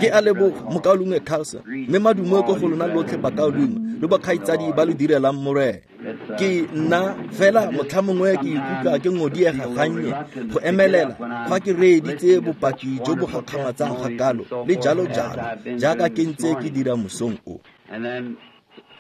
Ke a leboga mokaulengwe Carlson, mme madumo ko go lona lotlhe bakaulengwe le bokgaitsadi ba lo direlang Morena. Ke nna fela motlhamongwe ke ikutlwa ke ngodiega gannye go emelela fa ke reeditse bopaki jo bo gakgamatsang ga kalo le jalo jalo jaaka ke ntse ke dira mosong o.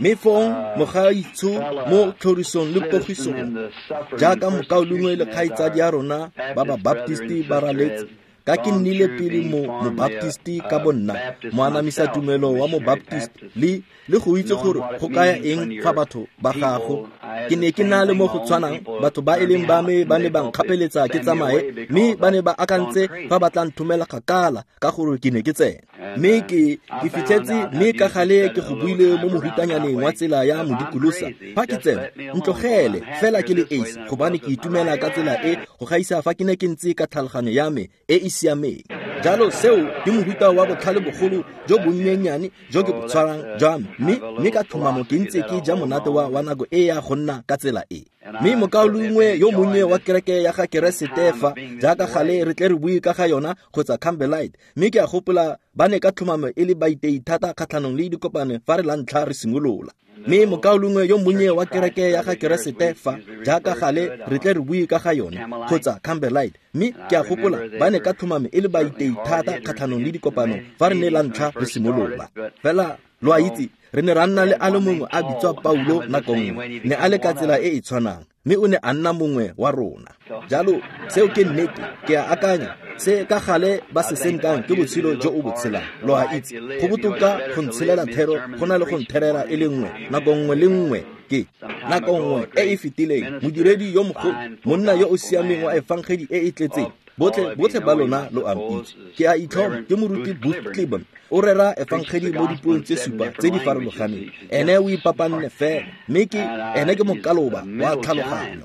Mme fong mogaitsho mo tlhorisong le pogisong jaaka mokaulengwe le kgaitsadi ya rona ba ba Baptisti ba raletse, ka ke nnile pele mo Mobaptisti ka bonna, moanamisa tumelo wa Mobaptisti, le go itse gore go kaya eng fa batho ba gago. Ke ne ke na le mo go tshwanang, batho ba e leng ba me ba ne ba nkgapeletsa ke tsamaye, mme ba ne ba akantse fa ba tla nthomela kgakala ka gore ke ne ke tsena. Mme ke fitlhetse, mme ka gale ke go buile mo mohutanyaneng wa tsela ya modikolosa, fa ke tsena ntlogele fela ke le esi, gobane ke itumela ka tsela e go gaisa fa ke ne ke ntse ka tlhaloganyo ya me e e siameng. Jalo seo ke mohuta wa botlhale bogolo jo bonnyenyane jo ke bo tshwarang jwa me, mme ka tlhomamo ke ntse ke ja monate wa nako e ya go nna ka tsela e. Mme mokaulengwe yo monnye wa kereke ya ga Keresete fa, jaaka gale re tle re bue ka ga yona kgotsa Campbellite, mme ke a gopola ba ne ka tlhomamo e le baitei thata kgatlhanong le dikopano fa re la ntlha re simolola. Mme mokaulengwe yo monnye wa kereke ya ga Keresete fa, jaaka gale re tle re bue ka ga yone kgotsa Campbellite, mme ke a gopola ba ne ka tlhomamo e le baitei thata kgatlhanong le dikopano fa re ne la ntlha re simolola. Fela lo a itse, re ne ra nna le a le mongwe a bitswa Paulo nako nngwe, ne a le ka tsela e e tshwanang, mme o ne a nna mongwe wa rona. Jalo seo ke nnete, ke a akanya se ka gale ba se senkang ke botshelo jo o bo tshelang. Lo a itse, go botoka go ntshelela thero go na le go ntherela e le nngwe nako nngwe le nngwe. Ke nako nngwe e e fetileng modiredi yo mogolo, monna yo o siameng wa efangedi e e tletseng, botlhe ba lona lo a itse, ke a itlhoma ke moruti Booth Clibborn, o rera efangedi mo dipuong tse supa tse di farologaneng. Ene o ipapanne fela, mme ke ene ke mokaloba wa tlhaloganyo.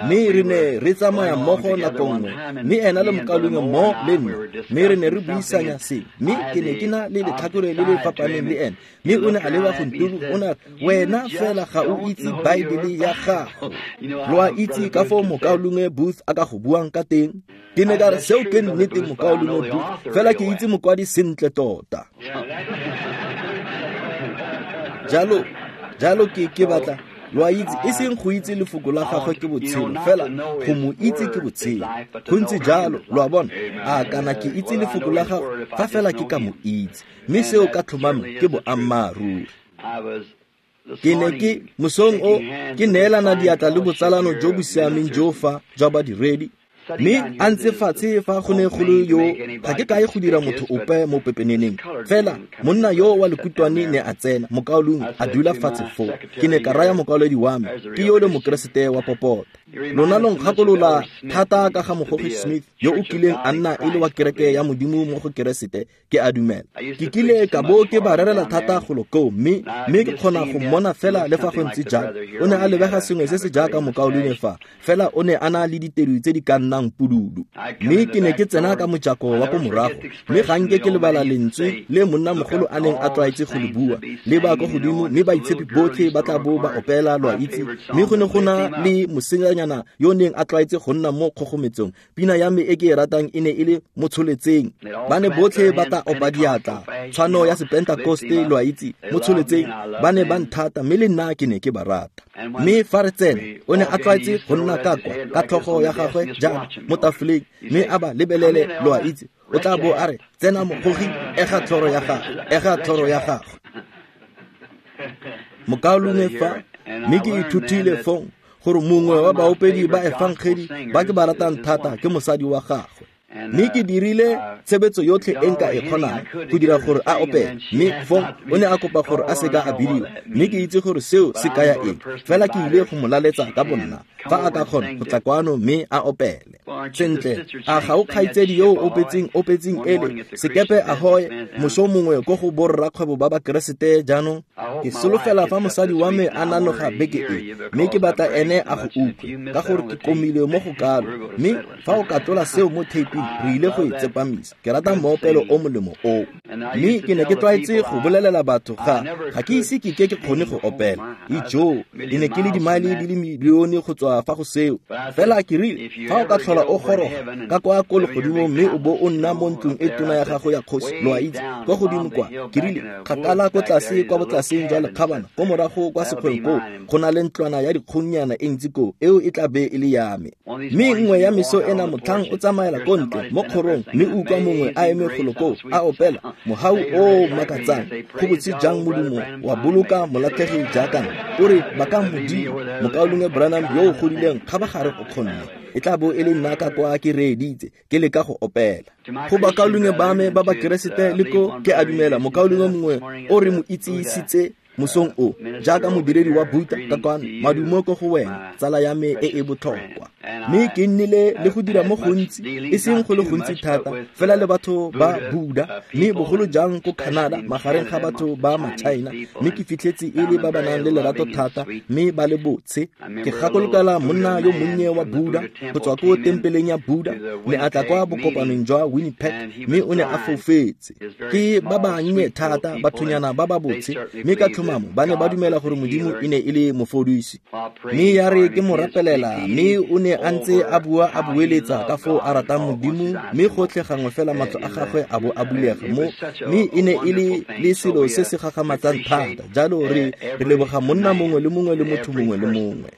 Mme re ne re tsamaya mmogo nako nngwe, mme ena le mokaulengwe mo le nna, mme re ne re buisanya se, mme ke ne ke na le letlhakore le le fapaneng le ene, mme o ne a leba go nturu, o ne a re, wena fela ga o itse Baebele ya gago. Lo a itse ka foo mokaulengwe Booth a ka go buang ka teng. Ke ne ka re, seo ke nnete mokaulengwe Booth, fela ke itse mokwadi sentle tota. Jalo ke batla lo a itse, e seng go itse lefoko la gagwe ke botshelo, fela go mo itse ke botshelo. Go ntse jalo, lo a bona, a kana ke itse lefoko la gagwe fa fela ke ka mo itse, mme seo ka tlhomamo ke boammaaruri. Ke ne ke mosong o ke neelana diatla le botsalano jo bo siameng jo fa jwa badiredi, mme a ntse fatshe fa go ne go le yo, ga ke kae go dira motho ope mo pepeneneng, fela monna yo wa lekutwane ne a tsena, mokaulengwe a dula fatshe foo. Ke ne ka raya mokauledi wa me, ke yo le mokeresete wa popota. Lona lo nkgakolola thata ka ga Mogogi Smith yo o kileng a nna e le wa kereke ya Modimo mo go Keresete, ke a dumela. Ke kile ka bo ke ba rerela thata golo koo, mme ke kgona go mmona fela le fa go ntse jalo. O ne a lebega sengwe se se jaaka mokaulengwe fa, fela o ne a na le ditedu tse di ka nnang pududu. Mme ke ne ke tsena ka mojako wa ko morago, mme ga nke ke lebala lentswe le monnamogolo a neng a tlwaetse go le bua, le ba ko godimo, mme baitshepi botlhe ba tla bo ba opela, lo a itse. Mme go ne go na le mosetsanyana yo neng a tlwaetse go nna mo kgogometsong. Pina ya me e ke e ratang e ne e le motsholetseng. Ba ne botlhe ba tla opa diatla, tshwano ya Sepentakoste, lo a itse, motsholetseng. Ba ne ba nthata, mme le nna ke ne ke ba rata. Mme fa re tsena, o ne a tlwaetse go nna ka kwa ka tlhogo ya gagwe jaana mo tafoleng, mme a ba lebelele, lo a itse. O tla bo a re, tsena mogogi, ega tlhoro ya gago, ega tlhoro ya gago. Mokaulengwe fa, mme ke ithutile fong gore mongwe wa baopedi ba efangedi ba ke ba ratang thata ke mosadi wa gagwe. Mme ke dirile tshebetso yotlhe e nka e kgonang go dira gore a opele, mme fong o ne a kopa gore a seka a bidiwa, mme ke itse gore seo se kaya eng, fela ke ile go mo laletsa ka bonna fa a ka kgona go tla kwano mme a opele. Sentle, a ga o kgaitsedi yo o opetseng ele sekepe ahoy moso mongwe ko go borrakgwebo ba Bakeresete jaanong? Ke solofela fa mosadi wa me a nanoga beke e, mme ke batla ene a go utlwe, ka gore ke komile mo go kalo. Mme fa o ka tlola seo mo taping, Modimo re ile go e tsepamisa. Ke rata moopelo o molemo oo. Mme ke ne ke tlwaetse go bolelela batho ga ke ise ke ke kgone go opela. Ijoo, ke ne ke le dimaele di le milione go tswa fa go seo. Fela ke rile, fa o ka tlhola o goroga ka kwa ko legodimong mme o bo o nna mo ntlong e tona ya gago ya kgosi, lo a itse, kwa godimo kwa, ke rile, kgakala ko tlase kwa botlaseng jwa lekgabana, ko morago kwa sekgweng koo, go na le ntlwana ya dikgongnyana e ntsi koo, eo e tla be e le ya me. Mme nngwe ya meso ena motlhang o tsamaela ko ntle mo kgorong mme o utlwa mongwe a eme golo koo a opela mohau o makatsang, go botse jang Modimo wa boloka molatlhegi jaaka nna. O re baka Modimo, mokaulengwe Branham yo o godileng kgabagare o kgonne. E tla bo e le nna ka kwa ke reeditse ke leka go opela. Go bakaulengwe ba me ba Bakeresete le ko ke a dumela mokaulengwe mongwe o re mo itsisitse mosong o jaaka modiredi wa Buddha ka kwano, madumo ko go wena tsala ya me e e botlhokwa. Mme ke nnile le go dira mo gontsi, e seng go le gontsi thata fela le batho ba Buddha, mme bogolo jang ko Canada magareng ga batho ba ma-China, mme ke fitlhetse e le ba ba nang le lerato thata mme ba le botshe. Ke gakolokela monna yo monnye wa Buddha go tswa ko tempeleng ya Buddha, ne a tla kwa bokopanong jwa Winnipeg mme o ne a foufetse. Ke ba bannye thata, bathonyana ba ba botshe, mme ka tlhomamo ba ne ba dumela gore Modimo e ne e le mofodisi. Mme ya re ke mo rapelela, mme o ne a ntse a bua a bueletsa ka foo a ratang Modimo, mme gotlhe gangwe fela matlho a gagwe a bo a bulega mo, mme e ne e le selo se se gagamatsang thata. Jalo re leboga monna mongwe le mongwe le motho mongwe le mongwe.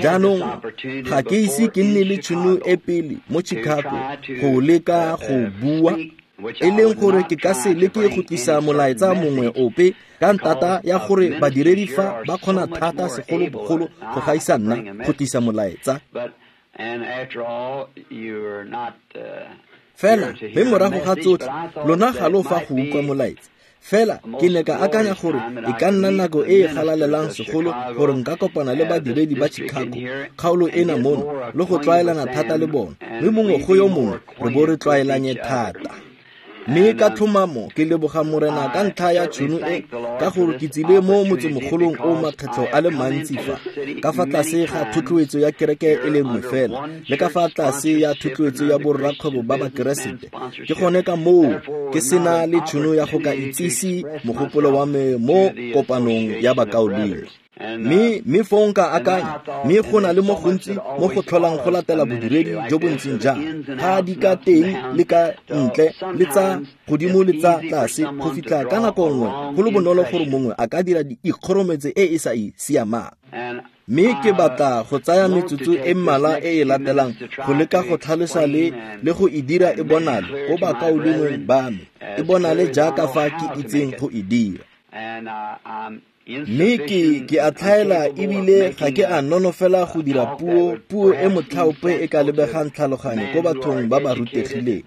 Jaanong ga ke ise ke nne le tšhono e pele mo Chicago go leka go bua, e leng gore ke ka se leke go tlisa molaetsa mongwe ope ka ntata ya gore badiredi fa ba kgona thata segolobogolo go gaisa nna go tlisa molaetsa. Fela mme morago ga tsotlhe lona ga lo fa go utlwa molaetsa. Fela ke ne ka akanya gore e ka nna nako e e galalelang segolo gore nka kopana le badiredi ba Chicago kgaolo ena mono le go tlwaelana thata le bona, mme mongwe go yo mongwe re bo re tlwaelanye thata. Mme ka tlhomamo ke leboga Morena ka ntlha ya tšhono e, ka gore ke tsile mo motsemogolong o makgetlho a le mantsi fa, ka fa tlase ga thotloetso ya kereke e le nngwe fela, le ka fa tlase ya thotloetso ya borrakgwebo ba Bakeresete. Ke gone ka moo ke sena le tšhono ya go ka itsise mogopolo wa me mo kopanong ya bakaulengwe. Mme fong ka akanya, mme go na le mo gontsi mo go tlholang go latela bodiredi jo bo ntseng jang, ga di ka teng le ka ntle le tsa godimo le tsa tlase, go fitlha ka nako nngwe go le bonolo gore mongwe a ka dira ikgorometse e e sa e siamang. Mme ke batla go tsaya metsotso e mmalwa e e latelang go leka go tlhalosa le go e dira e bonale ko bakaulengweng ba me, e bonale jaaka fa ke itseng go e dira. Mme ke a tlhaela ebile ga ke a nonofela go dira puo e motlhaope e ka lebegang tlhaloganyo ko bathong ba ba rutegileng.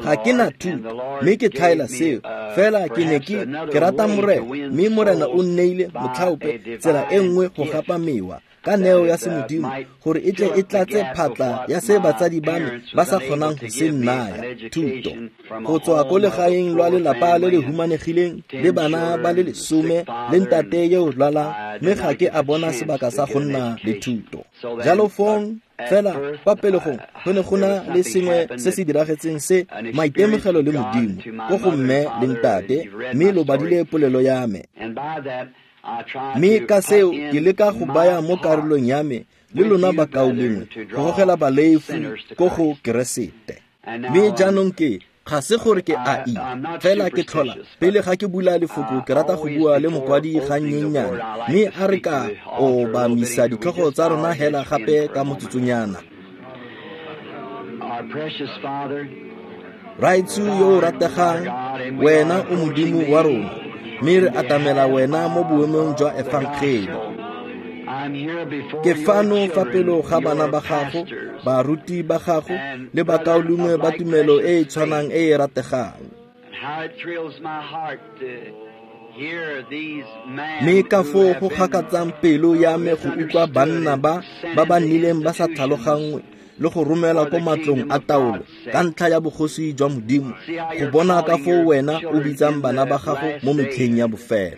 Ga ke na thuto, mme ke tlhaela seo, fela ke ne ke rata Morena, mme Morena o nneile motlhaope tsela e nngwe go gapa mewa ka neo ya semodimo gore e tle e tlatse phatla ya se batsadi ba me ba sa kgonang go se nnaya, thuto. Go tswa ko legaeng lwa lelapa le le humanegileng le bana ba le 10 le ntate yo o lwalang, mme ga ke a bona sebaka sa go nna le thuto. Jalo fong fela kwa pelegong go ne go na le sengwe se se diragetseng se maitemogelo le Modimo ko go mme le ntate, mme lo badile polelo ya me. Mme ka seo ke leka go baya mo karolong ya me le lona bakaulengwe go gogela balefi ko go Keresete. Mme jaanong ke ga se gore ke a i, fela ke tlhola pele ga ke bula lefoko ke rata go bua le mokwadi ga nnyennyane, mme a re ka obamisa ditlhogo tsa rona hela gape ka motsotsonyana. Raetsho yo o rategang, wena o Modimo wa rona, mme re atamela wena mo boemong jwa efangele. Ke fano fa pele ga bana ba gago, baruti ba gago, le bakaulengwe ba tumelo e e tshwanang e e rategang. Mme ka foo go gakatsang pelo ya me go utlwa banna ba ba nnileng ba sa tlhaloganngwe le go romela ko matlong a taolo ka ntlha ya bogosi jwa Modimo, go bona ka foo wena o bitsang bana ba gago mo metlheng ya bofelo.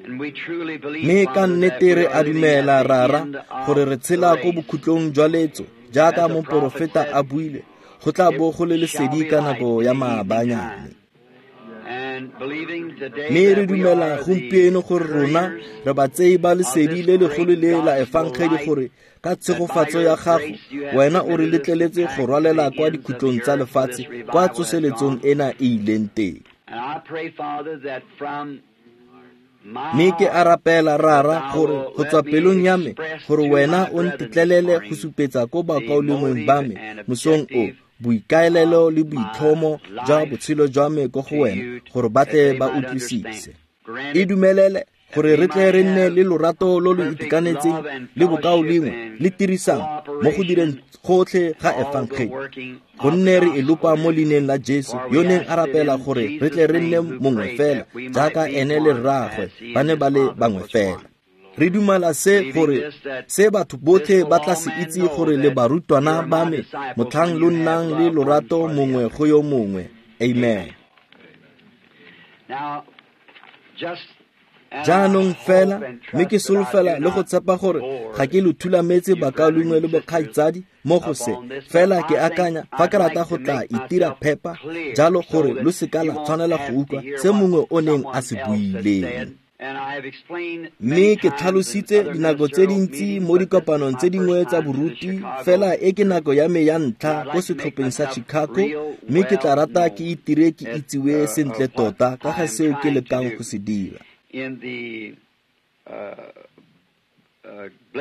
Mme ka nnete re a dumela, Rara, gore re tshela ko bokhutlong jwa letso, jaaka moporofeta a buile, go tla bo go le lesedi ka nako ya maabanyane. Mme re dumela gompieno gore rona re batsei ba lesedi le legolo le la efangedi, gore ka tshegofatso ya gago wena o re letleletse go rwalela kwa dikhutlong tsa lefatshe kwa tsoseletsong ena e ileng teng. Mme ke a rapela, Rara, gore go tswa pelong ya me gore wena o ntetlelele go supetsa ko bakaulengweng ba me mosong o boikaelelo le boitlhomo jwa botshelo jwa me ko go wena, gore ba tle ba utlwisise. E dumelele gore re tle re nne le lorato lo lo itekanetseng le bokaulengwe le tirisano mo go direng gotlhe ga efangedi, gonne re e lopa mo leineng la Jesu, yo neng a rapela gore re tle re nne mongwe fela jaaka ene le rraagwe ba ne ba le bangwe fela. Re dumela se, gore se batho botlhe ba tla se itse gore le barutwana ba me motlhang lo nnang le lorato mongwe go yo mongwe. Amen. Jaanong fela, mme ke solofela le go tshepa gore ga ke lo thulametse bakaulengwe le bokgaitsadi mo go se, fela ke akanya fa ke rata go tla itira phepa jalo gore lo seka la tshwanela go utlwa se mongwe o neng a se buileng. Mme ke tlhalositse dinako tse dintsi mo dikopanong tse dingwe tsa boruti, fela e ke nako ya me ya ntlha ko setlhopheng sa Chicago, mme ke tla rata ke itire ke itsiwe sentle tota ka ga seo ke lekang go se dira.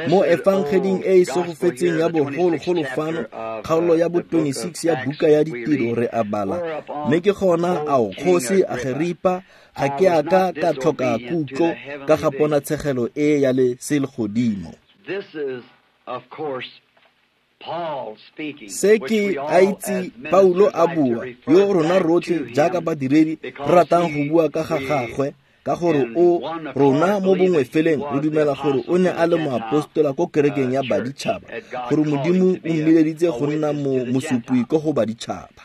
Mo efangeding e e segofetseng ya bogologolo fano, kgaolo ya bo 26 ya buka ya Ditiro re a bala, mme ke gona ao kgosi Ageripa, ga ke a ka ka tlhoka kutlo ka ga ponatshegelo e ya le selegodimo. Se ke a itse Paulo a bua, yo rona rotlhe jaaka badiredi re ratang go bua ka ga gagwe, ka gore o rona mo bongwe feleng re dumela gore o ne a le moapostola ko kerekeng ya baditšhaba, gore Modimo o mmileditse go nna mosupi ko go baditšhaba.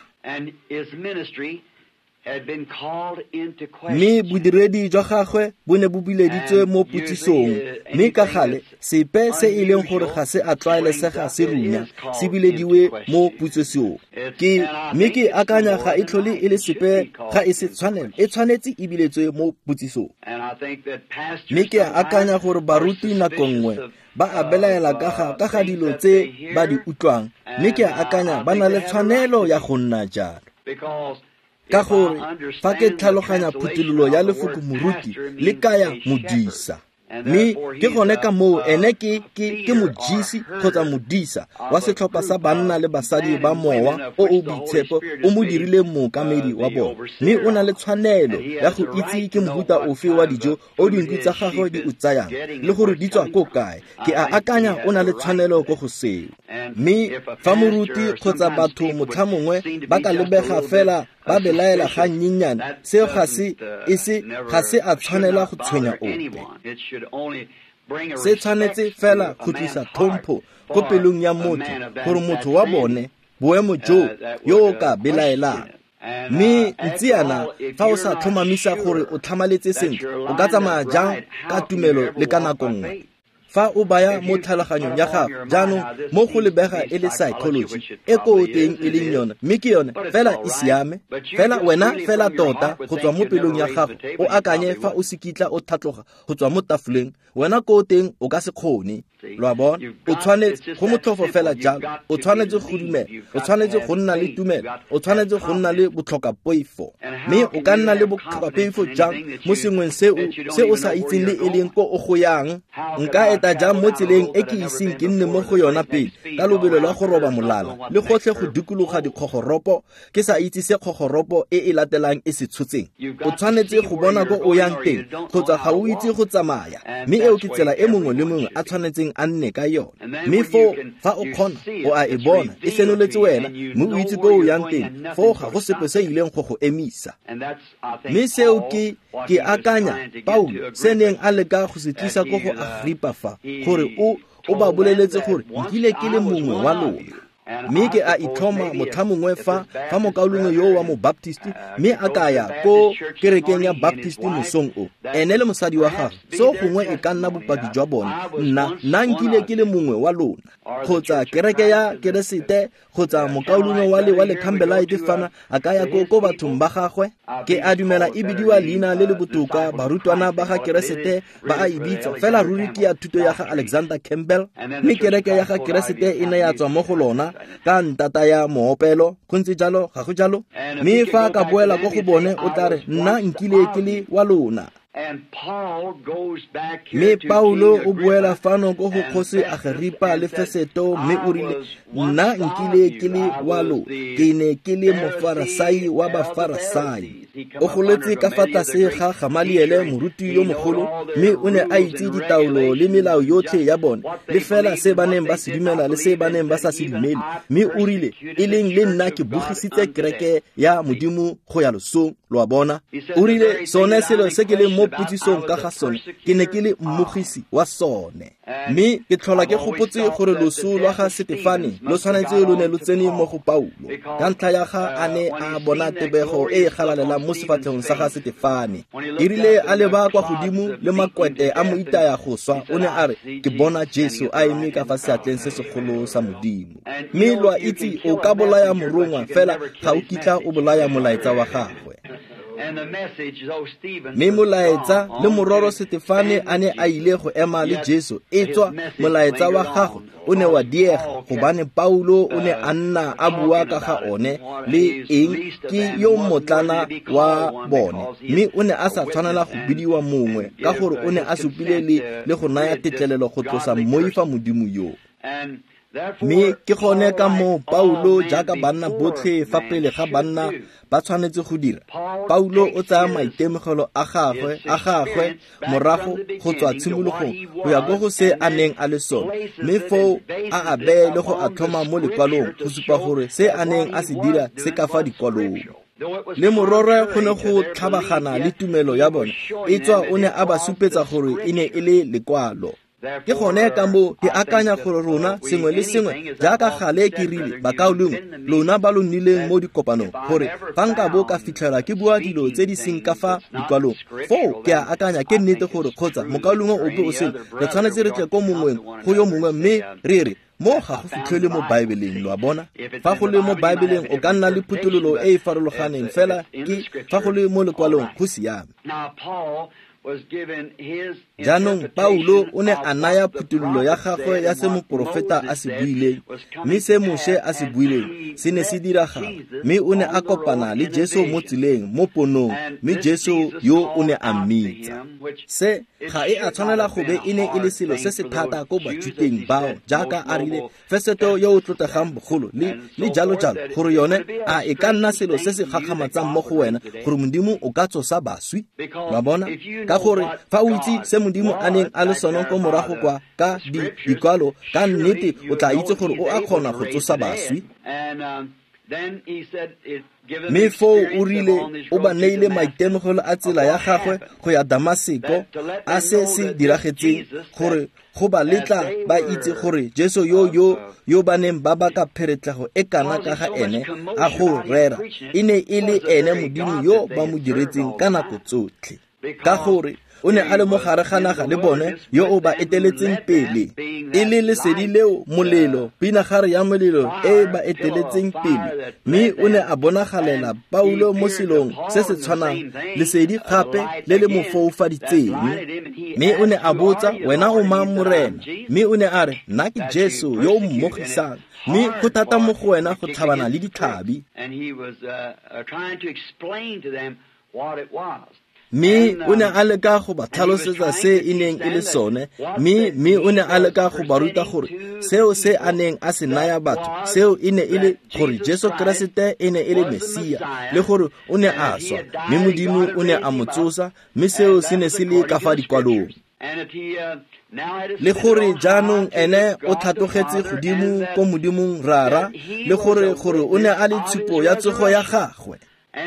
Mme bodiredi jwa gagwe bo ne bo bileditswe mo potsisong, mme ka gale sepe se e leng gore ga se a tlwaelesega se runya se bilediwe mo potsisong. Mme ke akanya ga e tlhole e le sepe, ga e se tshwanelo, e tshwanetse e biletswe mo potsisong. Mme ke akanya gore baruti nako nngwe ba a belaela ka ga dilo tse ba di utlwang, mme ke akanya ba na le tshwanelo ya go nna jalo. Ka gore fa ke tlhaloganya phuthololo ya lefoko moruti le kaya modisa, mme ke gone ka moo ene ke modisi kgotsa modisa wa setlhopha sa banna le basadi ba mowa o o boitshepo o mo dirileng mookamedi wa bone, mme o na le tshwanelo ya go itse ke mohuta ofe wa dijo o dinku tsa gagwe di o tsayang le gore di tswa ko kae. Ke a akanya o na le tshwanelo ko go seo. Mme fa moruti kgotsa batho motlha mongwe ba ka lebega fela ba belaela ga nnyenyane, seo ga se a tshwanela go tshwenya ope. Se tshwanetse fela go tlisa tlhompho ko pelong ya motho, gore motho wa bone boemo jo yo o ka belaelang. Mme ntsiana fa o sa tlhomamisa gore o tlhamaletse sentle, o ka tsamaya jang ka tumelo le ka nako nngwe? Fa o baya mo tlhaloganyong ya gago jaanong mo go lebega e le psychology e ko teng e leng yone, mme ke yone fela e siame fela wena fela tota go tswa mo pelong ya gago o akanye fa o se kitla o tlhatloga go tswa mo tafoleng, wena ko teng o ka se kgone. Lo a bona, o tshwanetse go motlhofo fela jalo, o tshwanetse go dumela, o tshwanetse go nna le tumelo, o tshwanetse go nna le botlhokapoifo. Mme o ka nna le botlhokapoifo jang mo sengweng se o sa itseng le e leng ko o go yang? Nka eta jang mo tseleng e ke iseng ke nne mo go yona pele ka lobelo lwa go roba molala le gotlhe go dikologa dikgogoropo ke sa itse se kgogoropo e e latelang e se tshotseng? O tshwanetse go bona ko o yang teng kgotsa ga o itse go tsamaya, mme eo ke tsela e mongwe le mongwe a tshwanetseng a nne ka yone. Mme foo fa o kgona o a e bona e senoletse wena, mme o itse ko o yang teng, foo ga go sepe se ileng go go emisa. Mme seo ke akanya Paulo se neng a leka go se tlisa ko go Agripa fa, gore o ba boleletse gore nkile ke le mongwe wa lona. Mme ke a itlhoma motlhamongwe fa mokaulengwe yo wa mo Baptist mme a ka ya ko kerekeng ya Baptist mosong o, ene le mosadi wa gagwe, seo gongwe e ka nna bopaki jwa bone, nna nkile ke le mongwe wa lona, kgotsa kereke ya Keresete, kgotsa mokaulengwe wa le Campbellite fana a ka ya ko bathong ba gagwe. Ke a dumela e bidiwa leina le le botoka, barutwana ba ga Keresete ba a e bitsa, fela ruri ke ya thuto ya ga Alexander Campbell, mme kereke ya ga Keresete e ne ya tswa mo go lona ka ntata ya moopelo. Go ntse jalo, ga go jalo? Mme fa a ka boela ko go bone o tla re, nna nkile ke le wa lona. Mme Paulo o boela fano ko go kgosi Agripa le Feseto, mme o rile, nna nkile ke le wa lo, ke ne ke le mofarasai wa bafarasai. O goletse ka fa tlase ga Gamaliele, moruti yo mogolo, mme o ne a itse ditaolo le melao yotlhe ya bone, le fela se ba neng ba se dumela le se ba neng ba sa se dumele. Mme o rile, e leng le nna ke bogisitse kereke ya Modimo go ya losong. Lo a bona? O rile, sone selo se ke leng mo potsisong ka ga sone, ke ne ke le mmogisi wa sone. Mme ke tlhola ke gopotse gore loso lwa ga Setefane lo tshwanetse lo ne lo tsene mo go Paulo, ka ntlha ya ga a ne a bona tebego e e galalelang mo sefatlhegong sa ga Setefane. E rile a leba kwa godimo le makwete a mo itaya go swa, o ne a re, ke bona Jesu a eme ka fa seatleng se segolo sa Modimo. Mme lo a itse, o ka bolaya morongwa, fela ga o kitla o bolaya molaetsa wa gagwe. Mme molaetsa, le mororo Setefane a ne a ile go ema le Jesu, e tswa molaetsa wa gagwe o ne wa diega, gobane Paulo o ne a nna a bua ka ga one le eng ke yo mmotlana wa bone, mme o ne a sa tshwanela go bidiwa mongwe, ka gore o ne a supile le go naya tetlelelo go tlosa mmoifa Modimo yo. Mme ke gone ka moo Paulo, jaaka banna botlhe fa pele ga banna ba tshwanetse go dira, Paulo o tsaya maitemogelo a gagwe morago go tswa tshimologong go ya ko go se a neng a le sone, mme foo a a beye le go a tlhoma mo lekwalong go supa gore se a neng a se dira se ka fa dikwalong. Le mororo go ne go tlhabagana le tumelo ya bone, e tswa o ne a ba supetsa gore e ne e le lekwalo. Ke gone ka moo ke akanya gore rona sengwe le sengwe, jaaka gale ke rile bakaulengwe lona ba lo nnileng mo dikopanong, gore fa nka bo ka fitlhela ke bua dilo tse di seng ka fa dikwalong, foo ke a akanya ke nnete gore kgotsa mokaulengwe ope o sele, re tshwanetse re tle ko mongweng go yo mongwe mme re re, mo ga go fitlhelwe mo Baebeleng. Lo a bona? Fa go le mo Baebeleng o ka nna le phuthololo e e farologaneng, fela ke fa go le mo lekwalong go siame. Jaanong Paulo o ne a naya phuthololo ya gagwe ya se moporofeta a se buileng, mme se Moshe a se buileng se ne se diragala, mme o ne a kopana le Jesu mo tseleng mo ponong, mme Jesu yo o ne a mmitsa. Se ga e a tshwanela go be e ne e le selo se se thata ko Bajuteng bao, jaaka a rile Feseto yo o tlotlegang bogolo le jalo jalo, gore yone a e ka nna selo se se gakgamatsang mo go wena gore Modimo o ka tsosa baswi. Wa bona? Ka gore fa o itse se Modimo a neng a le sone ko morago kwa ka dikwalo, ka nnete o tla itse gore o a kgona go tsosa baswi. Mme foo o rile o ba neile maitemogelo a tsela ya gagwe go ya Damaseko, a se se diragetseng, gore go ba letla ba itse gore Jesu yo ba neng ba baka pheretlego e kana ka ga ene a go rera, e ne e le ene Modimo yo ba mo diretseng ka nako tsotlhe. Ka gore o ne a le mo gare ga naga le bone yo o ba eteletseng pele, e le lesedi leo molelo, pinagare ya molelo e ba eteletseng pele, mme o ne a bonagalela Paulo mo selong se se tshwanang, lesedi gape le le mo foufaditseng. Mme o ne a botsa, wena o mang Morena? Mme o ne a re, nna ke Jesu yo o mmogisang, mme go thata mo go wena go tlhabana le ditlhabi. Mme o ne a leka go ba tlhalosetsa se e neng e le sone, mme o ne a leka go ba ruta gore seo se a neng a se naya batho, seo e ne e le gore Jesu Keresete e ne e le Mesia, le gore o ne a swa, mme Modimo o ne a mo tsosa, mme seo se ne se le ka fa dikwalong. Le gore jaanong ene o tlhatlogetse godimo ko Modimong Rara, le gore o ne a le tshupo ya tsogo ya gagwe.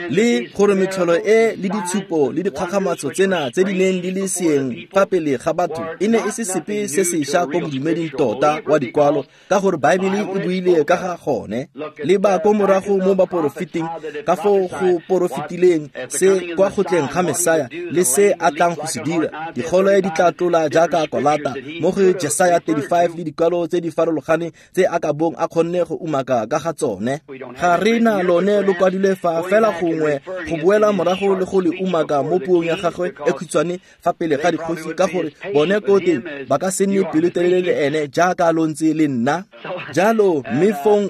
Le gore metlholo e le ditshupo le dikgakgamatso tsena tse di neng di le seeng fa pele ga batho e ne e se sepe se sešwa ko bodumeding tota wa dikwalo, ka gore Baebele e buile ka ga gone. Le ba ko morago mo baporofeting ka foo go porofetileng se kwa go tleng ga Mesaya le se a tlang go se dira. Digole di tla tlola jaaka kolata mo go Jesaya 35 le dikwalo tse di farologaneng tse a ka bong a kgonne go umaka ka ga tsone. Ga re na lone lo kwadilwe fa fela gongwe go boela morago le go le umaka mo puong ya gagwe e khutshwane fa pele ga dikgosi, ka gore bone ko teng ba ka se nne pelotelele le ene jaaka lo ntse le nna. Jalo mme fong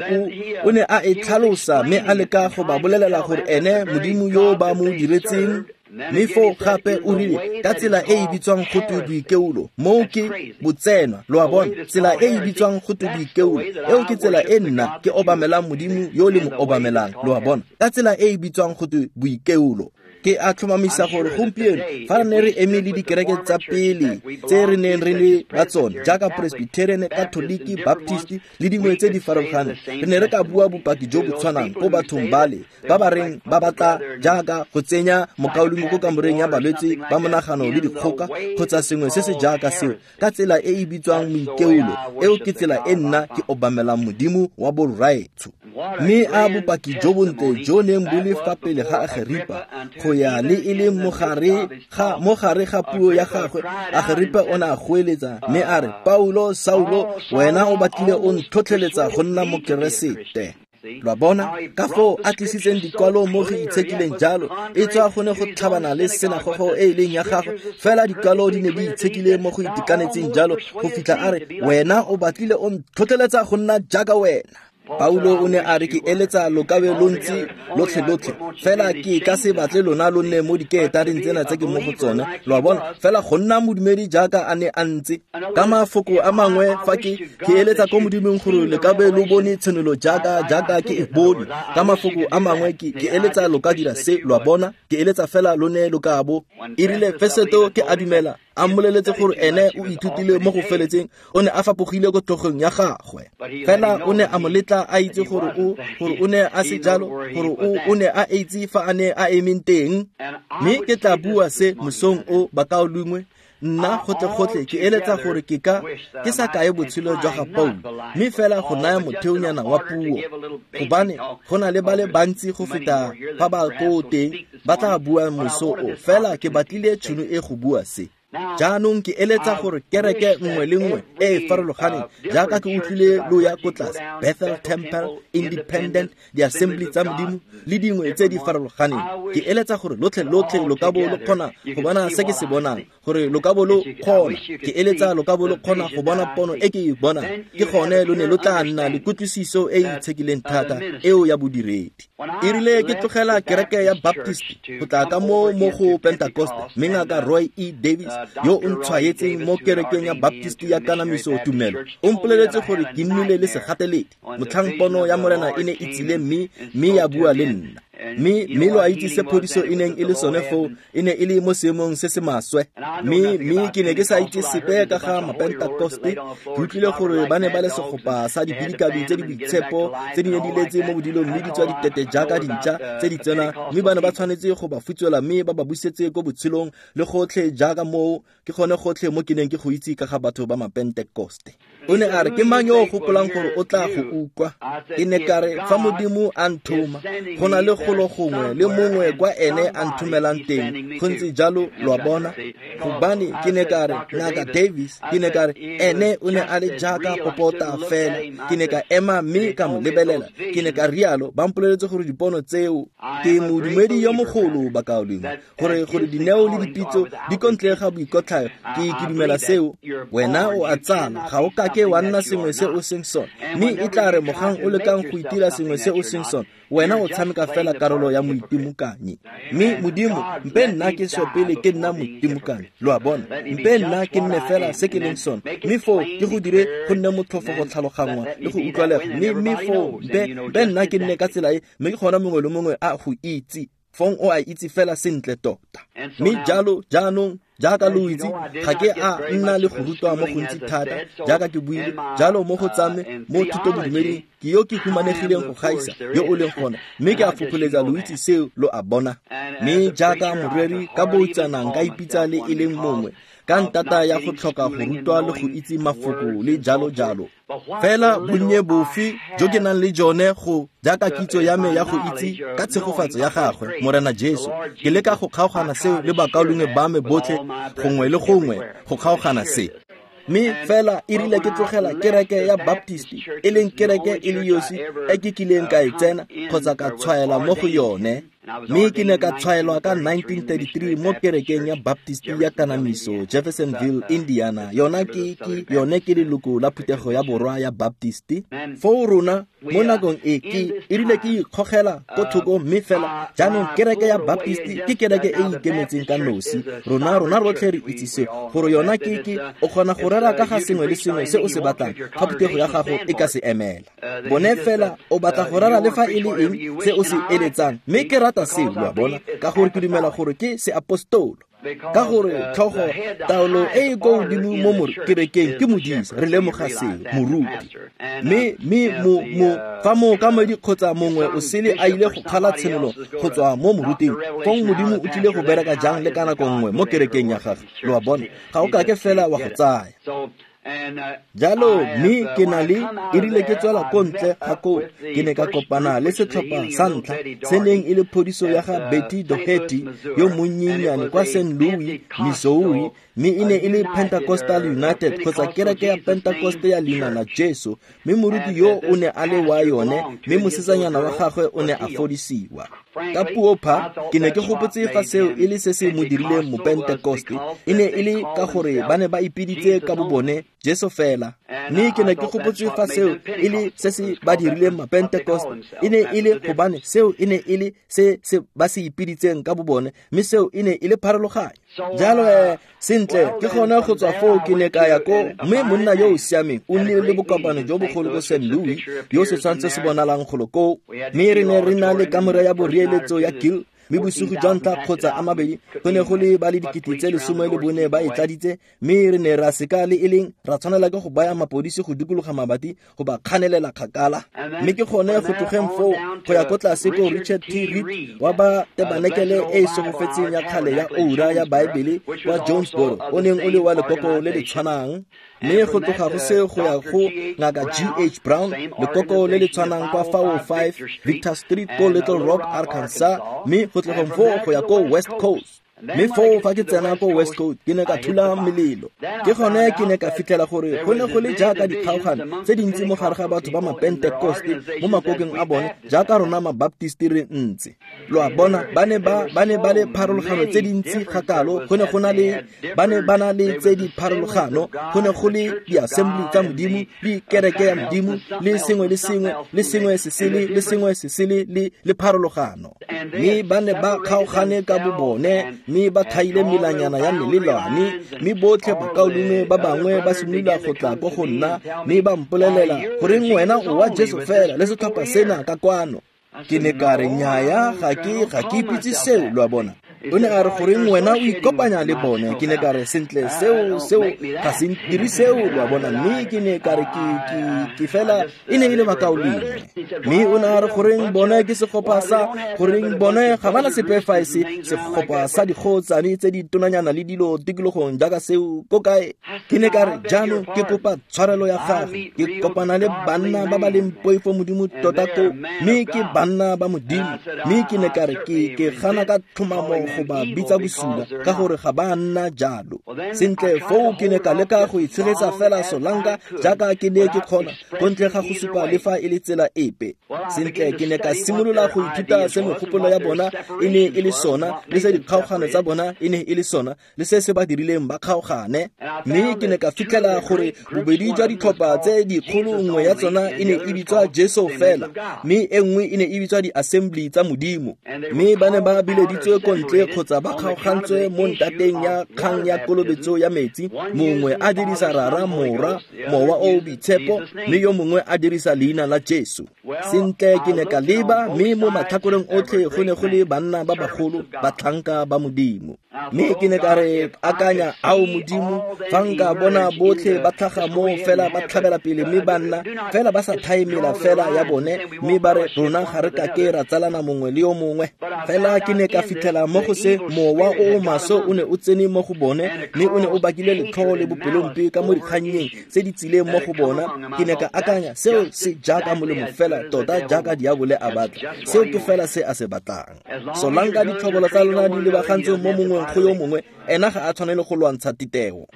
o ne a e tlhalosa mme a leka go ba bolelela gore ene Modimo yo ba mo diretseng. Mme foo gape o rile ka tsela e e bitswang go twe boikeolo, moo ke botsenwa, lo a bona, tsela e e bitswang go twe boikeolo, eo ke tsela e nna ke obamelang Modimo yo le mo obamelang, lo a bona, ka tsela e e bitswang go twe boikeolo. Ke a tlhomamisa gore gompieno fa re ne re eme le dikereke tsa pele tse re neng re le ba tsone jaaka Presbyterian, Catholic, Baptist le dingwe tse di farologaneng, re ne re ka bua bopaki jo bo tshwanang ko bathong bale ba ba reng ba batla jaaka go tsenya mokaulengwe ko kamoreng ya balwetse ba monagano le dikgoka kgotsa sengwe se se jaaka seo, ka tsela e e bitswang moikeolo. Eo ke tsela e nna ke obamelang Modimo wa borraetsho. Mme a bopaki jo bontle jo neng bo le fa pele ga Ageripa go ya le e leng mo gare ga puo ya gagwe, Ageripa o ne a goeletsa mme a re, Paulo, Saulo, wena o batlile o ntlhotlheletsa go nna Mokeresete. Lo a bona ka foo a tlisitseng dikwalo mo go itshekileng jalo, e tswa go ne go tlhabana le senagogo e e leng ya gagwe, fela dikwalo di ne di itshekile mo go itekanetseng jalo go fitlha a re, wena o batlile o ntlhotlheletsa go nna jaaka wena. Paulo o ne a re, ke eletsa lo ka be lo ntse lotlhe-lotlhe, fela ke ka se batle lona lo nne mo dikeetareng tsena tse ke mo go tsone, lo a bona, fela go nna modumedi jaaka a ne a ntse. Ka mafoko a mangwe, fa ke eletsa ko Modimong gore le ka be lo bone tshenolo jaaka ke e bone. Ka mafoko a mangwe, ke eletsa lo ka dira se, lo a bona, ke eletsa fela lo ne lo ka bo. E rile Feseto ke a dumela a mmoleletse gore ene o ithutile mo go feletseng, o ne a fapogile ko tlhogong ya gagwe, fela o ne a mo letla a itse gore o ne a se jalo, gore o ne a itse fa a ne a emeng teng. Mme ke tla bua se mosong o, bakaulengwe, nna gotlhe-gotlhe ke eletsa gore ke sa kae botshelo jwa ga Paulo, mme fela go naya motheonyana wa puo, gobane go na le ba le bantsi go feta fa ba ko teng ba tla bua moso o, fela ke batlile tšhono e go bua se. Jaanong ke eletsa gore kereke nngwe le nngwe e e farologaneng, jaaka ke utlwile lo ya ko tlase, Bethel Temple, Independent, di-Assembly tsa Modimo le dingwe tse di farologaneng, ke eletsa gore lotlhe-lotlhe lo ka bo lo kgona go bona se ke se bonang, gore lo ka bo lo kgona, ke eletsa lo ka bo lo kgona go bona pono e ke e bonang, ke gone lo ne lo tla nna le kutlwisiso e e itshekileng thata eo ya bodiredi. E rile ke tlogela kereke ya Baptist go tla ka mo go Pentecost, mme ngaka Roy E. Davis yo o ntshwaetseng mo kerekeng ya Baptist ya kanamiso tumelo o mpoleletse gore ke nnile le segateledi motlhang pono ya Morena e ne e tsile mme ya bua le nna. Mme lo a itse se phodiso e neng e le sone foo, e ne e le mo seemong se se maswe. Mme ke ne ke sa itse sepe ka ga Mapentekoste. Ke utlwile gore ba ne ba le segopa sa dibidikadi tse di boitshepo tse di ne di letse mo bodilong mme di tswa ditete jaaka dintša tse di tsena, mme ba ne ba tshwanetse go ba futswela mme ba ba busetse ko botshelong le gotlhe jaaka moo. Ke gone gotlhe mo ke neng ke go itse ka ga batho ba Mapentekoste. O ne a re, ke mang yo o gopolang gore o tla go utlwa? Ke ne ka re, fa Modimo a nthoma, go na le golo gongwe le mongwe kwa ene a nthomelang teng. Go ntse jalo, lo a bona. Gobane ke ne ka re, Ngaka Davis, ke ne ka re, ene o ne a le jaaka popota fela. Ke ne ka ema mme ka mo lebelela. Ke ne ka rialo, ba mpoleletse gore dipono tseo, ke modumedi yo mogolo bakaulengwe, gore dineo le dipitso di kontle ga boikotlhayo. Ke dumela seo. Wena o a tsala, ga o kake wa nna sengwe se o seng sone, mme e tla re mogang o lekang go itira sengwe se o seng sone, wena o tshameka fela karolo ya moitimokanyi. Mme Modimo, mpe nna ke swe pele ke nna moitimokanyi, lo a bona, mpe nna ke nne fela se ke leng sone, mme foo ke go dire go nne motlhofo go tlhaloganngwa le go utlwalega. Mme foo mpe nna ke nne ka tsela e, mme ke gona mongwe le mongwe a go itse. Fong o a itse fela sentle tota. Mme jalo jaanong jaaka lo itse, ga ke a nna le go rutwa mo gontsi thata jaaka ke buile jalo mo go tsame mo thutobodumeding. Ke yo ke humanegileng go gaisa yo o leng gona, mme ke a fopholetsa lo itse seo, lo a bona. Mme jaaka moreri ka boutsanang ka ipitsa le e leng mongwe ka ntata ya go tlhoka go rutwa le go itse mafoko le jalo jalo. Fela bonnye bofe jo ke nang le jone go jaaka kitso ya me ya go itse ka tshegofatso ya gagwe Morena Jesu, ke leka go kgaogana seo le bakaulengwe ba me botlhe gongwe le gongwe, go kgaogana se. Mme fela e rile ke tlogela kereke ya Baptist, e leng kereke e le yosi e ke kileng ka e tsena kgotsa ka tshwaela mo go yone. Mme ke ne ka tshwaelwa ka 1933 mo kerekeng ya Baptist ya Kanamiso, Jeffersonville, Indiana. Yona ke yone ke leloko la phuthego ya borwa ya Baptist. Foo rona mo nakong e ke e rile ke ikgogela ko thoko, mme fela jaanong kereke ya Baptist ke kereke e ikemetseng ka nosi. Rona rotlhe re itse seo, gore yona ke o kgona go rera ka ga sengwe le sengwe se o se batlang fa phuthego ya gago e ka se emela. Bone fela o batla go rera le fa e le eng se o se eletsang, mme ke rata seo, lo a bona, ka gore ke dumela gore ke seapostolo. Ka gore tlhogo taolo e e ko godimo mo kerekeng ke modisa, re lemoga seo, moruti. Mme fa mookamedi kgotsa mongwe o sele a ile go kgala tshenolo go tswa mo moruting, fong Modimo o tlile go bereka jang le ka nako nngwe mo kerekeng ya gagwe, lo a bona, ga o kake fela wa go tsaya. Jalo mme ke na le e rile ke tswela ko ntle ga koo, ke ne ka kopana le setlhopha sa ntlha se neng e le phodiso ya ga Betty Doherty yo monnyenyane kwa St. Louis, Missouri, mme e ne e le Pentecostal United kgotsa kereke ya Pentecost ya leina la Jesu, mme moruti yo o ne a le wa yone, mme mosetsanyana wa gagwe o ne a fodisiwa. Ka puo pha, ke ne ke gopotse fa seo e le se se mo dirileng mopentekoste, e ne e le ka gore ba ne ba ipiditse ka bobone Jesu fela. Mme ke ne ke gopotse fa seo e le se se ba dirileng mapentekoste, e ne e le gobane seo e ne e le se se ba se ipiditseng ka bobone, mme seo e ne e le pharologanyo. Jalo sentle ke gone go tswa foo ke ne ka ya ko, mme monna yo o siameng o nnile le bokopano jo bogolo ko St. Louis, yo setshwantsho se bonalang golo koo, mme re ne re na le kamore ya boreeletso ya Gill, mme bosigo jwa ntlha kgotsa a mabedi go ne go le ba le 14,000 ba e tladitse, mme re ne ra seka le e leng ra tshwanela ke go baya mapodisi go dikologa mabati go ba kganelela kgakala. Mme ke gone go tlogeng foo go ya ko tlase ko Richard T. Reed wa ba tebanekele e e segofetseng ya kgale ya oura ya Baebele kwa Jonesboro, o neng o le wa lekoko le le tshwanang. Mme go tloga go se go ya go Ngaka G.H. Brown, lekoko le le tshwanang kwa 505 Victor Street ko Little Rock, Arkansas, mme go tlogeng foo go ya ko West Coast. Mme foo fa ke tsena ko West Coast ke ne ka thula melelo. Ke gone ke ne ka fitlhela gore go ne go le jaaka dikgaogano tse dintsi mo gare ga batho ba mapentekoste mo makokeng a bone jaaka rona mabaptist re ntse. Lo a bona, ba ne ba le pharologano tse dintsi gakalo, go ne go na le ba ne ba na le tse di pharologano, go ne go le di-assembly tsa Modimo le kereke ya Modimo le sengwe le sengwe le sengwe se sele le sengwe se sele le pharologano. Mme ba ne ba kgaogane ka bobone, mme ba thaile melanyana ya melelwane, mme botlhe bakaulengwe ba bangwe ba simolola go tla ko go nna, mme ba mpolelela goreng wena o wa Jesu fela le setlhopha sena ka kwano. Ke ne ka re nnyaya, ga ke ipitse seo, lo a bona. O ne a re goreng wena o ikopanya le bone. Ke ne ka re sentle seo ga se ntire seo, lo a bona. Mme ke ne ka re ke fela e ne e le bakaulengwe. Mme o ne a re goreng bone ke segopa sa goreng bone ga bana sepe fa e se segopa sa dikgotsane tse di tonanyana le dilo tikologong jaaka seo ko kae. Ke ne ka re jaanong ke kopa tshwarelo ya gago, ke kopana le banna ba ba leng poifo Modimo tota ko, mme ke banna ba Modimo. Mme ke ne ka re ke gana ka tlhomamo go ba bitsa bosula ka gore ga ba nna jalo. Sentle foo ke ne ka leka go itshegetsa fela solanka jaaka ke ne ke kgona, ko ntle ga go supa le fa e le tsela epe. Sentle ke ne ka simolola go ithuta se megopolo ya bona e ne e le sona, le se dikgaogano tsa bona e ne e le sona, le se se ba dirileng ba kgaogane. Mme ke ne ka fitlhela gore bobedi jwa ditlhopha tse dikgolo nngwe ya tsona e ne e bitswa Jesu fela, mme e nngwe e ne e bitswa di-assembly tsa Modimo. Mme ba ne ba bileditswe ko ntle kgotsa ba kgaogantswe mo ntateng ya kgang ya kolobetso ya metsi, mongwe a dirisa Rara, Morwa, Mowa o Boitshepo, mme yo mongwe a dirisa leina la Jesu. Sentle ke ne ka leba, mme mo matlhakoreng otlhe go ne go le banna ba bagolo, batlhanka ba Modimo. Mme ke ne ka re akanya, ao Modimo, fa nka bona botlhe ba tlhaga mo fela ba tlhabela pele mme ba nna fela ba sa thaemela fela ya bone, mme ba re rona ga re kake ra tsalana mongwe le yo mongwe. Fela ke ne ka fitlhela mo go se mowa o o maswe o ne o tsene mo go bone, mme o ne o bakile letlhoo le bopelompe ka mo dikgannyeng tse di tsileng mo go bona. Ke ne ka akanya, seo se jaaka molemo fela tota jaaka diabole a batla, seo ke fela se a se batlang. Solanka ditlhobolo tsa lona di lebagantswe mo mongweng go yo mongwe, ena ga a tshwanele go lwantsha titeo.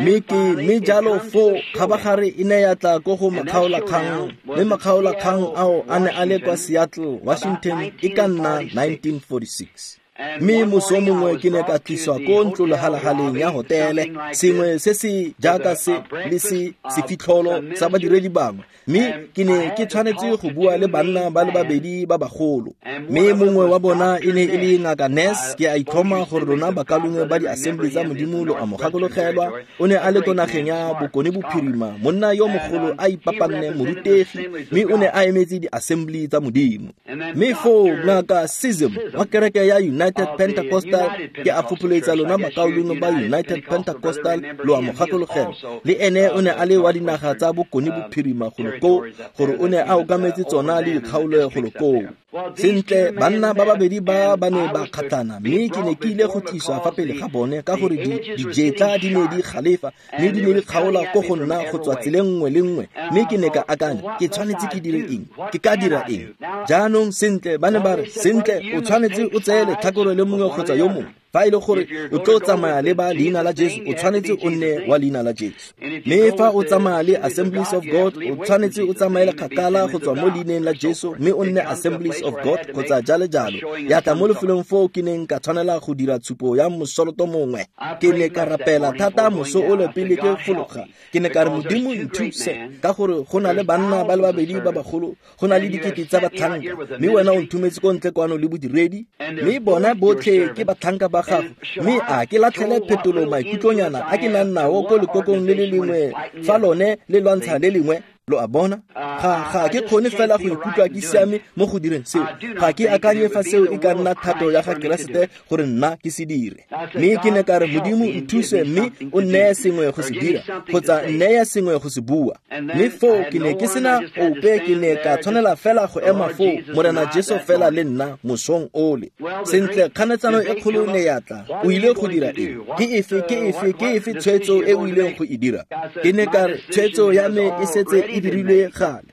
Mme jalo foo kgabagare e ne ya tla ko go makgaolakgang, mme makgaolakgang ao a ne a le kwa Seattle, Washington, e ka nna 1946. Mme moso mongwe ke ne ka tliswa ko ntlolehalahaleng ya hotele, sengwe se se jaaka se le se sefitlholo sa badiredi bangwe, mme ke ne ke tshwanetse go bua le banna ba le babedi ba bagolo. Mme mongwe wa bona e ne e le Ngaka Ness. Ke a itlhoma gore rona bakalongwe ba di-assembly tsa Modimo lo a mo gakologelwa. O ne a le ko nageng ya Bokone Bophirima, monna yo mogolo a ipapanne morutegi, mme o ne a emetse di-assembly tsa Modimo. Mme foo Ngaka Sism wa kereke ya United Pentecostal, ke a fopholetsa lona bakaulengwe ba United Pentecostal lo a mo gakologelwa, le ene o ne a le wa dinaga tsa Bokone Bophirima golo koo, gore o ne a okametse tsona le dikgaolo golo koo. Sentle, banna ba babedi ba ba ne ba kgatlhana, mme ke ne ke ile go tliswa fa pele ga bone ka gore dijetla di ne di galefa, mme di ne di kgaola ko go nna go tswa tseleng nngwe le nngwe. Mme ke ne ka akanya, ke tshwanetse ke dire eng? Ke ka dira eng? Jaanong sentle, ba ne ba re, sentle, o tshwanetse o tseye letlhakore le mongwe kgotsa yo mongwe. Fa e le gore o tlo tsamaya le ba leina la Jesu, o tshwanetse o nne wa leina la Jesu. Mme fa o tsamaya le Assemblies of God, o tshwanetse o tsamaele kgakala go tswa mo leineng la Jesu, mme o nne Assemblies of God kgotsa jalo jalo. Ya tla mo lefelong foo ke neng ka tshwanela go dira tshupo ya mosoloto mongwe. Ke ne ka rapela thata moso ole pele ke fologa. Ke ne ka re, Modimo nthuse, ka gore go na le banna ba le babedi ba bagolo, go na le dikete tsa batlhanka, mme wena o nthometse ko ntle kwano le bodiredi, mme bona botlhe ke batlhanka ba gago. Mme a ke latlhele phetolo maikutlonyana a ke nang nao ko lekokong le le lengwe fa lone le lwantsha le lengwe. Lo a bona? Ga ke kgone fela go ikutlwa ke siame mo go direng seo. Ga ke akanye fa seo e ka nna thato ya ga Keresete gore nna ke se dire. Mme ke ne ka re, Modimo nthuse mme o nneye sengwe go se dira, kgotsa nneye sengwe go se bua. Mme foo ke ne ke sena ope, ke ne ka tshwanela fela go ema foo, Morena Jesu fela le nna mosong ole. Sentle, kganetsano e kgolo ne ya tla. O ile go dira eng? Ke efe tshwetso e o ileng go e dira? Ke ne ka re, tshwetso ya me e setse e dirilwe gale.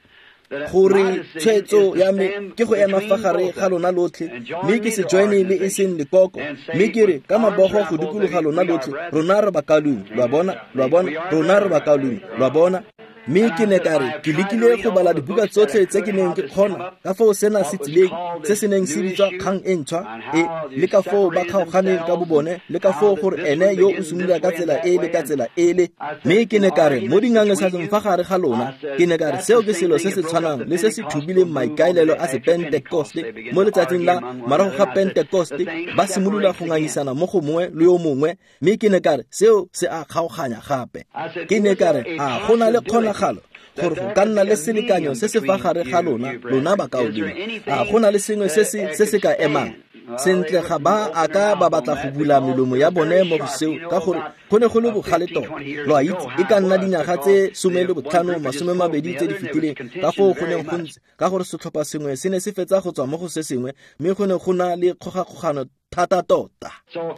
Gore tshwetso ya me ke go ema fa gare ga lona lotlhe, mme ke se joine le e seng lekoko, mme ke re ka mabogo go dikologa lona lotlhe, rona re bakalong. Lo a bona? Lo a bona? Rona re bakalong. Lo a bona? Mme ke ne ka re, ke lekile go bala dibuka tsotlhe tse ke neng ke kgona, ka foo sena se tsileng, se se neng se bitswa kgang e ntšhwa, e le ka foo ba kgaoganeng ka bobone, le ka foo gore ene yo o simolola ka tsela e le ka tsela ele. Mme ke ne ka re, mo dingangisanong fa gare ga lona, ke ne ka re, seo ke selo se se tshwanang le se se thubileng maikaelelo a sepentekoste mo letsatsing la morago ga Pentekoste, ba simolola go ngangisana mo go mongwe le yo mongwe. Mme ke ne ka re, seo se a kgaoganya gape. Ke ne ka re, a go na le kgonagalo gore go ka nna le selekanyo se se fa gare ga lona, lona bakaulengwe? A go na le sengwe se se ka emang? Sentle, ga ba a ka ba batla go bula melomo ya bone mo go seo, ka gore go ne go le bogale tota. Lo a itse, e ka nna dinyaga tse 15 20 tse di fetileng, ka foo go neng go ntse, ka gore setlhopha sengwe se ne se fetsa go tswa mo go se sengwe, mme go ne go na le kgogakgogano thata tota.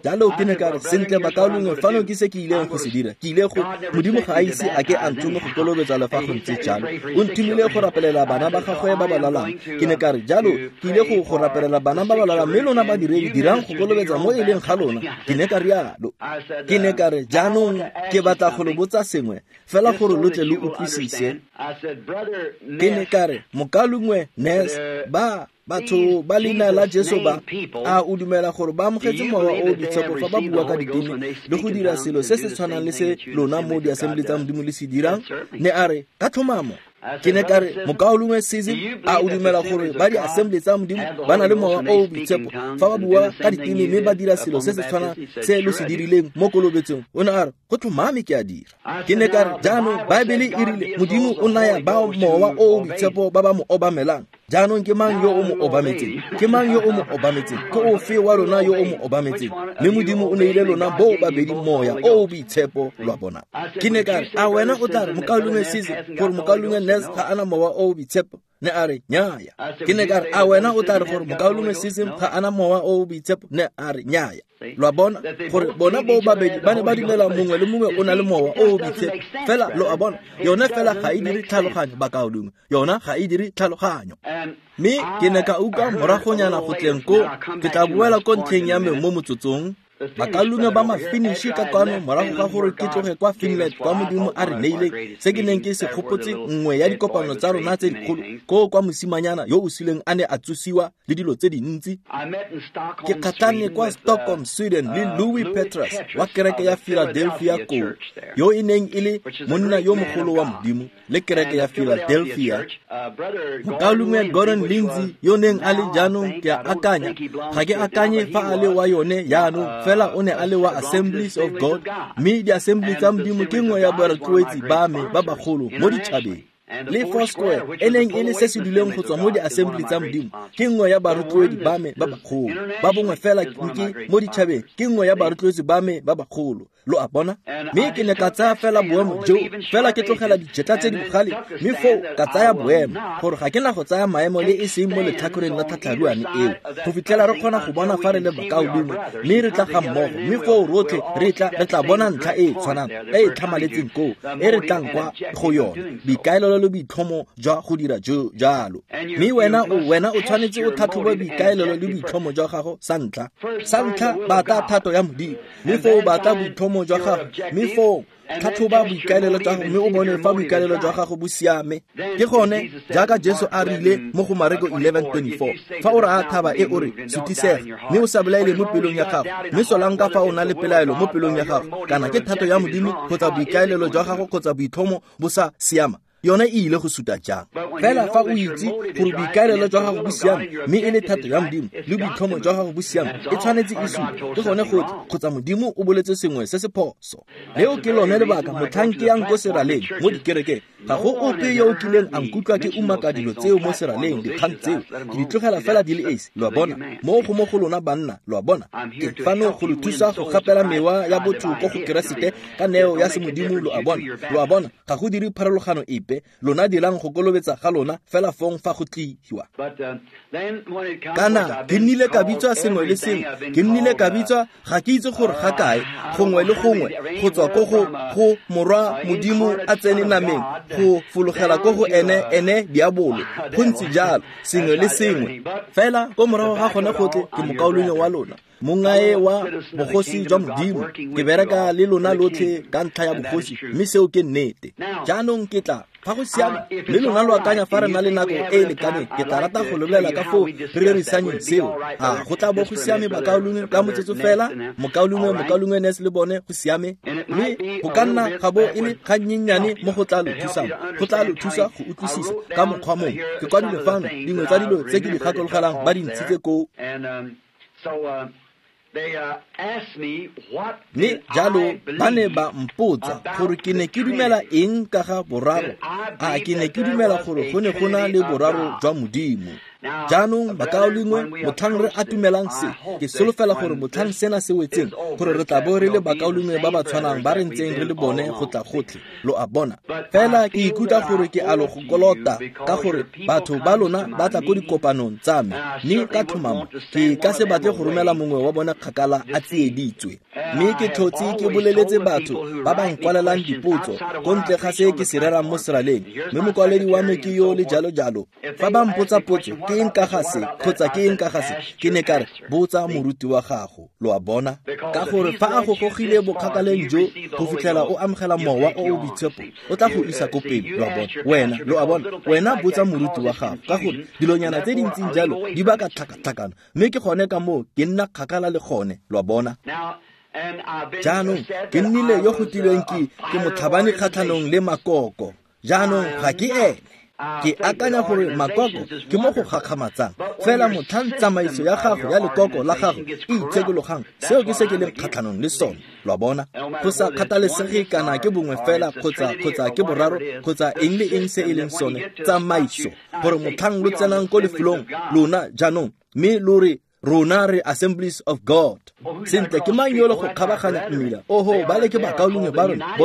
Jalo ke ne ka re, sentle bakaulengwe, fano ke se ke ileng go se dira. Ke ile go, Modimo ga a ise a ke a nthome go kolobetsa le fa go ntse jalo. O nthomile go rapelela bana ba gagwe ba ba lwalang. Ke ne ka re, jalo ke ile go rapelela bana ba ba lwalang, mme lona badiredi dirang go kolobetsa mo e leng ga lona. Ke ne ka rialo. Ke ne ka re, jaanong ke batla go lo botsa sengwe, fela gore lo tle lo utlwisise. Ke ne ka re, mokalongwe Ness, ba batho ba leina la Jesu ba, a o dumela gore ba amogetse mowa o boitshepo fa ba bua ka diteme le go dira selo se se tshwanang le se lona mo di-assembly tsa Modimo le se dirang? Ne a re, ka tlhomamo. Ke ne ka re, mokaulengwe Sism, a o dumela gore ba di-assembly tsa Modimo ba na le mowa o boitshepo fa ba bua ka diteme mme ba dira selo se se tshwanang se lo se dirileng mo kolobetsong? O ne a re, go tlhomame ke a dira. Ke ne ka re, jaanong Baebele e rile Modimo o naya ba mowa o boitshepo ba ba mo obamelang. Jaanong ke mang yo o mo obametseng? Ke mang yo o mo obametseng? Ke ofe wa lona yo o mo obametseng? Mme Modimo o neile lona boo babedi moya o o boitshepo, lo a bona. Ke ne ka re, a wena o tla re mokaulengwe Sise gore mokaulengwe Nes ga ana mowa o o boitshepo? Ne a re, nnyaya. Ke ne ka re, a wena o tla re gore mokaulengwe Sise ga ana mowa o o boitshepo? Ne a re, nnyaya. Lo a bona gore bona boo babedi ba ne ba dumela mongwe le mongwe o na le mowa o o boitshepo. Fela lo a bona, yone fela ga e dire tlhaloganyo, bakaulengwe. Yona ga e dire tlhaloganyo. Mme ke ne ka utlwa moragonyana go tleng ko, ke tla boela ko ntlheng ya me mo motsotsong. Bakaulengwe ba Mafinishi ka kwano morago ga gore ke tloge kwa Finland kwa Modimo a re neileng se ke neng ke se gopotse nngwe ya dikopano tsa rona tse dikgolo koo kwa mosimanyana yo o sileng a ne a tsosiwa le dilo tse dintsi. Ke kgatlhane kwa Stockholm, Sweden le Louis Petrus wa kereke ya Philadelphia koo, yo e neng e le monna yo mogolo wa Modimo le kereke ya Philadelphia. Mokaulengwe Gordon Lindsay yo neng a le jaanong, ke a akanya, ga ke akanye fa a le wa yone jaanong, fela o ne a le wa Assemblies of God, mme di-Assembly tsa Modimo ke nngwe ya barotloetsi ba me ba bagolo mo ditšhabeng. Le Foursquare e neng e le se se duleng go tswa mo di-Assembly tsa Modimo ke nngwe ya barotloedi ba me ba bagolo. Ba bongwe fela ke mo ditšhabeng ke nngwe ya barotloetsi ba me ba bagolo. Lo a bona? Mme ke ne ka tsaya fela boemo jo, fela ke tlogela dijetla tse di bogale, mme foo ka tsaya boemo gore ga ke na go tsaya maemo le e seng mo letlhakoreng la tlhatlharuane eo go fitlhela re kgona go bona fa re le bakaulengwe mme re tla ga mmogo, mme foo rotlhe re tla bona ntlha e e tshwanang e e tlhamaletseng koo e re tlang kwa go yone, boikaelelo le boitlhomo jwa go dira jalo. Mme wena o tshwanetse o tlhatlhobe boikaelelo le boitlhomo jwa gago sa ntlha. Sa ntlha, batla thato ya Modimo, mme foo batla boitlhomo jwa gago, mme foo tlhatlhoba boikaelelo jwa gago mme o bone fa boikaelelo jwa gago bo siame. Ke gone jaaka Jesu a rile mo go Mareko 11:24, fa o raya thaba e o re sutisega mme o sa belaele mo pelong ya gago, mme solang ka fa o na le pelaelo mo pelong ya gago, kana ke thato ya Modimo kgotsa boikaelelo jwa gago kgotsa boitlhomo bo sa siama, yone e ile go suta jang? Fela fa o itse gore boikaelelo jwa gago bo siame mme e le thato ya Modimo le boitlhomo jwa gago bo siame, e tshwanetse e sute. Ke gone gotlhe, kgotsa Modimo o boletse sengwe se se phoso. Leo ke lone lebaka motlhang ke yang ko seraleng mo dikerekeng, ga go ope yo o kileng a nkutlwa ke umaka dilo tseo mo seraleng, dikgang tseo ke di tlogela fela di le esi. Lo a bona? Mo go mo go lona banna, lo a bona? Ke fano go lo thusa go gapela mewa ya botho ko go Keresete ka neo ya semodimo, lo a bona? Lo a bona? Ga go dire pharologano epe, lona dirang go kolobetsa ga lona fela fong fa go tliwa. Kana ke nnile ka bitswa sengwe le sengwe, ke nnile ka bitswa ga ke itse gore ga kae, gongwe le gongwe, go tswa ko go morwa Modimo a tsene nameng, go fologela ko go ene diabolo, go ntse jalo, sengwe le sengwe. Fela ko morago ga gone gotlhe ke mokaulengwe wa lona, mongae wa bogosi jwa Modimo, ke bereka le lona lotlhe ka ntlha ya bogosi, mme seo ke nnete. Jaanong ke tla fa go siame mme lona lo akanya fa re na le nako e e lekaneng, ke tla rata go lebelela ka foo re rerisanyeng seo. A go tla bo go siame bakaulengwe ka motsotso fela, mokaulengwe Nes le bone, go siame. Mme go ka nna ga bo e le gannyennyane mo go tla lo thusang, go tla lo thusa go utlwisisa ka mokgwa mongwe. Ke kwadile fano dingwe tsa dilo tse ke di gakologelang ba di ntshitse koo. Mme jalo ba ne ba mpotsa gore ke ne ke dumela eng ka ga boraro. A ke ne ke dumela gore go ne go na le boraro jwa Modimo. Jaanong bakaulengwe, motlhang re atumelang se, ke solofela gore motlhang sena se wetseng, gore re tla bo re le bakaulengwe ba ba tshwanang ba re ntseng re le bone go tla gotlhe. Lo a bona? Fela ke ikutlwa gore ke a lo go kolota ka gore batho ba lona ba tla ko dikopanong tsa me, mme ka tlhomamo ke ka se batle go romela mongwe wa bona kgakala a tsieditswe. Mme ke tlhotse ke boleletse batho ba ba nkwalelang dipotso ko ntle ga se ke se rerang mo seraleng, mme mokwaledi wa me ke yo le jalo jalo. Fa ba mpotsa potso, ke eng ka ga se kgotsa ke eng ka ga se, ke ne ka re, botsa moruti wa gago. Lo a bona? Ka gore fa a go gogile bokgakaleng jo go fitlhela o amogela mowa o o boitshepo, o tla go isa ko pele. Lo a bona? Wena, lo a bona? Wena botsa moruti wa gago, ka gore dilonyana tse di ntseng jalo di baka tlhakatlhakano, mme ke gone ka moo ke nna kgakala le gone. Lo a bona? Jaanong ke nnile yo go tilweng ke motlhabani kgatlhanong le makoko. Jaanong ga ke ene. Ke akanya gore makoko ke mo go gakgamatsang, fela motlhang tsamaiso ya gago ya lekoko la gago e itshekologang, seo ke se ke leng kgatlhanong le sone. Lo a bona? Go sa kgathalesege kana ke bongwe fela kgotsa ke boraro kgotsa eng le eng se e leng sone, tsamaiso, gore motlhang lo tsenang ko lefelong lona jaanong mme lo re rona re Assemblies of God. Sentle, ke mang yo le go kgabaganya mmila? Oho, ba le ke bakaulengwe ba rona,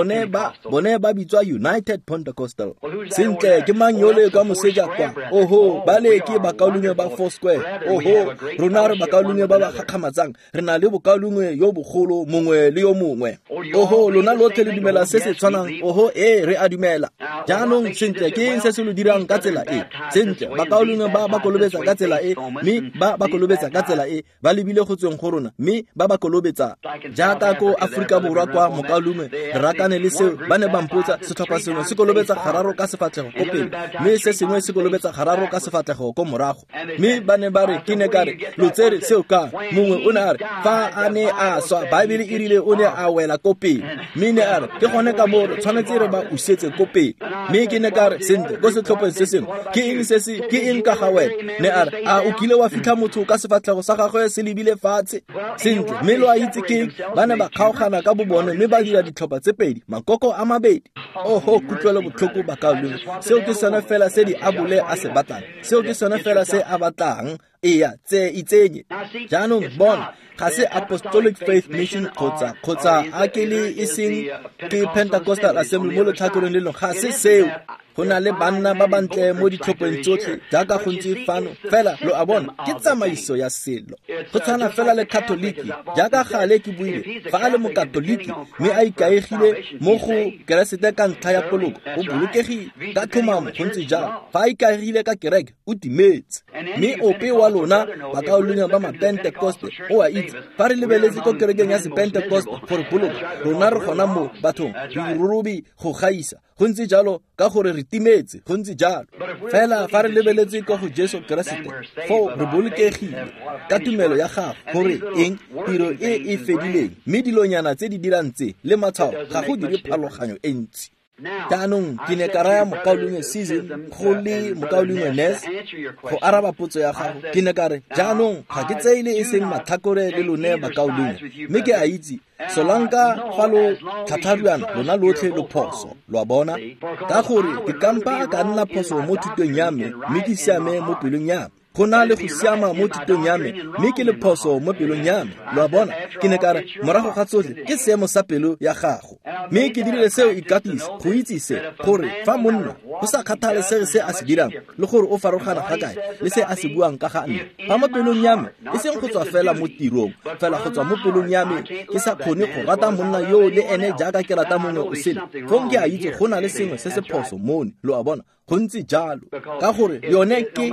bone ba bitswa United Pentecostal. Sentle, ke mang yo le kwa moseja kwa? Oho, ba le ke bakaulengwe ba Four Square. Oho, rona re bakaulengwe ba ba gakgamatsang, re na le bokaulengwe yo bogolo mongwe le yo mongwe. Oho, lona lotlhe le dumela se se tshwanang. Oho, ee, re a dumela. Jaanong, sentle, ke eng se se lo dirang ka tsela e? Sentle, bakaulengwe ba ba kolobetsa ka tsela e, mme ba ba kolobetsa ka tsela e, ba lebile go tsweng go rona, mme ba ba kolobetsa. Jaaka ko Aforika Borwa kwa mokaulengwe, re rakane le seo, ba ne ba mpotsa, setlhopha sengwe se kolobetsa gararo ka sefatlhego ko pele, mme se sengwe se kolobetsa gararo ka sefatlhego ko morago. Mme ba ne ba re, ke ne ka re, lo tsere seo ka? Mongwe o ne a re, fa a ne a swa, Baebele e rile o ne a wela ko pele. Mme ne a re, ke gone ka moo re tshwanetse re ba usetse ko pele. Mme ke ne ka re, sentle, ko setlhopheng se sengwe, ke eng se se, ke eng ka ga wena? Ne a re, a o kile wa fitlha motho ka sefatlhego sa gagwe se lebile fatshe? Sentle, mme lo a itse ke, ba ne ba kgaogana ka bobone mme ba dira ditlhopha tse pedi, makoko a mabedi. Oho, kutlwelo botlhoko bakaulengwe, seo ke sone fela se diabole a se batlang. Seo ke sone fela se a batlang. Eya, tse itsenye. Jaanong bona, ga se Apostolic Faith Mission kgotsa a ke le e seng ke Pentecostal Assembly mo letlhakoreng le lengwe, ga se seo. Go na le banna ba bantle mo ditlhopheng tsotlhe jaaka go ntse fano, fela lo a bona, ke tsamaiso ya selo. Go tshwana fela le Katoliki, jaaka gale ke buile, fa a le mokatoliki mme a ikaegile mo go Keresete ka ntlha ya poloko, o bolokegile ka tlhomamo, go ntse jalo. Fa a ikaegile ka kereke, o timetse. Mme ope wa lona bakaulengwe ba Mapentekoste o a itse, fa re lebeletse ko kerekeng ya Sepentekoste gore boloka, rona re gona mo bathong, re dirorobi go gaisa. Go ntse jalo ka gore re timetse, go ntse jalo. Fela fa re lebeletse ko go Jesu Keresete, foo re bolokegile ka tumelo ya gago, gore eng? Tiro e e fedileng, mme dilonyana tse di dirang tse le matshwao ga go dire pharologanyo e ntsi. Jaanong ke ne ka raya mokaulengwe Season go le mokaulengwe Ness go araba potso ya gago. Ke ne ka re, jaanong ga ke tseile e seng matlhakore le lone bakaulengwe, mme ke a itse solanka fa lo tlhatlharuana lona lotlhe lo phoso, lo a bona, ka gore ke kampa ka nna phoso mo thutong ya me, mme ke siame mo pelong ya me. Go na le go siama mo thutong ya me, mme ke le phoso mo pelong ya me. Lo a bona? Ke ne ka re, morago ga tsotlhe, ke seemo sa pelo ya gago. Mme ke dirile seo ikatisa, go itse se, gore fa monna, go sa kgathalesege se a se dirang, le gore o farologana ga kae le se a se buang ka ga nna, fa mo pelong ya me, e seng go tswa fela mo tirong, fela go tswa mo pelong ya me, ke sa kgone go rata monna yoo le ene jaaka ke rata mongwe o sele, fong ke a itse go na le sengwe se se phoso mone. Lo a bona? Go ntse jalo, ka gore yone ke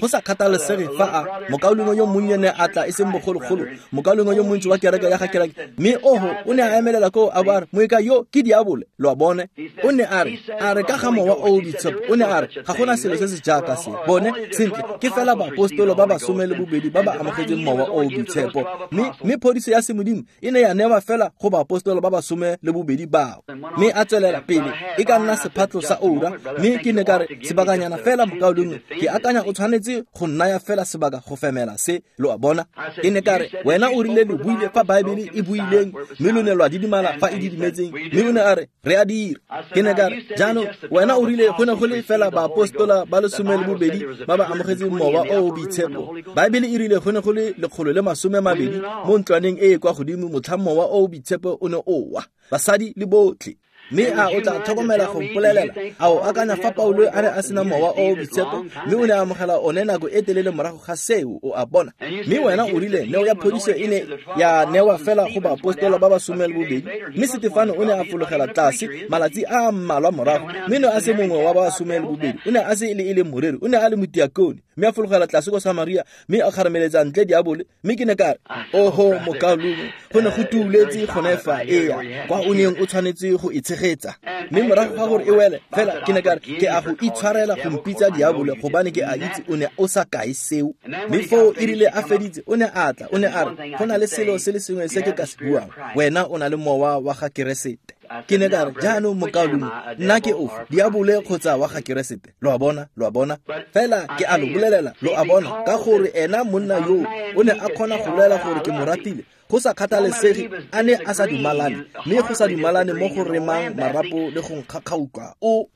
go sa kgathalesege fa a mokaulengwe yo monnye ne a tla e seng bogologolo, mokaulengwe yo montsi wa kereke ya ga kereke, mme oho o ne a emelela koo a bo a re, moeka yo ke diabole. Lo a bone? O ne a re ka ga mowa o o boitshepo, o ne a re ga gona selo se se jaaka se. Bone, sentle, ke fela baapostolo ba ba 12 ba ba amogetseng mowa o o boitshepo, mme phodiso ya semodimo e ne ya newa fela go baapostolo ba ba 12 bao. Mme a tswelela pele, e ka nna sephatlo sa oura, mme ke ne ka re, sebakanyana fela mokaulengwe, ke akanya o tshwanetse go nnaya fela sebaka go femela se. Lo a bona? Ke ne ka re, wena o rile lo buile fa Baebele e buileng, mme lo ne lwa didimala fa e didimetseng. Mme o ne a re, re a dira. Ke ne ka re, jaanong wena o rile go ne go le fela baapostola ba 12 ba ba amogetseng mowa o o boitshepo. Baebele e rile go ne go le 120 mo ntlwaneng e e kwa godimo motlhang mowa o o boitshepo o ne o wa, basadi le botlhe. Mme a o tla tlhokomela go mpolelela, a o akanya fa Paulo a ne a sena mowa o o boitshepo, mme o ne a amogela one nako e telele morago ga seo? O a bona? Mme wena o rile neo ya phodiso e ne ya newa fela go baapostola ba ba 12, mme Setefano o ne a fologela tlase malatsi a mmalwa morago, mme ne a se mongwe wa ba 12, o ne a se e le moreri, o ne a le motiakone, mme a fologela tlase ko Samaria, mme a kgarameletsa ntle diabole. Mme ke ne ka re, oho mokaulengwe, go ne go tuuletse gone fa, eya, kwa o neng o tshwanetse go e tshegetsa. Mme morago ga gore e wele, fela ke ne ka re, ke a go itshwarela go mpitsa diabole, gobane ke a itse o ne o sa kae seo. Mme foo e rile a feditse, o ne a tla, o ne a re, go na le selo se le sengwe se ke ka se buang, wena o na le mowa wa ga Keresete. Ke ne ka re, jaanong mokaulengwe, nna ke ofe, diabole kgotsa wa ga Keresete? Lo a bona, lo a bona? Fela ke a lo bolelela, lo a bona, ka gore ena monna yoo o ne a kgona go bolela gore ke mo ratile, go sa kgathalesege a ne a sa dumalane, mme go sa dumalane mo go remang marapo le go nkgakgautlwa. O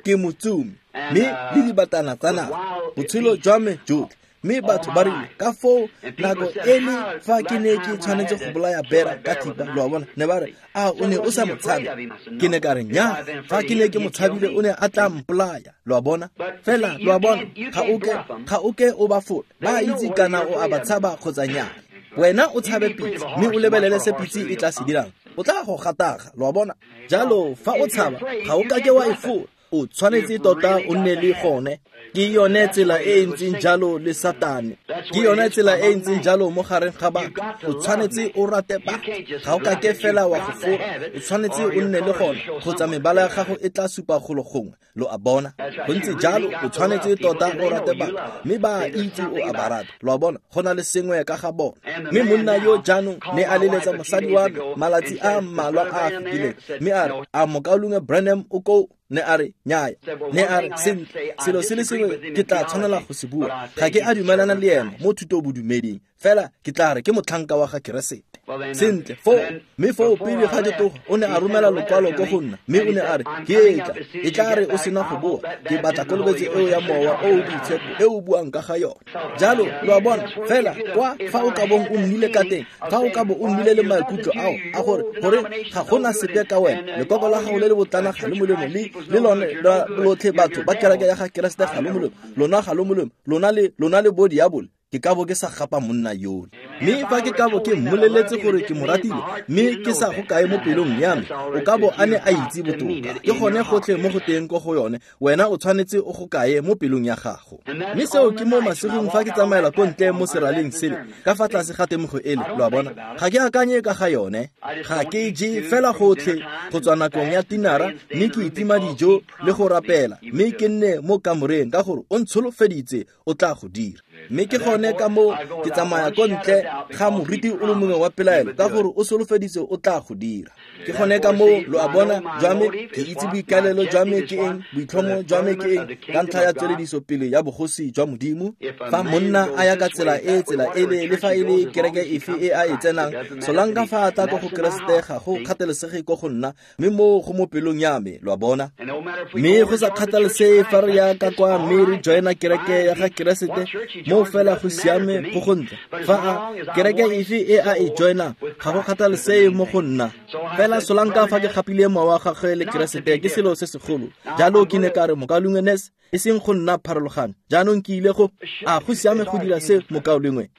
ke motsomi, mme le dibatana tsa naga, botshelo jwa me jotlhe. Mme batho ba rile ka foo nako e le fa ke ne ke tshwanetse go bolaya bera ka thipa, lo a bona, ne ba re, a o ne o sa mo tshabe? Ke ne ka re, nnyaa, fa ke ne ke mo tshabile o ne a tla mpolaya, lo a bona. Fela lo a bona, ga o ke o ba fola, ba itse kana o a ba tshaba kgotsa nnyaa. Wena o tshabe pitse, mme o lebelele se pitse e tla se dirang, o tla go gataga, lo a bona. Jalo fa o tshaba, ga o kake wa e fola, o tshwanetse tota o nne le gone. Ke yone tsela e e ntseng jalo le Satane, ke yone tsela e e ntseng jalo mo gareng ga batho. O tshwanetse o rate batho, ga o kake fela wa go fola, o tshwanetse o nne le gone, kgotsa mebala ya gago e tla supa golo gongwe, lo a bona. Go ntse jalo, o tshwanetse tota o rate batho, mme ba itse o a ba rata, lo a bona, go na le sengwe ka ga bona. Mme monna yo jaanong ne a leletsa mosadi wa me malatsi a mmalwa a a fetileng, mme a re, a mokaulengwe Branham o koo? Ne a re, nnyaya. Ne a re, sentle, selo se le sengwe ke tla tshwanela go se bua, ga ke a dumelana le ena mo thutobodumeding, fela ke tla re ke motlhanka wa ga Keresete. Sentle, foo, mme foo pele ga ke tloga, o ne a romela lokwalo ko go nna, mme o ne a re, ke etla, e tla re o sena go boa, ke batla kolobetso eo ya mowa o o boitshepo e o buang ka ga yone. Jalo, lo a bona, fela kwa fa o ka bong o nnile ka teng, fa o ka bo o nnile le maikutlo ao a gore ga gona sepe ka wena, lekoko la gago le le botlana ga le molemo, le lone lotlhe batho ba kereke ya ga Keresete ga le molemo, lona ga le molemo, lona le bo diabole, ke ka bo ke sa gapa monna yole. Mme fa ke ka bo ke mmoleletse gore ke mo ratile, mme ke sa go kae mo pelong ya me, o ka bo a ne a itse botoka. Ke gone gotlhe mo go teng ko go yone, wena o tshwanetse o go kae mo pelong ya gago. Mme seo ke mo masigong fa ke tsamaela ko ntle mo seraleng sele, ka fa tlase ga temogo ele, lo a bona. Ga ke akanye ka ga yone, ga ke je fela gotlhe go tswa nakong ya tinara, mme ke itima dijo le go rapela, mme ke nne mo kamoreng ka gore o ntsholofeditse o tla go dira. Mme ke gone ka moo ke tsamaya ko ntle ga moriti o le mongwe wa pelaelo, ka gore o solofeditse o tla go dira. Ke gone ka moo, lo a bona, jwa me, ke itse boikaelelo jwa me ke eng, boitlhomo jwa me ke eng, ka ntlha ya tswelediso pele ya bogosi jwa Modimo. Fa monna a ya ka tsela e, tsela ele, le fa e le kereke efe e a e tsenang, solanka fa a tla ko go Keresete ga go kgathalesege ko go nna, mme moo go mo pelong ya me, lo a bona. Mme go sa kgathalesege fa re ya ka kwa mme re joina kereke ya ga Keresete, mo fela go siame go go ntle. Fa a kereke efe e a e joinang, ga go kgathalesege mo go nna. Fela solanka fa ke gapile mowa wa gagwe le Keresete ke selo se segolo. Jalo ke ne ka re, mokaulengwe Ness, e seng go nna pharologano. Jaanong ke ile go, a go siame go dira se, mokaulengwe?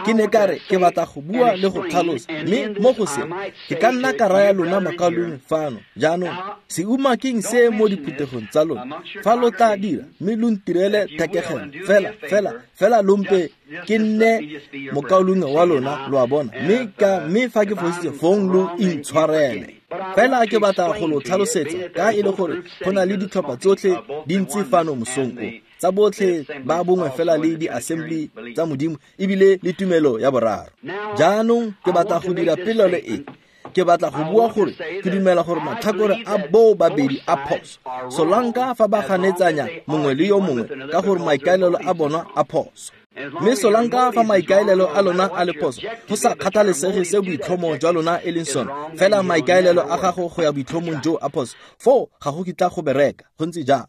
Ke ne ka re, ke batla go bua le go tlhalosa, mme mo go se, ke ka nna ka raya lona mokaulengwe fano. Jaanong, se umakeng se mo diphuthegong tsa lona, fa lo tla dira, mme lo ntirele thekegelo, fela, fela, fela lo mpe ke nne mokaulengwe wa lona, lo a bona. Mme fa ke fositse, fong lo intshwarele. Fela ke batla go lo tlhalosetsa, ka e le gore go na le ditlhopha tsotlhe di ntse fano mosong o, tsa botlhe ba bongwe fela le di-assembly tsa Modimo, ebile le tumelo ya boraro. Jaanong ke batla go dira polelo e, ke batla go bua gore ke dumela gore matlhakore a boo babedi a phoso, solanka fa ba ganetsanya mongwe le yo mongwe ka gore maikaelelo a bona a phoso. Mme solanka fa maikaelelo a lona a le phoso, go sa kgathalesege se boitlhomo jwa lona e leng sone, fela maikaelelo a gago go ya boitlhomong jo a phoso, foo ga go kitla go bereka, go ntse jalo.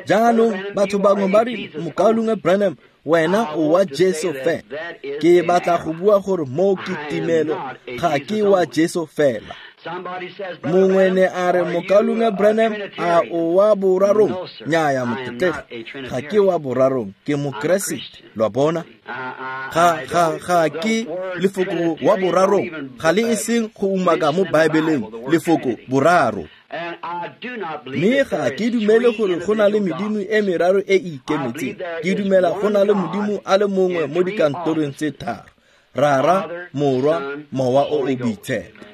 Jaanong batho bangwe ba re, mokaulengwe Branham, wena o wa Jesu fela. Ke batla go bua gore mo ke timelo, ga ke wa Jesu fela. Mongwe ne a re, mokaulengwe Branham, a o wa borarong? Nnyaya, motlotlegi, ga ke wa borarong, ke Mokeresete, lo a bona. Ga ke lefoko wa borarong, ga le e seng go umaka mo Baebeleng lefoko boraro. Mme ga ke dumele gore go na le medimo e meraro e e ikemetseng. Ke dumela go na le Modimo a le mongwe mo dikantorong tse tharo, Rara, Morwa, Mowa o o Boitshepo.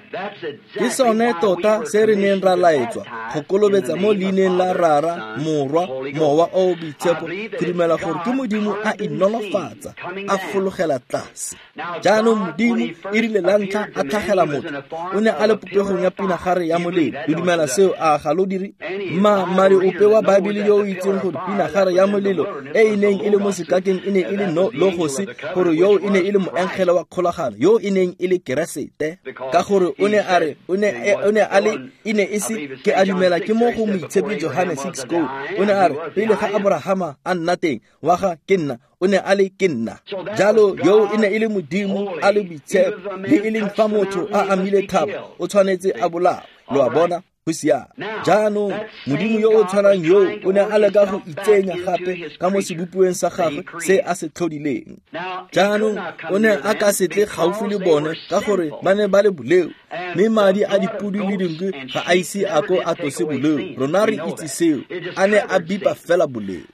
Ke sone tota se re neng ra laetswa go kolobetsa mo leineng la Rara, Morwa, Mowa o o Boitshepo. Ke dumela gore ke Modimo a inolofatsa, a fologela tlase. Jaanong Modimo e rile la ntlha a tlhagela motho, o ne a le popegong ya pinagare ya molelo. Le dumela seo, a ga lo dire? Mmadi ope wa Baebele yo o itseng gore pinagare ya molelo e e neng e le mo sekakeng e ne e le logose, gore yo e ne e le moengele wa kgolagano, yo e neng e le Keresete, ka gore o ne a re o ne a le e ne e se, ke a dumela ke mo go Moitshepi Johane 6 go, o ne a re pele ga Abrahama a nna teng wa ga ke nna, o ne a le ke nna. Jalo yo e ne e le Modimo a le boitshepo, le e leng fa motho a amile thaba o tshwanetse a bolawe. Lo a bona? Go siame. Jaanong Modimo yo o tshwanang yo o ne a leka go itsenya gape ka mo sebopiweng sa gagwe se a se tlhodileng. Jaanong o ne a ka se tle gaufi le bone ka gore ba ne ba le boleo, mme madi a dipodi le dinku ga a ise a ko a tlose boleo. Rona re itse seo, a ne a bipa fela boleo.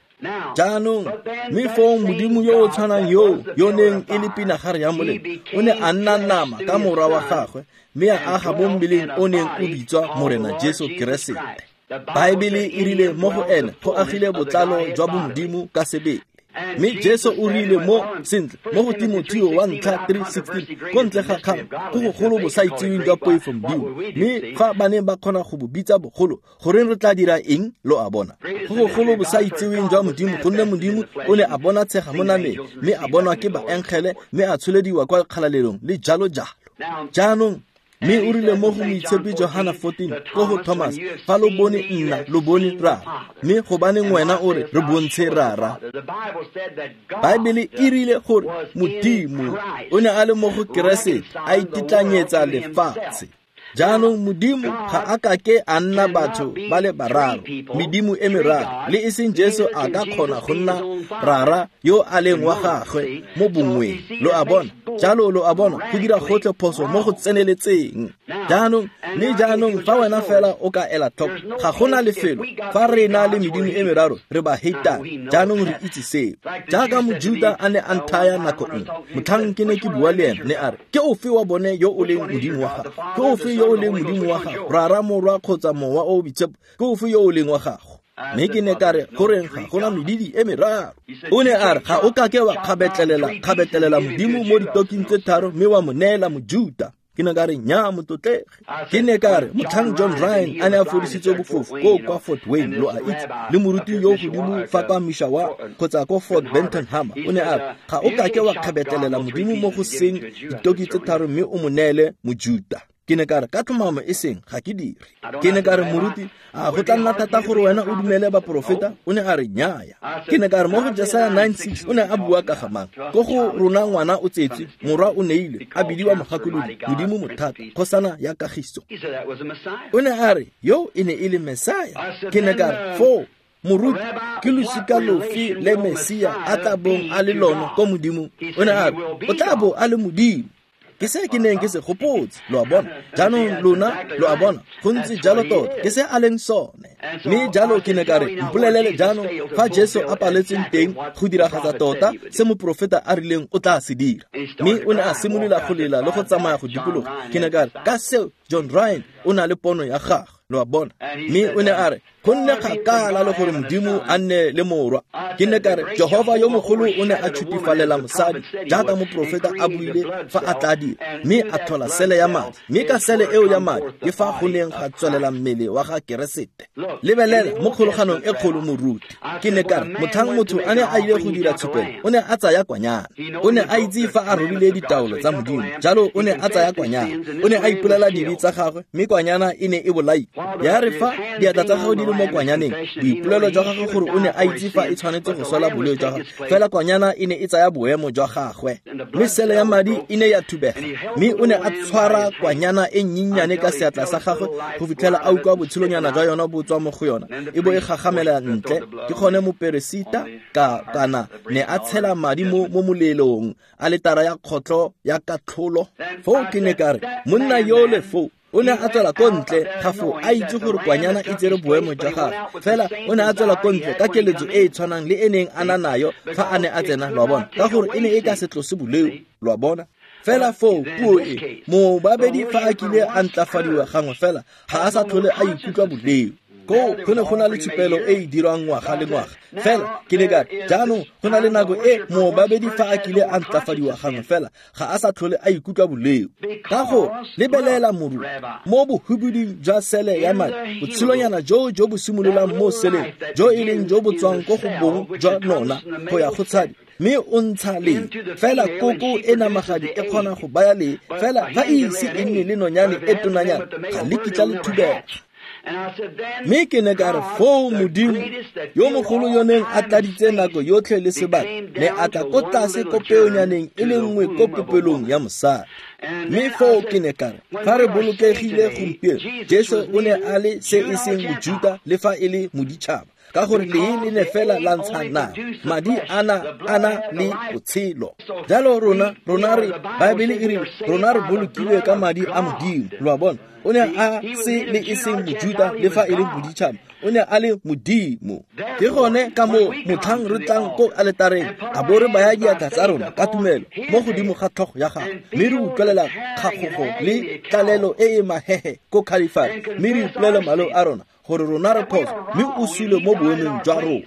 Jaanong mme foo Modimo yo o tshwanang yo yo neng e le pinagare ya molelo o ne a nna nama ka morwa wa gagwe, mme a aga mo mmeleng o neng o bitswa Morena Jesu Keresete. Baebele e rile mo go ene go agile botlalo jwa bomodimo ka sebele. Mme Jesu o rile mo sentle mo go Timotheo wa ntlha 3:16, ko ntle ga kgang go gogolo bo sa itseweng jwa poifo Modimo, mme fa ba ne ba kgona go bo bitsa bogolo, goreng re tla dira eng? Lo a bona, go gogolo bo sa itseweng jwa Modimo, gonne Modimo o ne a bona tshega mo nameng, mme a bonwa ke baengele, mme a tsholediwa kwa kgalalelong le jalo jalo. Jaanong mme o rile mo go Moitshepi Johana 14 ko go Thomas, fa lo bone nna lo bone Rara, mme gobaneng wena o re re bontshe Rara? Baebele e rile gore Modimo o ne a le mo go Keresete a ititlanyetsa lefatshe. Jaanong Modimo ga a ka ke a nna batho ba le bararo, medimo e meraro, le e seng Jesu a ka kgona go nna Rara yo a leng wa gagwe mo bongweng. Lo a bona? Jalo lo a bona, go dira gotlhe phoso mo go tseneletseng. Jaanong, mme jaanong fa wena fela o ka ela tlhoko, ga gona lefelo fa re na le medimo e meraro, re ba heitane. Jaanong re itse seo. Jaaka Mojuta a ne a nthaya nako nngwe, motlhang ke ne ke bua le ene, ne a re, ke ofe wa bone yo o leng Modimo wa gago? Ke ofe yo o leng Modimo wa gago? Rara, Morwa kgotsa Mowa o Boitshepo, ke ofe yo o leng wa gago? Mme ke ne ka re, goreng ga gona medidi e meraro? O ne a re, ga o kake wa kgabetlelela Modimo mo ditoking tse tharo mme wa mo neela Mojuta. Ke ne ka re, nya motlotlege. Ke ne ka re, motlhang John Ryan a ne a fodisitswe bofofu ko kwa Fort Wayne, lo a itse, le moruti yo godimo fa kwa Mishawaka kgotsa ko Fort Benton Hammer, o ne a re, ga o kake wa kgabetlelela Modimo mo go seng ditoki tse tharo mme o mo neele Mojuta. Ke ne ka re, ka tlhomamo e seng, ga ke dire. Ke ne ka re, moruti, a go tla nna thata gore wena o dumele baporofeta? O ne a re, nnyaya. Ke ne ka re, mo go Jesaya 9:6 o ne a bua ka ga mang? Ko go rona ngwana o tsetswe, morwa o neilwe, a bidiwa Mogakolodi, Modimo Mothata, Kgosana ya Kagiso. O ne a re, yo e ne e le Mesaya. Ke ne ka re, foo moruti, ke losika lofe le Mesia a tla bong a le lone ko Modimong? O ne a re, o tla bo a le Modimo. Ke se ke neng ke se gopotse, lo a bona. Jaanong lona lo a bona, go ntse jalo tota, ke se a leng sone. Mme jalo ke ne ka re, mpolelele jaanong fa Jesu a paletseng teng go diragatsa tota se moprofeta a rileng o tla se dira. Mme o ne a simolola go lela le go tsamaya go dikologa. Ke ne ka re, ka seo John Ryan o na le pono ya gagwe, lo a bona. Mme o ne a re, go nne kgakala le gore Modimo a nne le morwa. Ke ne ka re, Jehova yo mogolo o ne a tšhutifalela mosadi jaaka moprofeta a buile fa a tla dira, mme a tlhola sele ya madi, mme ka sele eo ya madi ke fa go neng ga tswelela mmele wa ga Keresete. Lebelela mo kgologanong e kgolo, moruti. Ke ne ka re, motlhang motho a ne a ile go dira tshupelo, o ne a tsaya kwanyana. O ne a itse fa a robile ditaolo tsa Modimo, jalo o ne a tsaya kwanyana. O ne a ipolela dibe tsa gagwe, mme kwanyana e ne e bolailwe. Ya re fa diatla tsa gagwe di le mo kwanyaneng, boipolelo jwa gagwe gore o ne a itse fa e tshwanetse go swela boleo jwa gagwe, fela kwanyana e ne e tsaya boemo jwa gagwe. Mme sele ya madi e ne ya thubega, mme o ne a tshwara kwanyana e nnyennyane ka seatla sa gagwe go fitlhela a utlwa botshelonyana jwa yona bo tswa mo go yona, e bo e gagamela ntle. Ke gone moperesita ka kana ne a tshela madi mo molelong a letara ya kgotlo ya katlholo. Foo ke ne ka re, monna yole foo o ne a tswela ko ntle ga foo a itse gore kwanyana e tsere boemo jwa gagwe, fela o ne a tswela ko ntle ka keletso e e tshwanang le e neng a na nayo fa a ne a tsena, lo a bona, ka gore e ne e ka se tlose boleo, lo a bona. Fela foo puo e, mobabedi fa a kile a ntlafadiwa gangwe fela, ga a sa tlhole a ikutlwa boleo. Koo go ne go na le tshupelo e e dirwang ngwaga le ngwaga. Fela ke ne ka re, jaanong go na le nako e moobabedi fa a kile a ntlafadiwa gangwe fela ga a sa tlhole a ikutlwa boleo. Ka go lebelela moruti mo bohubiding jwa sele ya madi, botshelonyana joo jo bo simololang mo seleng, jo e leng jo bo tswang ko go bong jwa nona go ya go tshadi, mme o ntsha lee. Fela koko e namagadi e kgona go baya lee, fela fa e ise e nne le nonyane e tonanyana ga le kitla le thubega. Mme ke ne ka re, foo Modimo yo mogolo yo neng a tladitse nako yotlhe le sebaka ne a tla ko tlase ko peonyaneng e le nngwe ko popelong ya mosadi. Mme foo ke ne ka re, fa re bolokegile gompieno, Jesu o ne a le se e seng Mojuta le fa e le moditšhaba, ka gore lee le ne fela la ntsha nama, madi a na le botshelo. Jalo rona re, Baebele e rile, rona re bolokilwe ka madi a Modimo. Lo a bona? O ne a se le e seng Mojuta le fa e le moditšhaba, o ne a le Modimo. Ke gone ka moo motlhang re tlang ko aletareng a bo re baya diatla tsa rona ka tumelo mo godimo ga tlhogo ya gagwe, mme re utlwelela kgagogo le tlalelo e e mahehe ko Khalifari, mme re ipolela maleo a rona gore rona re phoso, mme o sule mo boemong jwa rona.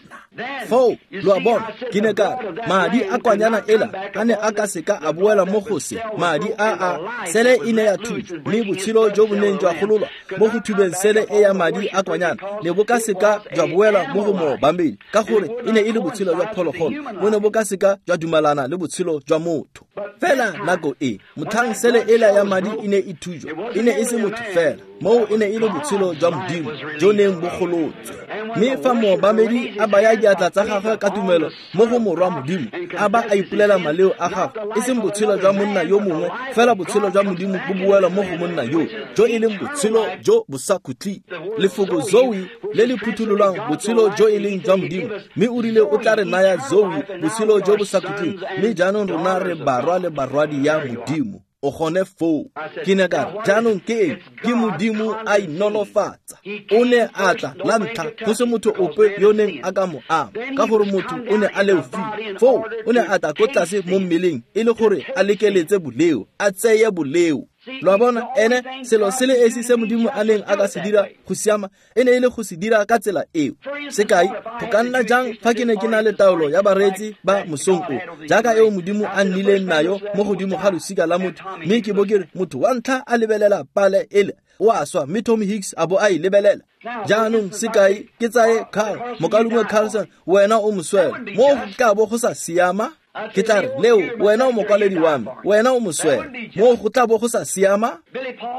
Foo lo a bona, ke ne ka re, madi a kwanyana ela a ne a ka seka a boela mo go se madi a sele e ne ya thuba, mme botshelo jo bo neng jwa gololwa mo go thubeng sele e ya madi a kwanyana ne bo ka seka jwa boela mo go moobamedi, ka gore e ne e le botshelo jwa phologolo, bo ne bo ka seka jwa dumalana le botshelo jwa motho. Fela nako e motlhang sele ela ya madi e ne e thujwa, e ne e se motho fela, moo e ne e le botshelo jwa Modimo jo neng bo golotswe. Mme fa moobamedi a baya diatla tsa gagwe ka tumelo mo go morwa Modimo, a ba a ipolela maleo a gagwe, e seng botshelo jwa monna yo mongwe, fela botshelo jwa Modimo bo boela mo go monna yo, jo e leng botshelo jo bo sa khutleng. Lefoko Zoe le le phuthololwang botshelo jo e leng jwa Modimo, mme o rile o tla re naya Zoe, botshelo jo bo sa khutleng, mme jaanong rona re barwa le barwadi ya Modimo. O gone foo. Ke ne ka re, jaanong ke eng? Ke Modimo a inolofatsa. O ne a tla la ntlha go se motho ope yo neng a ka mo ama, ka gore motho o ne a leofile. Foo o ne a tla ko tlase mo mmeleng e le gore a lekeletse boleo, a tseye boleo. Lo a bona, ene selo se le esi se Modimo a neng a ka se dira go siama e ne e le go se dira ka tsela eo. Sekai, go ka nna jang fa ke ne ke na le taolo ya bareetsi ba mosong o, jaaka eo Modimo a nnileng nayo mo godimo ga losika la motho, mme ke bo ke re motho wa ntlha a lebelela pale ele o a swa, mme Tommy Hicks a bo a e lebelela. Jaanong sekai, ke tsaye Carl, mokaulengwe Carlson, wena o moswela, mo go tla bo go sa siama? Ke tla re, Leo, wena o mokwaledi wa me, wena o moswela, mo go tla bo go sa siama?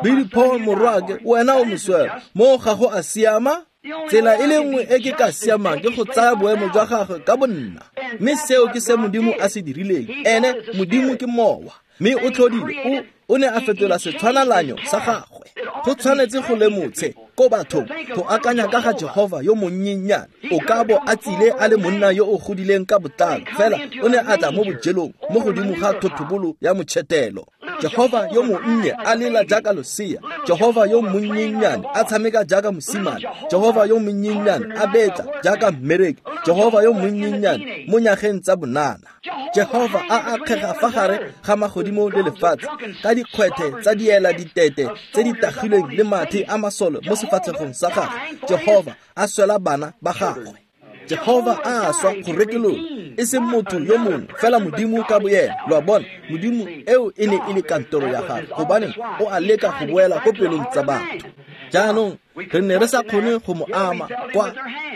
Billy Paul morwake, wena o moswela, mo ga go a siama? Tsela e le nngwe e ke ka siamang ke go tsaya boemo jwa gagwe ka bonna. Mme seo ke se Modimo a se dirileng. Ene Modimo ke mowa, mme o tlhodile, o ne a fetola setshwanalanyo sa gagwe. Go tshwanetse go lemotshe ko bathong go akanya ka ga Jehova yo monnyennyane. O ka bo a tsile a le monna yo o godileng ka botlalo, fela o ne a tla mo bojelong mo godimo ga thotobolo ya motšhetelo. Jehova yo monnye a lela jaaka losea, Jehova yo monnyennyane a tshameka jaaka mosimane, Jehova yo monnyennyane a betla jaaka mmereki, Jehova yo monnyennyane mo nyageng tsa bonana. Jehova a akgega fa gare ga magodimo le lefatshe ka dikgwethe tsa diela ditete tse di tagilweng le mathe a masole mo sefatlhegong sa gagwe. Jehova a swela bana ba gagwe. Jehova a swa go rekolola, e seng motho yo mongwe, fela Modimo ka boyena. Lo a bona, Modimo eo e ne e le kantoro ya gagwe, gobane o a leka go boela ko pelong tsa batho. Jaanong re ne re sa kgone go mo ama kwa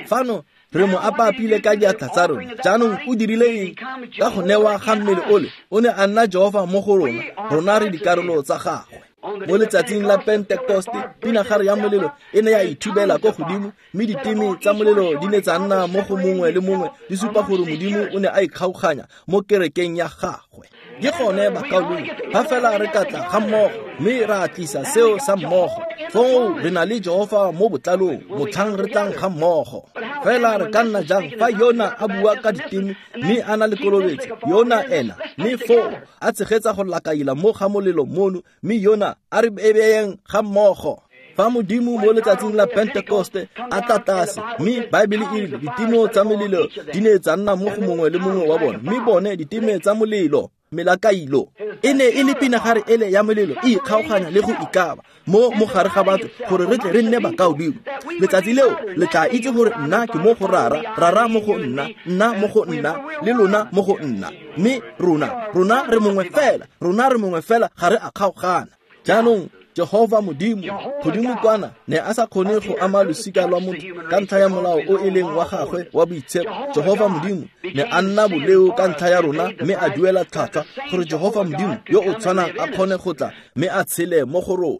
fano, re mo apapile ka diatla tsa rona. Jaanong o dirile eng? Ka go newa ga mmele ole, o ne a nna Jehova mo go rona, rona re dikarolo tsa gagwe. Mo letsatsing la Pentekoste, pinagare ya molelo e ne ya ithubela ko godimo, mme diteme tsa molelo di ne tsa nna mo go mongwe le mongwe, di supa gore Modimo o ne a ikgaoganya mo kerekeng ya gagwe. Ke gone bakaulengwe, fa fela re ka tla ga mmogo mme ra tlisa seo sa mmogo, foo re na le Jehova mo botlalong motlhang re tlang ga mmogo. Fela re ka nna jang fa yona a bua ka diteme mme a na le kolobetso, yona ena, mme foo a tshegetsa go lakaila mo ga molelo mono, mme yona a re beyeng ga mmogo. Fa Modimo mo letsatsing la Pentekoste a tla tlase, mme Baebele e rile diteme tsa molelo di ne tsa nna mo go mongwe le mongwe wa bone, mme bone diteme tsa molelo. Melakailo e ne e le pinagare ele ya molelo e ikgaoganya le go ikaba mo mogare ga batho gore re tle re nne bakaulengwe. Letsatsi leo le tla itse gore nna ke mo go Rara, Rara mo go nna, nna mo go nna, le lona mo go nna. Mme rona re mongwe fela, rona re mongwe fela, ga re a kgaogana. Jaanong Jehova Modimo godimo kwana ne a sa kgone go ama losika lwa motho ka ntlha ya molao o e leng wa gagwe wa boitshepo. Jehova Modimo ne a nna boleo ka ntlha ya rona mme a duela tlhwatlhwa gore Jehova Modimo yo o tshwanang a kgone go tla mme a tshele mo go rona.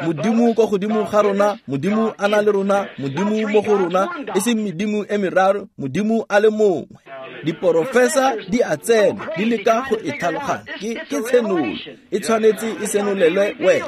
Modimo ko godimo ga rona, Modimo a na le rona, Modimo mo go rona, e seng medimo e meraro, Modimo a le mongwe. Diporofesa di a tsena, di leka go e tlhaloganya. Ke tshenolo, e tshwanetse e senolelwe wena.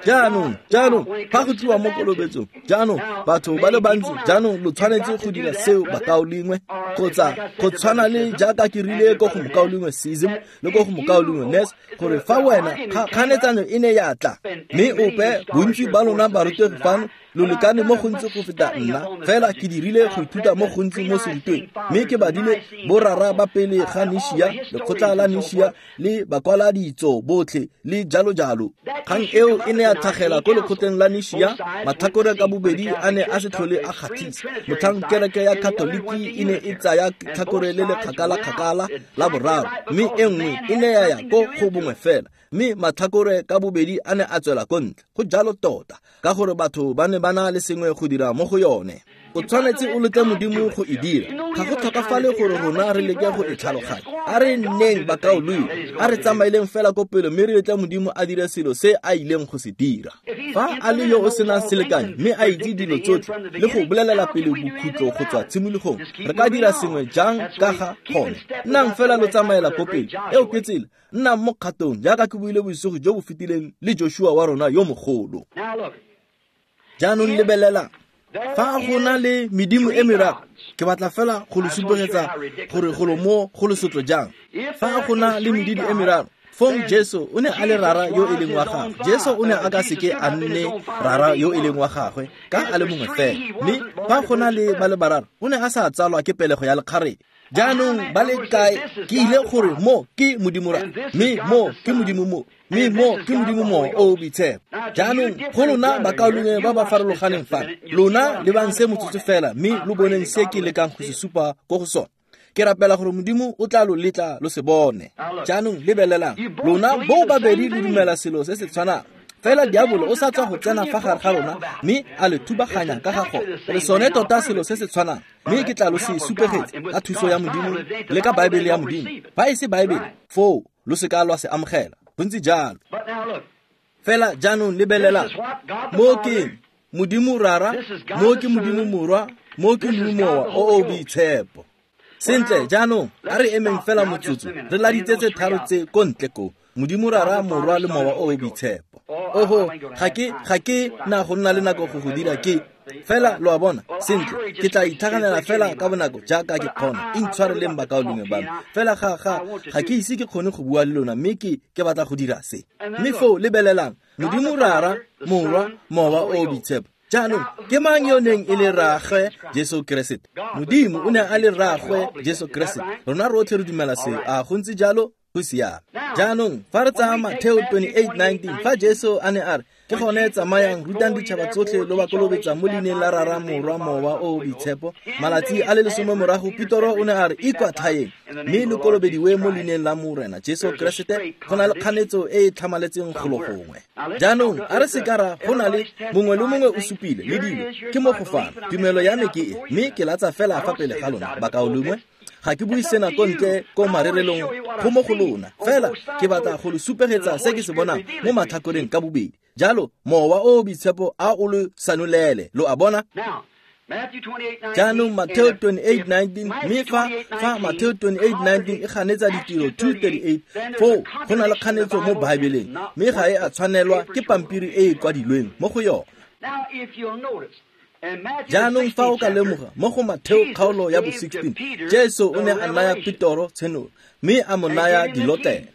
Jaanong, fa go tliwa mo kolobetsong, jaanong batho ba le bantsi, jaanong lo tshwanetse go dira seo bakaulengwe, kgotsa go tshwana le jaaka ke rile ko go mokaulengwe Sism le ko go mokaulengwe Nes, gore fa wena kganetsano e ne ya tla, mme ope bontsi ba lona barutegi fano lo lekane mo gontsi go feta nna, fela ke dirile go ithuta mo gontsi mo serutweng, mme ke badile borara ba pele ga Nishia, lekgotla la Nishia le bakwaladitso botlhe le jalo jalo. Kgang eo e ne ya tlhagela ko lekgotleng la Nishia, matlhakore ka bobedi a ne a se tlhole a kgatlhisa. Motlhang kereke ya Katoliki e ne e tsaya tlhakore le le kgakala-kgakala la boraro, mme e nngwe e ne ya ya ko go bongwe fela, mme matlhakore ka bobedi a ne a tswela ko ntle. Go jalo tota, ka gore batho ba ne ba na le sengwe go dira mo go yone. O tshwanetse o letle Modimo go e dira. Ga go tlhokafale gore rona re leke go e tlhaloganya. A re nneng bakaulengwe, a re tsamaileng fela ko pele mme re letle Modimo a dire selo se a ileng go se dira. Fa a le yo o senang selekanyo mme a itse dilo tsotlhe le go bolelela pele bokhutlo go tswa tshimologong, re ka dira sengwe jang ka ga gone? Nnang fela lo tsamaela ko pele. Eo ke tsela. Nnang mo kgatong jaaka ke buile bosigo jo bo fetileng le Joshua wa rona yo mogolo. Jaanong lebelelang. Fa go na le medimo e meraro, ke batla fela go lo supegetsa gore golo mo go lesotlo jang. Fa go na le medimo e meraro, fong Jesu o ne a le Rara yo e leng wa gagwe. Jesu o ne a ka seke a nne Rara yo e leng wa gagwe ka a le mongwe fela. Mme fa go na le ba le bararo, o ne a sa tsalwa ke pelego ya lekgarebe. Jaanong ba le kae ke ile gore mo ke Modimo Rara, mme mo ke Modimo mo, mme mo ke Modimo Mowa o o Boitshepo. Jaanong go lona bakaulengwe ba ba farologaneng fa, lona lebang se motsotso fela mme lo boneng se ke lekang go se supa ko go sone. Ke rapela gore Modimo o tla lo letla lo se bone. Jaanong lebelelang, lona bo babedi lo dumela selo se se tshwanang. Fela diabolo o sa tswa go tsena fa gare ga rona mme a le thubaganya ka ga gone. Re sone tota selo se se tshwanang, mme ke tla lo se supegetse ka thuso ya Modimo le ka Baebele ya Modimo. Fa e se Baebele, foo lo se ka lwa se amogela. Go ntse jalo. Fela jaanong lebelelang, mo ke Modimo Rara, mo ke Modimo Morwa, mo ke Modimo Mowa o o Boitshepo. Sentle, jaanong a re emeng fela motsotso, re laditse tse tharo tse ko ntle ko. Modimo Rara, Morwa le Mowa o o Boitshepo. Oho, ga ke na go nna le nako go go dira ke fela lo a bona. Sentle, ke tla itlhaganela fela ka bonako jaaka ke kgona. Intshwareleng bakaulengwe ba me. Fela ga ke ise ke kgone go bua le lona, mme ke batla go dira se. Mme foo lebelelang, Modimo Rara, Morwa, Mowa o o Boitshepo. Jaanong ke mang yo neng e le rraagwe Jesu Keresete? Modimo o ne a le rraagwe Jesu Keresete. Rona rotlhe re dumela seo. A go ntse jalo? Go siame. Jaanong fa re tsaya Mateo 28:19, fa Jesu a ne a re, ke gone tsamayang rutang ditšhaba tsotlhe lo ba kolobetsa mo leineng la Rara, Morwa, Mowa o o Boitshepo. Malatsi a le 10 morago, Petoro o ne a re, ikwatlhaeng mme lo kolobediwe mo leineng la Morena Jesu Keresete. Go na le kganetso e e tlhamaletseng golo gongwe. Jaanong a re se ka ra go na le mongwe le mongwe o supile le dilo ke mo go fano. Tumelo ya me ke e, mme ke latsa fela fa pele ga lona bakaulengwe. Ga ke bue sena ko ntle ko marerelong go mo go lona, fela ke batla go lo supegetsa se ke se bonang mo matlhakoreng ka bobedi. Jalo Mowa o o Boitshepo a o lo sanolele, lo a bona. Jaanong Mateo 28:19, mme fa Mateo 28:19 e ganetsa ditiro 2:38, foo go na le kganetso mo Baebeleng, mme ga e a tshwanelwa ke pampiri e e kwadilweng mo go yone. Jaanong fa o ka lemoga mo go Mateo kgaolo ya bo 16, Jesu o ne a naya Petoro tshenolo mme a mo naya dilotlele.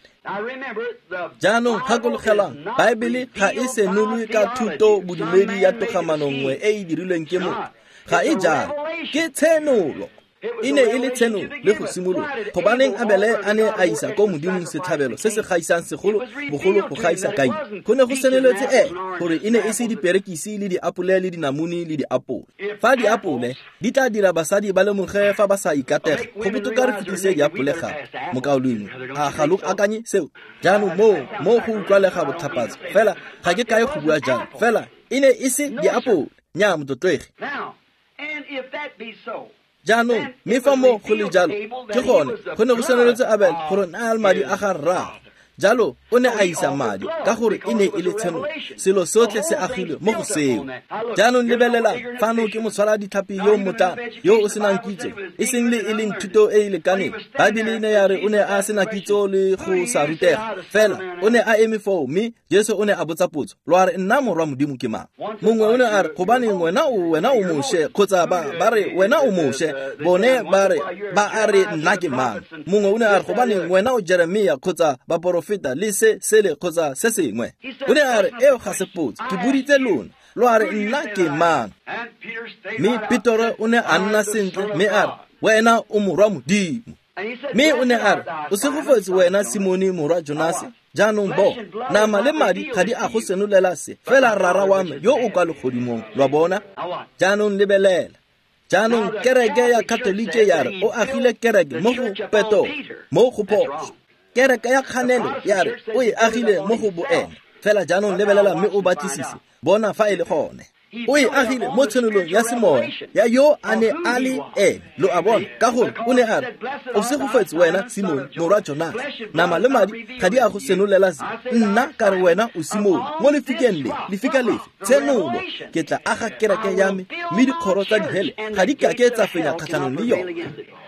Jaanong gakologelwang, Baebele ga e senolwe ka thuto bodumedi ya togamano nngwe e e dirilweng ke motho. Ga e jalo, ke tshenolo. E ne e le tshenolo le go simolola. Gobaneng Abele a ne a isa ko Modimong setlhabelo se se gaisang segolo bogolo go gaisa Kaine? Go ne go senoletse gore e ne e se diperekisi le diapole le dinamune le diapole. Fa diapole di tla dira basadi ba lemoge fa ba sa ikatega, go botoka re fetise diapole gape. Mokaulengwe, a ga lo akanye seo? Jaanong mo go utlwalega botlhapatso, fela ga ke kae go bua jalo, fela e ne e se diapole. Nnyaa, motlotlegi. Jaanong, mme fa mo go le jalo, ke gone go ne go senoletse Abel gore na le madi a ga rraagwe. Jalo o ne a isa madi ka gore e ne e le tshenolo. Selo sotlhe se agilwe mo go seo. Jaanong lebelelang, fano ke motshwara ditlhapi yo mmotlana yo o senang kitso, e seng le e leng thuto e e lekaneng. Baebele e ne ya re o ne a sena kitso le go sa rutega, fela o ne a eme foo mme Jesu o ne a botsa potso, lo a re nna morwa Modimo ke mang? Mongwe o ne a re, gobaneng wena o Moshe, kgotsa ba re wena o Moshe, bone ba re ba a re nna ke mang? Mongwe o ne a re, gobaneng wena o Jeremia kgotsa baporofeta le se sele kgotsa se sengwe. O ne a re, eo ga se potso, ke boditse lona, lo a re nna ke mang? Mme Petoro o ne a nna sentle mme a re, wena o morwa Modimo. Mme o ne a re, o segofetse wena Simone morwa Jonase. Jaanong bo, nama le madi ga di a go senolela se, fela Rara wa me yo o kwa legodimong, lwa bona? Jaanong lebelela. Jaanong kereke ya Katolike ya re o agile kereke mo go Petoro, mo go phoso. Kereke ya kganelo ya re o e agile mo go boene. Fela jaanong lebelela mme o batlisise, bona fa e le gone. O e agile mo tshenolong ya semoya ya yo a ne a le ene, lo a bona, ka gore o ne a re, o segofetse wena Simone morwa Jonase, nama le madi ga di a go senolela se, nna ka re wena o Simone, mo lefikeng le, lefika lefe, tshenolo, ke tla aga kereke ya me, mme dikgoro tsa dihele ga di kake tsa fenya kgatlhanong le yone.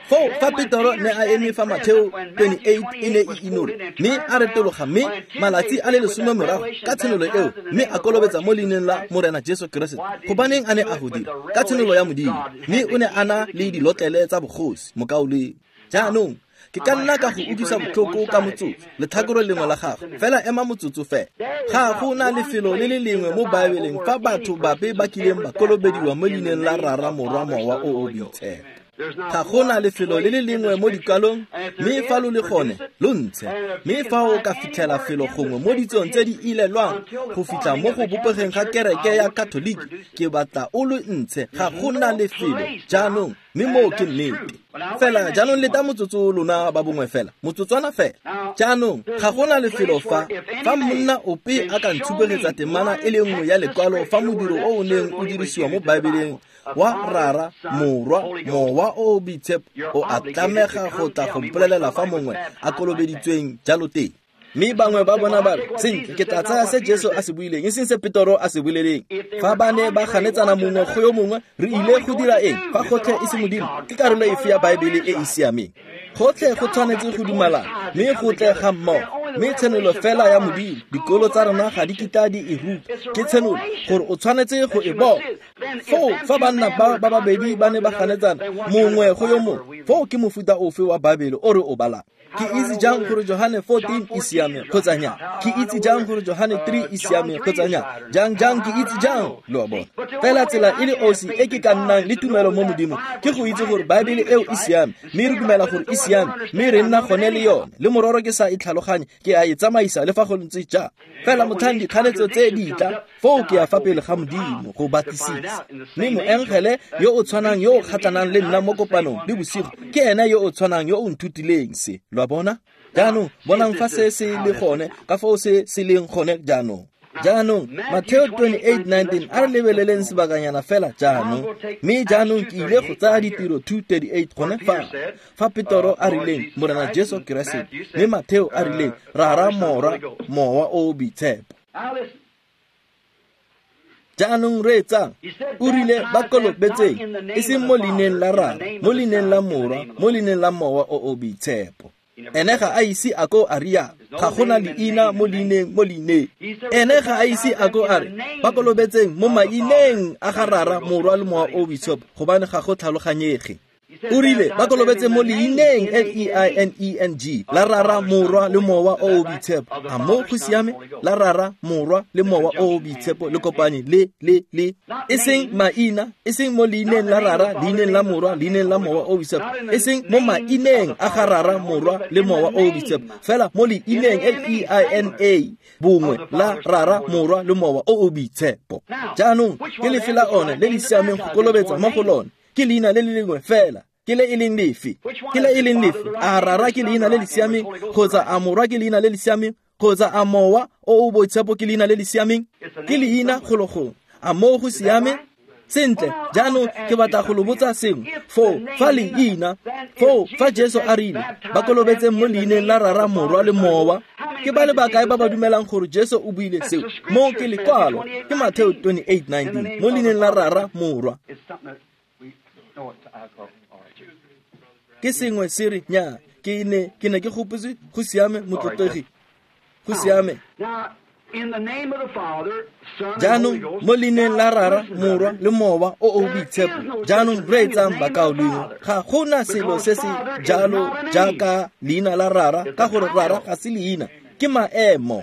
Foo fa Petoro ne a eme fa Mateo 28 e ne e inolwa, mme a retologa mme malatsi a le 10 morago ka tshenolo eo, mme a kolobetsa mo leineng la Morena Jesu Keresete. Gobaneng a ne a go dira? Ka tshenolo ya Modimo, mme o ne a na le dilotlele tsa bogosi, mokaulengwe. Jaanong ke ka nna ka go utlwisa botlhoko ka motsotso, letlhakore lengwe la gago, fela ema motsotso fela. Ga go na lefelo le le lengwe mo Baebeleng fa batho bape ba kileng ba kolobediwa mo leineng la Rara, Morwa, Mowa o o Boitshepo. Ga go na lefelo le le lengwe mo dikwalong, mme fa lo le gone, lo ntshe. Mme fa o ka fitlhela felo gongwe mo ditsong tse di ilelwang go fitlha mo go bopegeng ga kereke ya Katoliki, ke batla o lo ntshe. Ga go na lefelo jaanong, mme moo ke nnete. Fela jaanong leta motsotso lona ba bongwe fela, motsotswana fela. Jaanong ga go na lefelo fa monna ope a ka ntshupegetsa temana e le nngwe ya lekwalo fa modiro o o neng o dirisiwa mo Baebeleng wa Rara, Morwa, Mowa o o Boitshepo, o a tlamega go tla go mpolelela fa mongwe a kolobeditsweng jalo teng. Mme bangwe ba bona ba re, sentle, ke tla tsaya se Jesu a se buileng, e seng se Petoro a se boleleng. Fa ba ne ba ganetsana mongwe go yo mongwe, re ile go dira eng? Fa gotlhe e se Modimo, ke karolo efe ya Baebele e e siameng? Gotlhe go tshwanetse go dumalana, mme go tle ga mmogo. Mme tshenolo fela ya Modimo, dikolo tsa rona ga di kitla di e ruta. Ke tshenolo gore o tshwanetse go e bona. Foo fa banna ba ba babedi ba ne ba ganetsana mongwe go yo mongwe, foo ke mofuta ofe wa Baebele o re o balang? Ke itse jang gore Johane 14 e siame kgotsa nya? Ke itse jang gore Johane 3 e siame kgotsa nya? Jang ke itse jang? Lo a bona. Fela tsela e le osi e ke ka nnang le tumelo mo Modimo ke go itse gore Baebele eo e siame, mme re dumela gore e siame, mme re nna gone le yone. Le mororo ke sa e tlhaloganye, ke a e tsamaisa le fa go ntse jang. Fela motlhang dikganetso tse di tla, foo ke ya fa pele ga Modimo go batlisisa. Mme moengele yo o tshwanang yo o kgatlhanang le nna mo kopanong le bosigo ke ene yo o tshwanang yo o nthutileng se. Lo a bona? Jaanong bonang fa se se le gone, ka foo se se leng gone jaanong. Jaanong Mateo 28:19 a re lebeleleng sebakanyana fela jaanong. Mme jaanong ke ile go tsaya ditiro 2:38 gone fa. Fa Petoro a rileng Morena Jesu Keresete, mme Mateo a rileng Rara, Morwa, Mowa o o Boitshepo. Jaanong reetsang, o rile ba kolobetseng, e seng mo leineng la Rara, mo leineng la Morwa, mo leineng la Mowa o o Boitshepo. Ene ga a ise a ko a rialo, ga gona leina mo leineng mo leineng. Ene ga a ise a ko a re ba kolobetseng mo maineng a ga Rara, Morwa le Mowa o o Boitshepo, gobane ga go tlhaloganyege. O rile ba kolobetse mo leineng L-E-I-N-E-N-G la Rara, Morwa le Mowa o o Boitshepo. A mo go siame? La Rara, Morwa le Mowa o o Boitshepo le kopanye le le le, e seng maina, e seng mo leineng la Rara, leineng la Morwa, leineng la Mowa o o Boitshepo, e seng mo maineng a ga Rara, Morwa le Mowa o o Boitshepo, fela mo leineng L-E-I-N-A bongwe la Rara, Morwa le Mowa o o Boitshepo. Jaanong ke lefe la one le le siameng go kolobetsa mo go lone? Ke leina le le lengwe fela. Ke le e leng lefe? Ke le e leng lefe? A Rara ke leina le le siameng, kgotsa a Morwa ke leina le le siameng, kgotsa a Mowa o o Boitshepo ke leina le le siameng? Ke leina golo gongwe. A moo go siame? Sentle, jaanong ke batla go lo botsa sengwe. Foo fa leina, foo fa Jesu a rile ba kolobetseng mo leineng la Rara, Morwa le Mowa, ke ba le bakae ba ba dumelang gore Jesu o buile seo? Mo ke lekwalo, ke Mateo 28:19, mo leineng la Rara, Morwa. Ke sengwe se re nya, ke ne ke gopotse go siame motlotlegi, go siame. Jaanong mo leineng la Rara, Morwa le Mowa o o Boitshepo. Jaanong reetsang bakaulengwe, ga gona selo se se jalo jaaka leina la Rara, ka gore Rara ga se leina, ke maemo.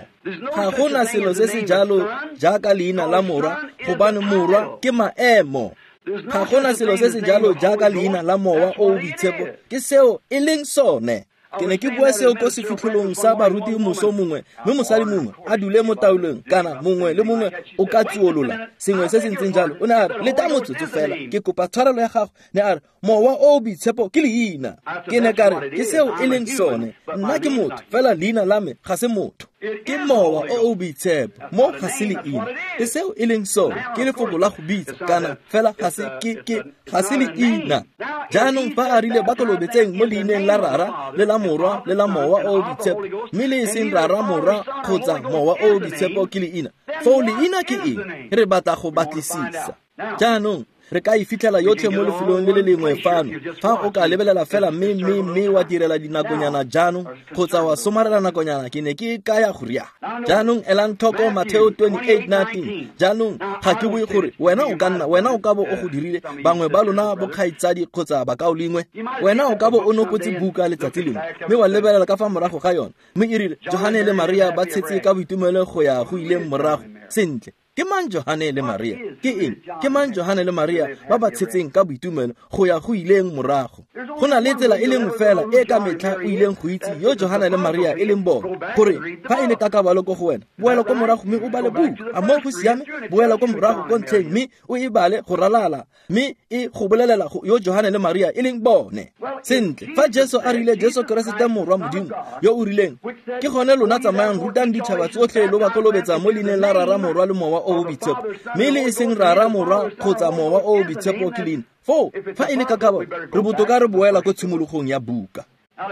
Ga gona selo se se jalo jaaka leina la Morwa, gobane Morwa ke maemo. Ga gona selo se se jalo jaaka leina la Mowa o o Boitshepo, ke seo e leng sone. Ke ne ke bua seo ko sefitlholong sa baruti moso mongwe, mme mosadi mongwe a dule mo taolong, kana mongwe le mongwe o ka tsuolola sengwe se se ntseng jalo. O ne a re, leta motsotso fela, ke kopa tshwarelo ya gago. Ne a re, Mowa o o Boitshepo ke leina. Ke ne ka re, ke seo e leng sone. Nna ke motho, fela leina la me ga se motho. Ke Mowa o o Boitshepo, mo ga se leina. Ke seo e leng sone, ke lefoko la go bitsa, kana fela ga se ke ga se leina. Jaanong fa a rile ba kolobetseng mo leineng la Rara le la Morwa le la Mowa o o Boitshepo, mme le e seng Rara, Morwa kgotsa Mowa o o Boitshepo ke leina, foo leina ke eng? Re batla go batlisisa. Jaanong re ka e fitlhela yotlhe mo lefelong le le lengwe fano. Fa o ka lebelela fela mme wa direla dinakonyana jaanong, kgotsa wa somarela nakonyana, ke ne ke kaya go riana. Jaanong elang tlhoko Mateo 28:19. Jaanong ga ke bue gore wena o ka nna, wena o ka bo o go dirile, bangwe ba lona bokgaitsadi kgotsa bakaulengwe, wena o ka bo o nopotse buka letsatsi lengwe, mme wa lebelela ka fa morago ga yone, mme e rile Johane le Maria ba tshetse ka boitumelo go ya go ileng morago. Sentle, ke mang Johane le Maria? Ke eng? Ke mang Johane le Maria ba ba tshetseng ka boitumelo go ya go ileng morago? Go na le tsela e le nngwe fela e ka metlha o ileng go itse yo Johane le Maria e leng bone, gore fa e le kakabalo ko go wena, boela ko morago mme o bale buka. A mo go siame? Boela ko morago ko ntlheng mme o e bale go ralala, mme e go bolelela yo Johane le Maria e leng bone. Sentle, fa Jesu a rile Jesu Keresete Morwa Modimo yo o rileng, ke gone lona tsamayang rutang ditšhaba tsotlhe lo ba kolobetsa mo leineng la Rara, Morwa le Mowa o o Boitshepo, mme le e seng Rara, Morwa kgotsa Mowa o o Boitshepo ke leina. Foo fa e le kakabo, re botoka re boela ko tshimologong ya buka.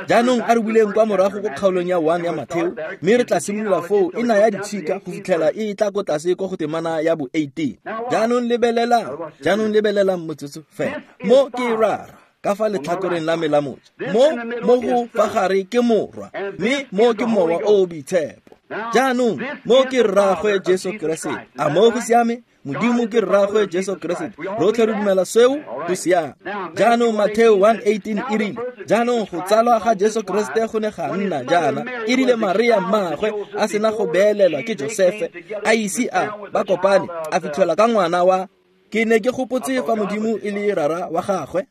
Jaanong a re buleng kwa morago ko kgaolong ya 1 ya Mateo, mme re tla simolola foo e naya ditshika go fitlhela e tla ko tlase ko go temana ya bo 18. Jaanong lebelelang motsotso fela. Mo ke Rara ka fa letlhakoreng la me la moja, mo go fa gare ke Morwa, mme mo ke Mowa o o Boitshepo. Jaanong mo ke Rraagwe Jesu Keresete. A mo go siame? Modimo ke Rraagwe Jesu Keresete. Rotlhe re dumela seo, go siame. Jaanong Mateo 1:18 e rile, jaanong go tsalwa ga Jesu Keresete go ne ga nna jaana. E rile Maria mmaagwe a sena go beelelwa ke Josefe, a ise a ba kopane, a fitlhelwa ka ngwana wa. Ke ne ke gopotse fa Modimo e le Rara wa gagwe.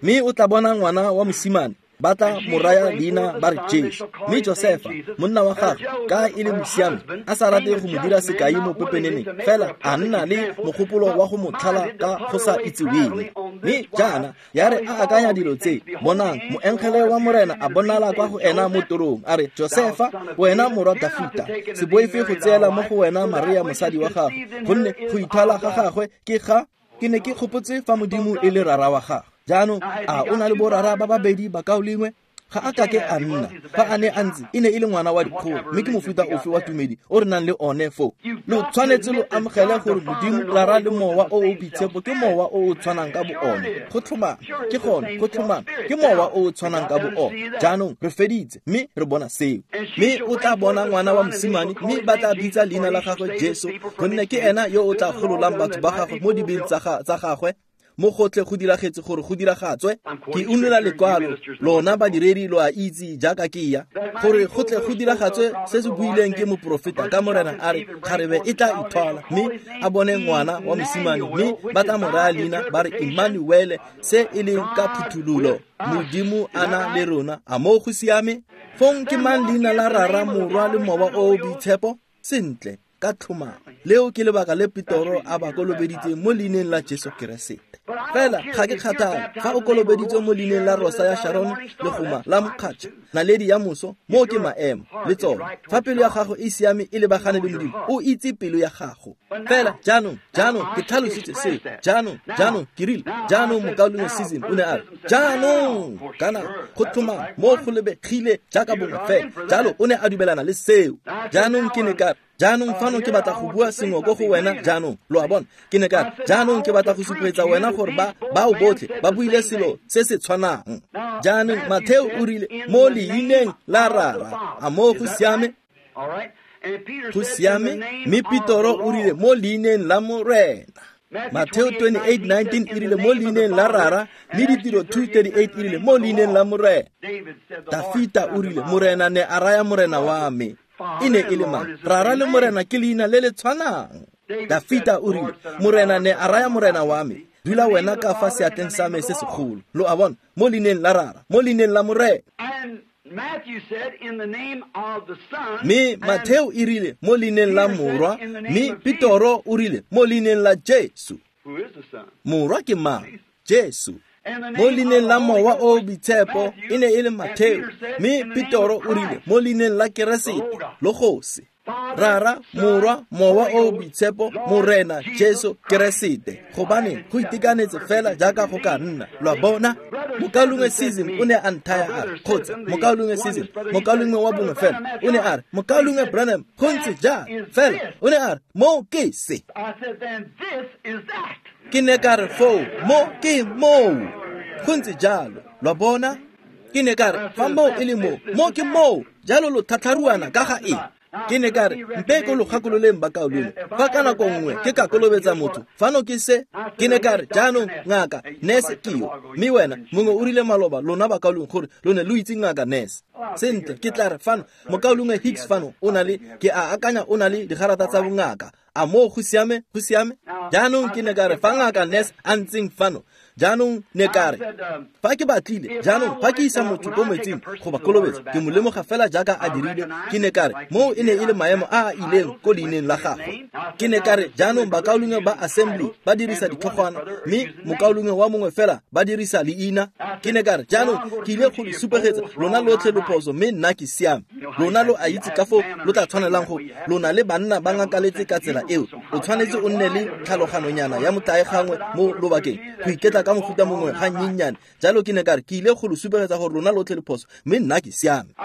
Mme o tla bona ngwana wa mosimane, ba tla mo raya leina ba re Jesu. Mme Josefa, monna wa gagwe, ka e le mosiami, a sa rate go mo dira sekai mo pepeneneng, fela a nna le mogopolo wa go mo tlhala ka go sa itseweng. Mme jaana ya re a akanya dilo tse, bonang, moengele wa Morena a bonala kwa go ena mo torong, a re, Josefa, wena morwa Dafita, se boife go tseela mo go wena Maria mosadi wa gagwe, gonne go ithwala ga gagwe ke ga. Ke ne ke gopotse fa Modimo e le Rara wa gagwe. Jaanong a o na le borara ba babedi bakaulengwe? Ga a kake a nna. Fa a ne a ntse, e ne e le ngwana wa dikgolo, mme ke mofuta ofe wa tumedi o re nang le one foo. Lo tshwanetse lo amogele gore Modimo, Rara le Mowa o o Boitshepo ke Mowa o o tshwanang ka bo one. Go tlhomame, ke gone, go tlhomame, ke Mowa o o tshwanang ka bo one. Jaanong re feditse, mme re bona seo. Mme o tla bona ngwana wa mosimane, mme ba tla bitsa leina la gagwe Jesu, gonne ke ena yo o tla gololang batho ba gagwe mo dibeng tsa gagwe. Mo gotlhe go diragetse gore go diragatswe. Ke unola lekwalo, lona badiredi lo a itse jaaka ke ya, gore go tle go diragatswe se se buileng ke moprofeta ka Morena a re, kgarebe e tla ithwala mme a bone ngwana wa mosimane, mme ba tla mo raya leina ba re Emmanuele, se e leng ka phuthololo, Modimo a na le rona. A moo go siame? Fong ke mang leina la Rara, Morwa le Mowa o o Boitshepo? Sentle, ka tlhomamo. Leo ke lebaka le Petoro a ba kolobeditseng mo leineng la Jesu Keresete. Fela ga ke kgathale fa o kolobeditswe mo leineng la Rosa ya Sharon, legoma la mokgatšha, naledi ya moso, moo ke maemo le tsone. Fa pelo ya gago e siame e lebagane le Modimo, o itse pelo ya gago. Fela jaanong, jaanong ke tlhalositse seo. Jaanong, jaanong ke rile, jaanong mokaulengwe Season o ne a re, jaanong kana go tlhomama mo go lebegile jaaka bongwe fela. Jalo o ne a dumelana le seo. Jaanong ke ne ka re, jaanong fano ke batla go bua sengwe ko go wena jaanong, lo a bona. Ke ne ka re, jaanong ke batla go supegetsa wena gore ba bao botlhe ba buile selo se se tshwanang. Jaanong Matheo o rile mo leineng la Rara. A moo go siame? Go siame. Mme Petoro o rile mo leineng la Morena. Matheo 28:19 e rile mo leineng la Rara, mme Ditiro 2:38 e rile mo leineng la Morena. Dafita o rile Morena ne a raya Morena wa me. E ne e le mang? Rara le Morena ke leina le le tshwanang. Dafita o rile Morena ne a raya Morena wa me, dula wena ka fa seatleng sa me se segolo. Lo a bona, mo leineng la Rara, mo leineng la Morena. Mme Matheo e rile mo leineng la Morwa, mme Petoro o rile mo leineng la Jesu. Morwa ke mang? Jesu. Mo leineng la Mowa o Boitshepo e ne e le Matheo, mme Petoro o rile mo leineng la Keresete, Logose. Rara, Morwa, Mowa o Boitshepo, Morena Jesu Keresete. Gobane go itekanetse fela jaaka go ka nna. Lo a bona? Mokaulengwe Season o ne a nthaya a re, kgotsa mokaulengwe Season, mokaulengwe wa bongwe fela, o ne a re, mokaulengwe Branham, go ntse jang? Fela o ne a re, mo ke se. Ke ne ka re foo, mo ke moo. Go ntse jalo. Lo a bona? Ke ne ka re, fa moo e le moo, mo ke moo. Jalo lo tlhatlharuana ka ga eng? Ke ne ka re, mpe ko lo gakololeng bakaulengwe, fa ka nako nngwe ke ka kolobetsa motho, fano ke se. Ke ne ka re, jaanong ngaka nurse ke yo, mme wena mongwe o rile maloba lona bakaulengwe gore lo ne lo itse ngaka nurse. Sentle, ke tla re fano mokaulengwe Hicks fano o na le, ke a akanya o na le digarata tsa bongaka. A moo go siame? Go siame. Jaanong ke ne ka re, fa ngaka nurse a ntseng fano, jaanong ne ka re, fa ke batlile, jaanong fa ke isa motho ko metsing go ba kolobetsa, ke mo lemoga fela jaaka a dirile. Ke ne ka re, moo e ne e le maemo a a ileng ko leineng la gagwe. Ke ne ka re, jaanong bakaulengwe ba assembly ba dirisa ditlhogwana, mme mokaulengwe wa mongwe fela ba dirisa leina. Ke ne ka re, jaanong ke ile go le supegetsa lona lotlhe lo phoso, mme nna ke siame. Lona lo a itse ka foo lo tla tshwanelang go lona le banna ba ngakaletse ka tsela eo. O tshwanetse o nne le tlhaloganonyana ya motlae gangwe mo lobakeng go iketla ka mofuta mongwe ga nnyennyane. Jalo ke ne ka re, ke ile go lo supegetsa gore lona lotlhe le phoso, mme nna ke siame.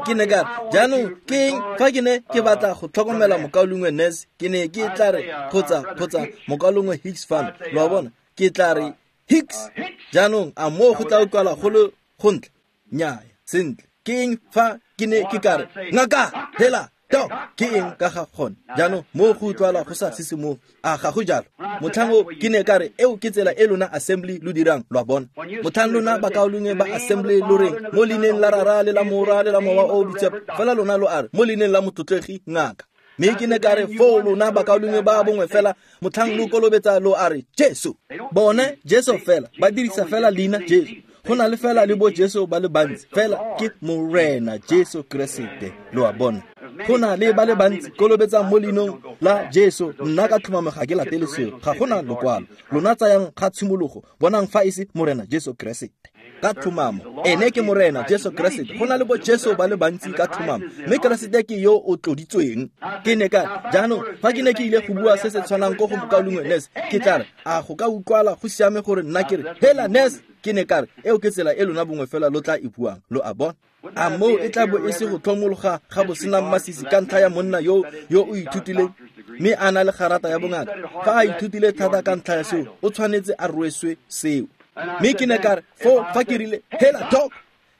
Ke ne ka re, jaanong ke eng fa ke ne ke batla go tlhokomela mokaulengwe Nurse, ke ne ke tla re, kgotsa mokaulengwe Hicks fano, lo a bona, ke tla re Hicks. Jaanong a moo go tla utlwala go le gontle? Nnyaya. Sentle, ke eng fa ke ne ke ka re, ngaka, hela, to, ke eng ka ga gone? Jaanong moo go utlwala go sa sisimoge. A ga go jalo? Motlhang o ke ne ka re, eo ke tsela e lona assembly lo dirang, lo a bona. Motlhang lona bakaulengwe ba assembly lo reng mo leineng la Rara le la Morwa le la Mowa o o Boitshepo, fela lona lo a re mo leineng la motlotlegi ngaka. Mme ke ne ka re, foo lona bakaulengwe ba bongwe fela motlhang lo kolobetsa lo a re Jesu. Bone Jesu fela, ba dirisa fela leina Jesu. Go na le fela le bo Jesu ba le bantsi, fela ke Morena Jesu Keresete, lo a bona. Go na le ba le bantsi kolobetsang mo leinong la Jesu, nna ka tlhomamo ga ke latele seo, ga gona lokwalo. Lona tsayang ga tshimologo, bonang fa e se Morena Jesu Keresete. Ka tlhomamo ene ke Morena Jesu Keresete. Go na le bo Jesu ba le bantsi ka tlhomamo, mme Keresete ke yo o tloditsweng. Ke ne ka jaanong fa ke ne ke ile go bua se se tshwanang ko go mokaulengwe Ness, ke tla re a go ka utlwala go siame gore nna ke re hela Ness. Ke ne ka re eo ke tsela e lona bongwe fela lo tla e buang, lo a bona. A moo e tla bo e se go tlhomologa ga bosenang masisi ka ntlha ya monna yo o ithutileng mme a na le garata ya bongaka? Fa a ithutile thata ka ntlha ya seo, o tshwanetse a rweswe seo. Mme ke ne ka re foo fa ke rile hela Doc,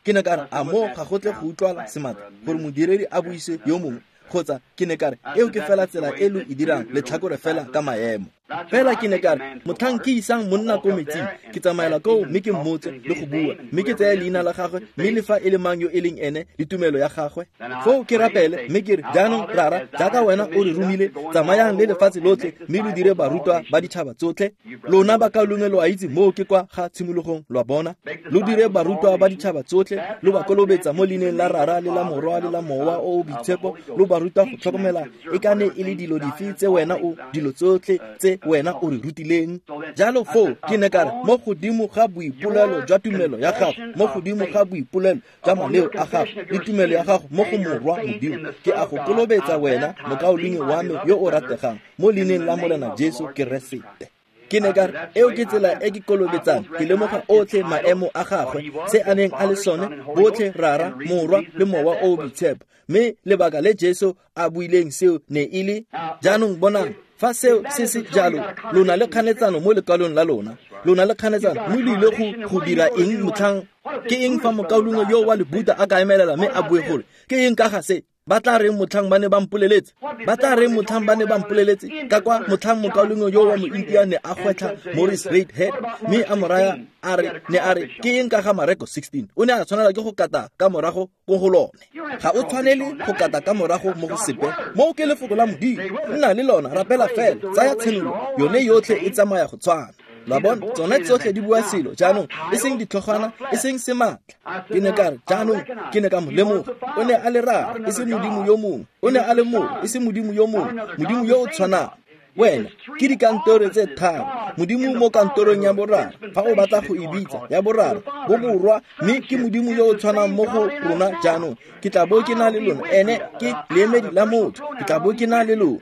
ke ne ka re a moo ga go tle go utlwala sematla gore modiredi a buise yo mongwe, kgotsa ke ne ka re eo ke fela tsela e lo e dirang letlhakore fela ka maemo. Fela ke ne ka re motlhang ke isang monna ko metsing, ke tsamaela koo mme ke mmotse le go bua, mme ke tseye leina la gagwe, mme le fa e le mang yo e leng ene le tumelo ya gagwe. Foo ke rapele mme ke re jaanong Rara, jaaka wena o re romile, tsamayang le lefatshe lotlhe mme lo dire barutwa ba ditšhaba tsotlhe. Lona bakaulengwe lo a itse moo ke kwa ga tshimologong, lwa bona. Lo dire barutwa ba ditšhaba tsotlhe, lo ba kolobetsa mo leineng la Rara le la Morwa le la Mowa o o Boitshepo, lo ba ruta go tlhokomela e ka ne e le dilo dife tse wena o dilo tsotlhe tse wena o re rutileng. Jalo foo ke ne ka re mo godimo ga boipolelo jwa tumelo ya gago, mo godimo ga boipolelo jwa maleo a gago le tumelo ya gago mo go Morwa Modimo, ke a go kolobetsa wena mokaulengwe wa me yo o rategang mo leineng la Morena Jesu Keresete. Ke ne ka re eo ke tsela e ke kolobetsang, ke lemoga otlhe maemo a gagwe, se a neng a le sone, botlhe Rara, Morwa le Mowa o o Boitshepo. Mme lebaka le Jesu a buileng seo ne e le jaanong bonang, fa seo se se jalo, lona le kganetsano mo lekwalong la lona, lona le kganetsano, mme lo ile go dira eng motlhang? Ke eng fa mokaulengwe yo wa Lebuda a ka emelela mme a bue gore ke eng ka ga se? Ba tla reng motlhang ba ne ba mpoleletse? Ba tla reng motlhang ba ne ba mpoleletse? Ka kwa motlhang mokaulengwe yo wa Moindia ne a gwetlha Morris Redhead mme a mo raya a re ne a re ke eng ka ga Mareko 16? O ne a tshwanela ke go kata ka morago ko go lone. Ga o tshwanele go kata ka morago mo go sepe. Moo ke lefoko la Modimo. Nna le lona, rapela fela, tsaya tshenolo, yone yotlhe e tsamaya go tshwana. Lwa bona, tsone tsotlhe di bua selo jaanong, e seng ditlhogwana, e seng sematla. Ke ne ka re jaanong ke ne ka mo lemoga, o ne a le Rara, e seng Modimo yo mongwe, o ne a le Morwa, e seng Modimo yo mongwe, Modimo yo o tshwanang. Wena ke dikantoro tse tharo, Modimo mo kantorong ya boraro, fa o batla go e bitsa ya boraro, bo borwa, mme ke Modimo yo o tshwanang mo go rona jaanong. Ke tla bo ke na le lona, ene ke leemedi la motho, ke tla bo ke na le lona.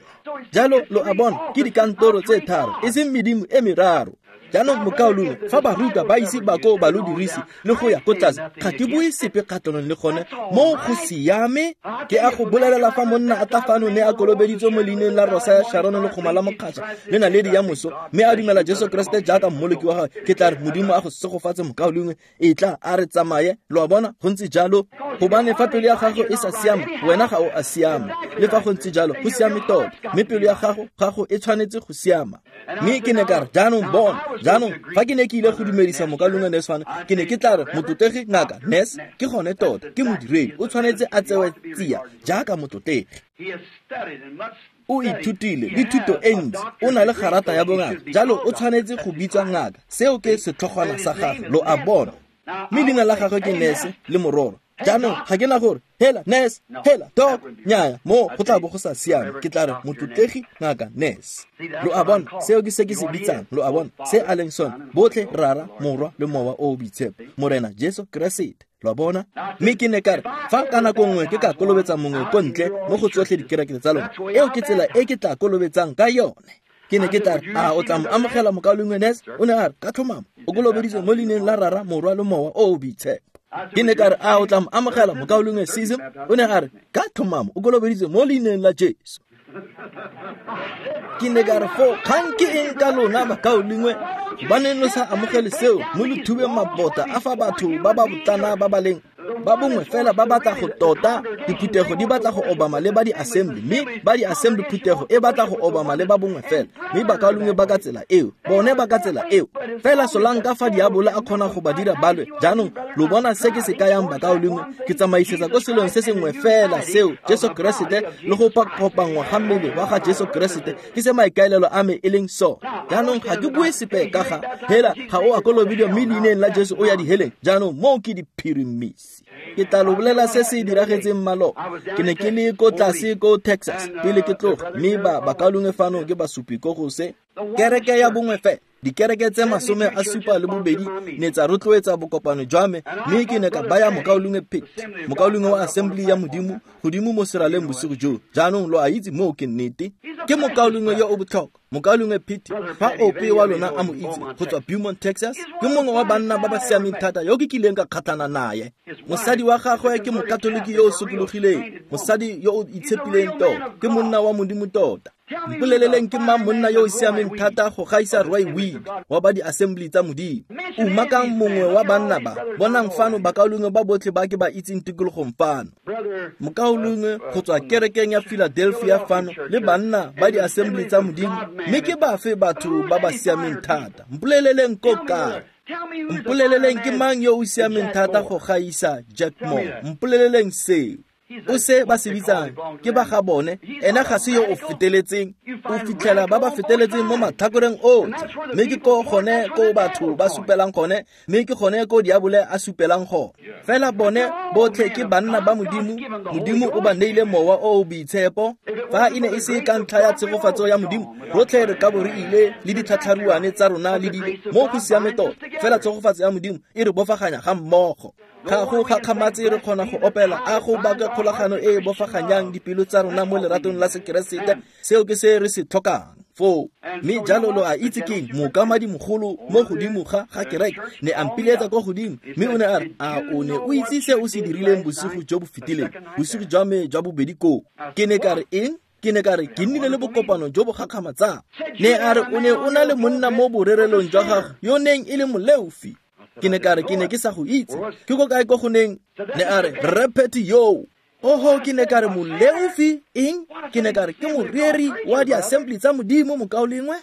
Jalo lo a bona, ke dikantoro tse tharo, e seng medimo e meraro. Jaanong mokaulengwe, fa barutwa ba ise ba ko ba lo dirise le go ya ko tlase, ga ke bue sepe kgatlhanong le gone, moo go siame. Ke a go bolelela fa monna a tla fano ne a kolobeditswe mo leineng la Rosa ya Sharon le goma la Mokgatšha le naledi ya moso, mme a dumela Jesu Keresete jaaka mmoloki wa gagwe, ke tla re Modimo a go segofatse mokaulengwe, e tla a re tsamaye. Lo a bona, go ntse jalo, gobane fa pelo ya gago e sa siama, wena ga o a siama. Le fa go ntse jalo, go siame tota, mme pelo ya gago e tshwanetse go siama. Mme ke ne ka re jaanong bona, jaanong fa ke ne ke ile go dumedisa mokaulengwe Ness fano, ke ne ke tla re motlotlegi ngaka Ness ke gone tota, ke modiredi, o tshwanetse a tsewe tsia jaaka motlotlegi. O ithutile le thuto e ntsi, o na le garata ya bongaka, jalo o tshwanetse go bitswa ngaka. Seo ke setlhogwana sa gagwe, lo a bona. Mme leina la gagwe ke Ness le mororo. Jaanong ga ke na gore hela Ness, hela Doc, nnyaya, mo go tla bo go sa siame. Ke tla re motlotlegi ngaka Ness. Lo a bona, seo ke se ke se bitsang, lo a bona, se a leng sone, botlhe Rara, Morwa le Mowa o o Boitshepo, Morena Jesu Keresete. Lo a bona? Mme ke ne ka re fa ka nako nngwe ke ka kolobetsa mongwe ko ntle mo go tsotlhe dikereke tsa lona, eo ke tsela e ke tla kolobetsang ka yone. Ke ne ke tla re a o tla mo amogela mokaulengwe Ness? O ne a re ka tlhomamo, o kolobeditswe mo leineng la Rara, Morwa le Mowa o o Boitshepo. Ke ne ka re a o tla mo amogela mokaulengwe Sism? O ne a re ka tlhomamo, o kolobeditswe mo leineng la Jesu. Ke ne ka re foo kgang ke eng ka lona bakaulengwe, gobaneng lo sa amogele seo mo lo thubeng mabota a fa batho ba ba botlana ba ba leng ba bongwe fela ba batla go tota, diphuthego di batla go obama le ba di-assembly, mme ba di-assembly phuthego e batla go obama le ba bongwe fela, mme bakaulengwe ba ka tsela eo, bone ba ka tsela eo. Fela solanka fa diabolo a kgona go ba dira balwe. Jaanong lo bona se ke se kayang bakaulengwe, ke tsamaisetsa ko selong se sengwe fela seo, Jesu Keresete le go kopanngwa ga mmele wa ga Jesu Keresete, ke se maikaelelo a me e leng so. Jaanong ga ke bue sepe ka ga hela ga o a kolobediwa mme leineng la Jesu o ya diheleng. Jaanong moo ke diphirimisi. Ke tla lo bolela se se diragetseng maloba. Ke ne ke le ko tlase ko Texas pele ke tloga, mme ba bakaulengwe fano ke basupi ko go se. Kereke ya bongwe fela. Dikereke tse 72 ne tsa rotloetsa bokopano jwa me, mme ke ne ka baya mokaulengwe Pitt, mokaulengwe wa Assembly ya Modimo, godimo mo seraleng bosigo joo. Jaanong lo a itse moo ke nnete. Ke mokaulengwe yo o botlhokwa, mokaulengwe Pitt, fa ope wa lona a mo itse, go tswa Beaumont, Texas, ke mongwe wa banna ba ba siameng thata yo ke kileng ka kgatlhana naye. Mosadi wa gagwe ke mokatoliki yo o sokologileng, mosadi yo o itshepileng tota, ke monna wa Modimo tota. Mpoleleleng ke mang monna yo o siameng thata go gaisa Roy Weed wa ba di-Assembly tsa Modimo. Umakang mongwe wa banna ba, bonang fano bakaulengwe ba botlhe ba ke ba itseng tikologong fano. Mokaulengwe go tswa kerekeng ya Philadelphia fano le banna ba di-Assembly tsa Modimo, mme ke bafe batho ba ba siameng thata? Mpoleleleng ko kae? Mpoleleleng ke mang yo o siameng thata go gaisa Jack Moore? Mpoleleleng seo. O se ba se bitsang ke ba ga bone, ena ga se yo o feteletseng. O fitlhela ba ba feteletseng mo matlhakoreng otlhe, mme ke ko gone ko batho ba supelang gone, mme ke gone ko diabole a supelang gone. Fela bone botlhe ke banna ba Modimo. Modimo o ba neile mowa o o boitshepo. Fa e ne e se ka ntlha ya tshegofatso ya Modimo, rotlhe re ka bo re ile le ditlhatlharuane tsa rona le dilo mo go siame tota. Fela tshegofatso ya Modimo e re bofaganya ga mmogo. Ga go gakgamatse re kgona go opela a go baka kgolagano e e bofaganyang dipelo tsa rona mo leratong la Sekeresete. Seo ke se re se tlhokang foo. Mme jalo lo a itse keng, mookamadi mogolo mo godimo ga kereke ne a mpiletsa kwa godimo, mme o ne a re, a o ne o itse se o se dirileng bosigo jo bo fetileng, bosigo jwa me jwa bobedi koo? Ke ne ka re, eng? Ke ne ka re, ke nnile le bokopano jo bo gakgamatsang. Ne a re, o ne o na le monna mo borerelong jwa gago yo neng e le moleofi. Ke ne ka re, ke ne ke sa go itse. Ke ko kae ko go neng? Ne a re, Rre Petty yo. Oho, ke ne ka re, moleofi eng? Ke ne ka re, ke moreri wa di-Assembly tsa Modimo, mokaulengwe.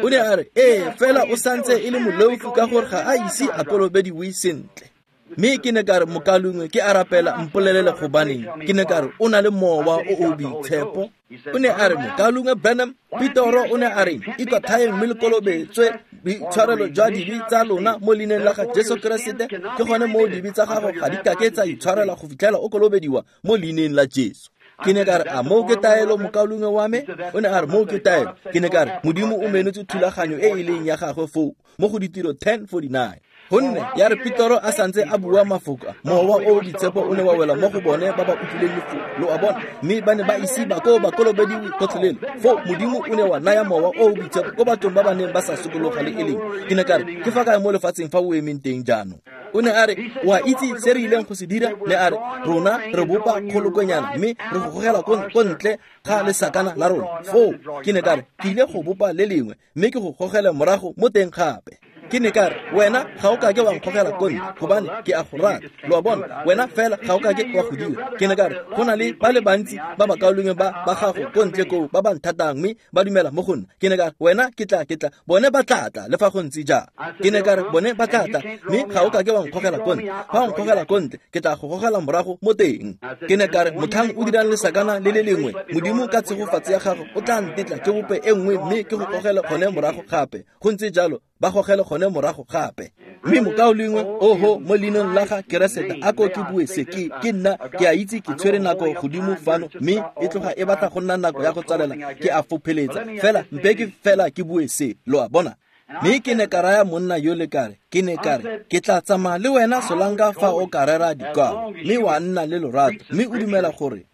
O ne a re, ee, fela o santse e le moleofi ka gore ga a ise a kolobediwe sentle. Mme ke ne ka re, mokaulengwe, ke a rapela, mpolelele gobaneng. Ke ne ka re, o na le mowa o o boitshepo. O ne a re, mokaulengwe Branham, Petoro o ne a re, ikwatlhaeng mme le kolobetswe boitshwarelo jwa dibe tsa lona mo leineng la ga Jesu Keresete. Ke gone moo dibe tsa gago ga di kake tsa itshwarela go fitlhela o kolobediwa mo leineng la Jesu. Ke ne ka re, a moo ke taelo, mokaulengwe wa me? O ne a re, moo ke taelo. Ke ne ka re, Modimo o menotse thulaganyo e e leng ya gagwe foo mo go Ditiro 10:49. Gonne ya re Petoro a santse a bua mafoko, mowa o boitshepo o ne wa wela mo go bone ba ba utlwileng lefoko, lo a bona, mme ba ne ba ise ba ko ba kolobediwe gotlhelele. Foo Modimo o ne wa naya mowa o boitshepo ko bathong ba ba neng ba sa sokologa le e leng. Ke ne ka re, ke fa kae mo lefatsheng fa o emeng teng jaanong? O ne a re, o a itse se re ileng go se dira? Ne a re, rona re bopa kgolokwenyana mme re go gogela ko ntle ga lesakana la rona. Foo ke ne ka re, ke ile go bopa le lengwe mme ke go gogele morago mo teng gape. Ke ne ka re, wena ga o kake wa nkgogela ko ntle gobane ke a go rata. Lo a bona, wena fela ga o kake wa go dira. Ke ne ka re, go na le ba le bantsi ba bakaulengwe ba gago ko ntle koo ba ba nthatang mme ba dumela mo go nna. Ke ne ka re, wena ke tla, bone ba tla tla le fa go ntse jang. Ke ne ka re, bone ba tla tla mme ga o kake wa nkgogela ko ntle. Fa o nkgogela ko ntle, ke tla go gogela morago mo teng. Ke ne ka re, motlhang o dirang lesakana le le lengwe, Modimo ka tshegofatso ya gago o tla ntetla ke bope e nngwe mme ke go gogele gone morago gape. Go ntse jalo, ba gogele gone morago gape. Mme mokaulengwe, oho, mo leineng la ga Keresete, a ko ke bue se, ke nna ke a itse ke tshwere nako godimo fano, mme e tloga e batla go nna nako ya go tsalela, ke a fopheletsa. Fela mpe ke fela ke bue se, lo a bona. Mme ke ne ka raya monna yo le kare, ke ne ka re, ke tla tsamaya le wena solanka fa o ka rera dikwalo, mme wa nna le lorato, mme o dumela gore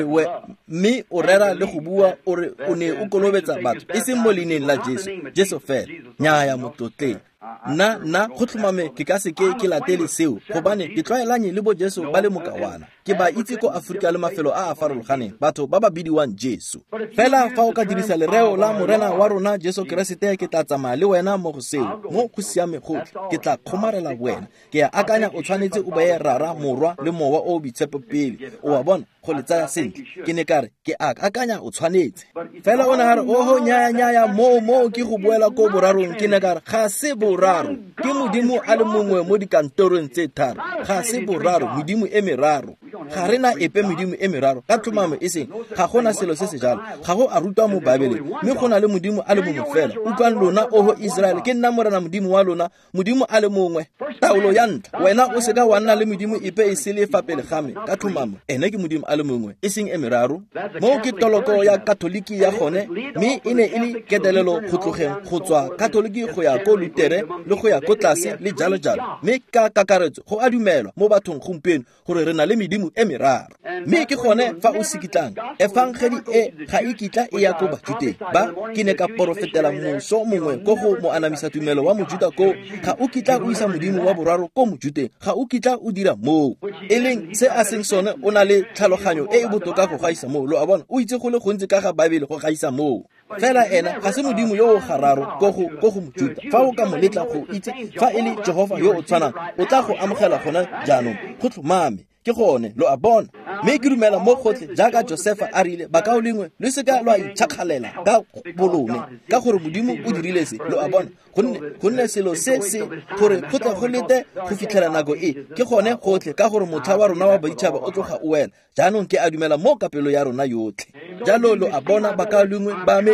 we mme o rera le go bua o re o ne o kolobetsa batho e seng mo leineng la Jesu, Jesu fela. Nnyaya motlotleng. Nna go tlhomame ke ka seke ke latele seo, gobane ke tlwaelanye le bo Jesu ba le mokawana. Ke ba itse ko Afrika le mafelo a a farologaneng, batho ba ba bidiwang Jesu. Fela fa o ka dirisa lereo la Morena wa rona Jesu Keresete, ke tla tsamaya le wena mo go seo, mo go siame gotlhe. Ke tla kgomarela wena. Ke a akanya o tshwanetse o beye Rara, Morwa le Mowa o boitshepo pele. O a bona, go le tsaya sentle. Ke ne ka re, ke a akanya o tshwanetse. Fela o ne a re, oho, nyaya, moo ke go boela ko borarong. Ke ne ka re, ga se boraro. Ke Modimo a le mongwe mo dikantorong tse tharo. Ga se boraro, Modimo e meraro. Ga re na epe medimo e meraro ka tlhomamo e seng, ga gona selo se se jalo, ga go a rutwa mo Baebeleng, mme go na le Modimo a le mongwe fela. Utlwang lona, oho Iseraele, ke nna Morena Modimo wa lona, Modimo a le mongwe. Taolo ya ntlha, wena o seka wa nna le medimo epe e sele fa pele ga me, ka tlhomamo ene ke Modimo a le mongwe, e seng e meraro. Moo ke toloko ya Katoliki ya gone, mme e ne e le ketelelo go tlogeng go tswa Katoliki go ya ko Lutere le go ya ko tlase le jalo jalo. Mme ka kakaretso go a dumelwa mo bathong gompieno gore re na le medimo e meraro. Mme ke gone fa o sekitlang, efangedi e ga e kitla e ya ko Bajuteng ba. Ke ne ka porofetela moso mongwe ko go moanamisa tumelo wa Mojuta ko, ga o kitla o isa modimo wa boraro ko Mojuteng, ga o kitla o dira moo. E leng se a seng sone, o na le tlhaloganyo e e botoka go gaisa moo. Lo a bona, o itse go le gontsi ka ga Baebele go gaisa moo. Fela ena ga se modimo yo o gararo ko go Mojuta. Fa o ka mo letla go itse fa e le Jehofa yo o tshwanang, o tla go amogela gona jaanong. Go tlhomame, ke gone, lo a bona. Mme ke dumela mo gotlhe jaaka Josefa a rile, bakaulengwe, lo seka lwa itšhakgalela ka bolone, ka gore Modimo o dirile se. Lo a bona, gonne selo se se gore go tle go lete go fitlhela nako e, ke gone gotlhe, ka gore motlha wa rona wa baditšhaba o tloga o wela. Jaanong ke a dumela mo ka pelo ya rona yotlhe. Jalo lo a bona, bakaulengwe ba me,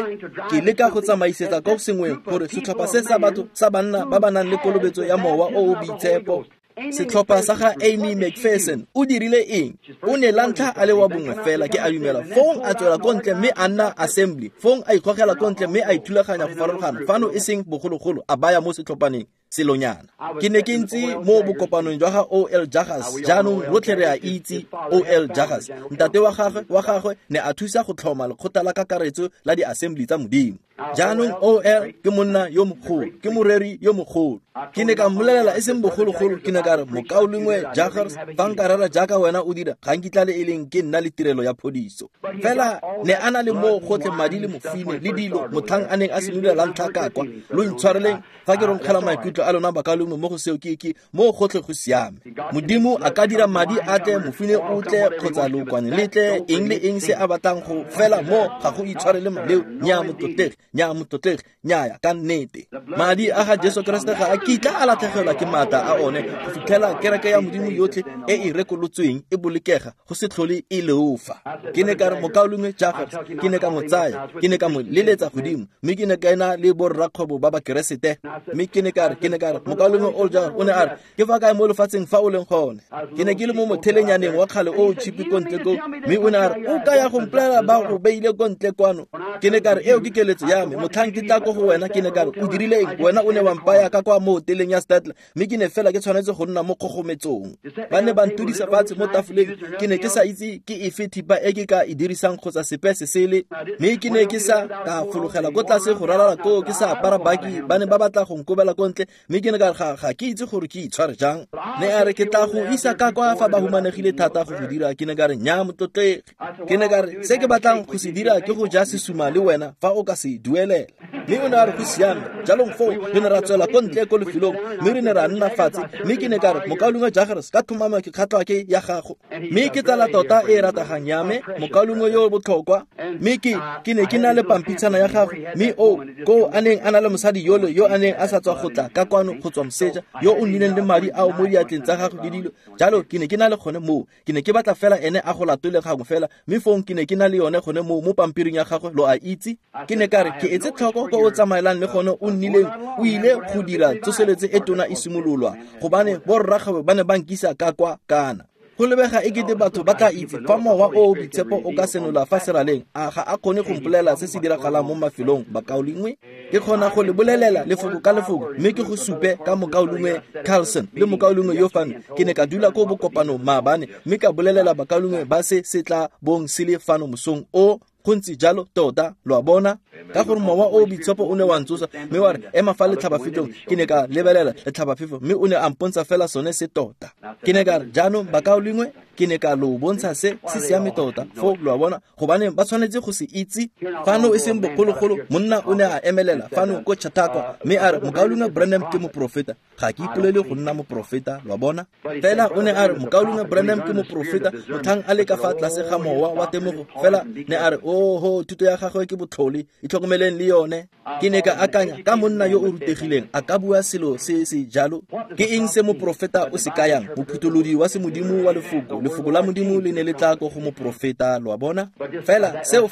ke leka go tsamaisetsa ko sengweng gore setlhopha se sa batho sa banna ba ba nang le kolobetso ya mowa o o boitshepo. Setlhopha sa ga Amy McPherson, o dirile eng? O ne la ntlha a le wa bongwe fela, ke a dumela. Fong a tswela ko ntle mme a nna assembly. Fong a ikgogela ko ntle mme a ithulaganya go farologana. Fano e seng bogologolo, a baya mo setlhophaneng selonyana. Ke ne ke ntse mo bokopanong jwa ga O.L. Jaggers. Jaanong rotlhe re a itse O.L. Jaggers. Ntate wa gagwe ne a thusa go tlhoma lekgotla la kakaretso la di-assembly tsa Modimo. Jaanong O.L. ke monna yo mogolo, ke moreri yo mogolo. Ke ne ka mmolelela e seng bogologolo, ke ne ka re, mokaulengwe Jaggers, fa nka rera jaaka wena o dira, ga nkitla le e leng ke nna le tirelo ya phodiso. Fela ne a na le moo gotlhe madi le mofine le dilo motlhang a neng a simolola la ntlha ka kwa. Lo intshwareleng fa ke ronkgela maikutlo a lona bakaulengwe mo go seo, ke mo gotlhe go siame. Modimo a ka dira madi a tle, mofine o tle, kgotsa lookwane le tle, eng le eng se a batlang go fela mo ga go itshwarele maleo. Nnyaa motlotlegi, nnyaa motlotlegi, nnyaya ka nnete. Madi a ga Jesu Keresete ga a kitla a latlhegelwa ke maatla a one go fitlhela kereke ya Modimo yotlhe e e rekolotsweng e bolokega go se tlhole e leofa. Ke ne ka re, mokaulengwe Jaggers, ke ne ka mo tsaya, ke ne ka mo leletsa godimo, mme ke ne ka ena le borrakgwebo ba Bakeresete. Mme ke ne ka re, mokaulengwe Old Jaggers, o ne a re, ke fa kae mo lefatsheng fa o leng gone? Ke ne ke le mo mothelenyaneng wa kgale o o tshipi ko ntle ko, mme o ne a re, o ka ya go mpolelela ba go beile ko ntle kwano? Ke ne ka re, eo ke keletso ya me, motlhang ke tla ko go wena. Ke ne ka re, o dirile eng? Wena o ne wa mpaya ka kwa mo hoteleng ya Statler, mme ke ne fela ke tshwanetse go nna mo kgogometsong. Ba ne ba ntudisa fatshe mo tafoleng, ke ne ke sa itse ke efe thipa e ke ka e dirisang kgotsa sepe se sele, mme ke ne ke sa ka fologela ko tlase go ralala koo ke sa apara baki. Ba ne ba batla go nkobela ko ntle, mme ke ne ka re, ga ke itse gore ke itshware jang. Ne a re, ke tla go isa ka kwa fa ba humanegile thata go go dira. Ke ne ka re, nnyaa motlotlegi. Ke ne ka re, se ke batlang go se dira ke go ja sesuma le wena fa o ka se duelela. Mme o ne a re go siame. Jalong foo re ne ra tswela ko ntle ko lefelong, mme re ne ra nna fatshe. Mme ke ne ka re, mokaulengwe Jaggers, ka tlhomamo ke kgatlhwa ke ya gago, mme ke tsala tota e rategang ya me, mokaulengwe yo o botlhokwa. Mme ke ne ke na le pampitshana ya gagwe, mme o ko a neng a na le mosadi yole yo a neng a sa tswa go tla ka kwano go tswa moseja, yo o nnileng le madi ao mo diatleng tsa gagwe le dilo jalo. Ke ne ke na le gone moo, ke ne ke batla fela ene a go latole gangwe fela, mme fong ke ne ke na le yone gone moo mo pampiring ya gagwe, lo a itse. Ke ne ka re, ke etse tlhoko ko o tsamaelang le gone o nnileng o ile go dira tsoseletso e tona e simololwa, gobane borrakgwebo ba ne ba nkisa ka kwa kana. Go lebega e kete batho ba tla itse fa mowa o o boitshepo o ka senola fa seraleng, a ga a kgone go mpolelela se se diragalang mo mafelong, bakaulengwe? Ke kgona go le bolelela lefoko ka lefoko, mme ke go supe ka mokaulengwe Carlson le mokaulengwe yo fano. Ke ne ka dula ko bokopanong maabane, mme ka bolelela bakaulengwe ba se se tla bong se le fano mosong o. Go ntse jalo tota, lo a bona, ka gore mowa o boitshepo o ne wa ntsosa mme wa re, ema fa letlhabafefong. Ke ne ka lebelela letlhabafefo, mme o ne a mpontsha fela sone se tota. Ke ne ka re, jaanong bakaulengwe, ke ne ka lo bontsha se se siame tota foo, lo a bona, gobane ba tshwanetse go se itse. Fano e seng bogologolo, monna o ne a emelela fano ko Chautauqua, mme a re, mokaulengwe Branham ke moprofeta. Ga ke ipolele go nna moprofeta, lo a bona. Fela o ne a re, mokaulengwe Branham ke moprofeta, motlhang a le ka fa tlase ga mowa wa temogo. Fela ne a re, oho, thuto ya gagwe ke botlhole, itlhokomeleng le yone. Ke ne ka akanya, ka monna yo o rutegileng a ka bua selo se se jalo? Ke eng se moprofeta o se kayang? Mophutholodi wa semodimo wa lefoko, Lefoko la Modimo le ne le tla ko go moporofeta, lo a bona? Fela seo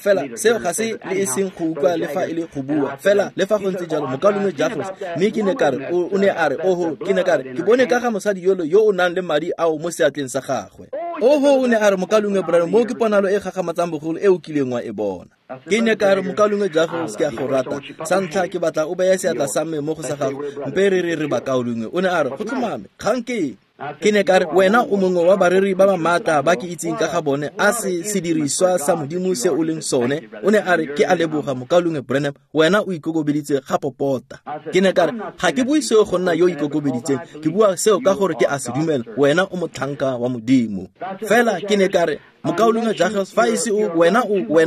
ga se le e seng go utlwa le fa e le go bua. Fela le fa go ntse jalo, mokaulengwe Jagers, mme ke ne ka re, o ne a re, oho, ke ne ka re, ke bone ka ga mosadi yolo yo o nang le madi ao mo seatleng sa gagwe. Oho, o ne a re, mokaulengwe Branham, mo ke ponalo e gagamatsang bogolo e o kileng wa e bona. Ke ne ka re, mokaulengwe Jagers, ke a go rata. Sa ntlha ke batla o beye seatla sa me mo go sa gago, mpe re re bakaulengwe. O ne a re, go tlhomame, kgang ke eng? Ke ne ka re, wena o mongwe wa bareri ba ba maatla ba ke itseng ka ga bone, a se sediriswa sa Modimo se o leng sone. O ne a re, ke a leboga, mokaulengwe Branham, wena o ikokobeditse ga popota. Ke ne ka re, ga ke bue seo go nna yo ikokobeditseng, ke bua seo ka gore ke a se dumela, wena o motlhanka wa Modimo. Fela ke ne ka re, mokaulengwe Jagers, fa e se o wena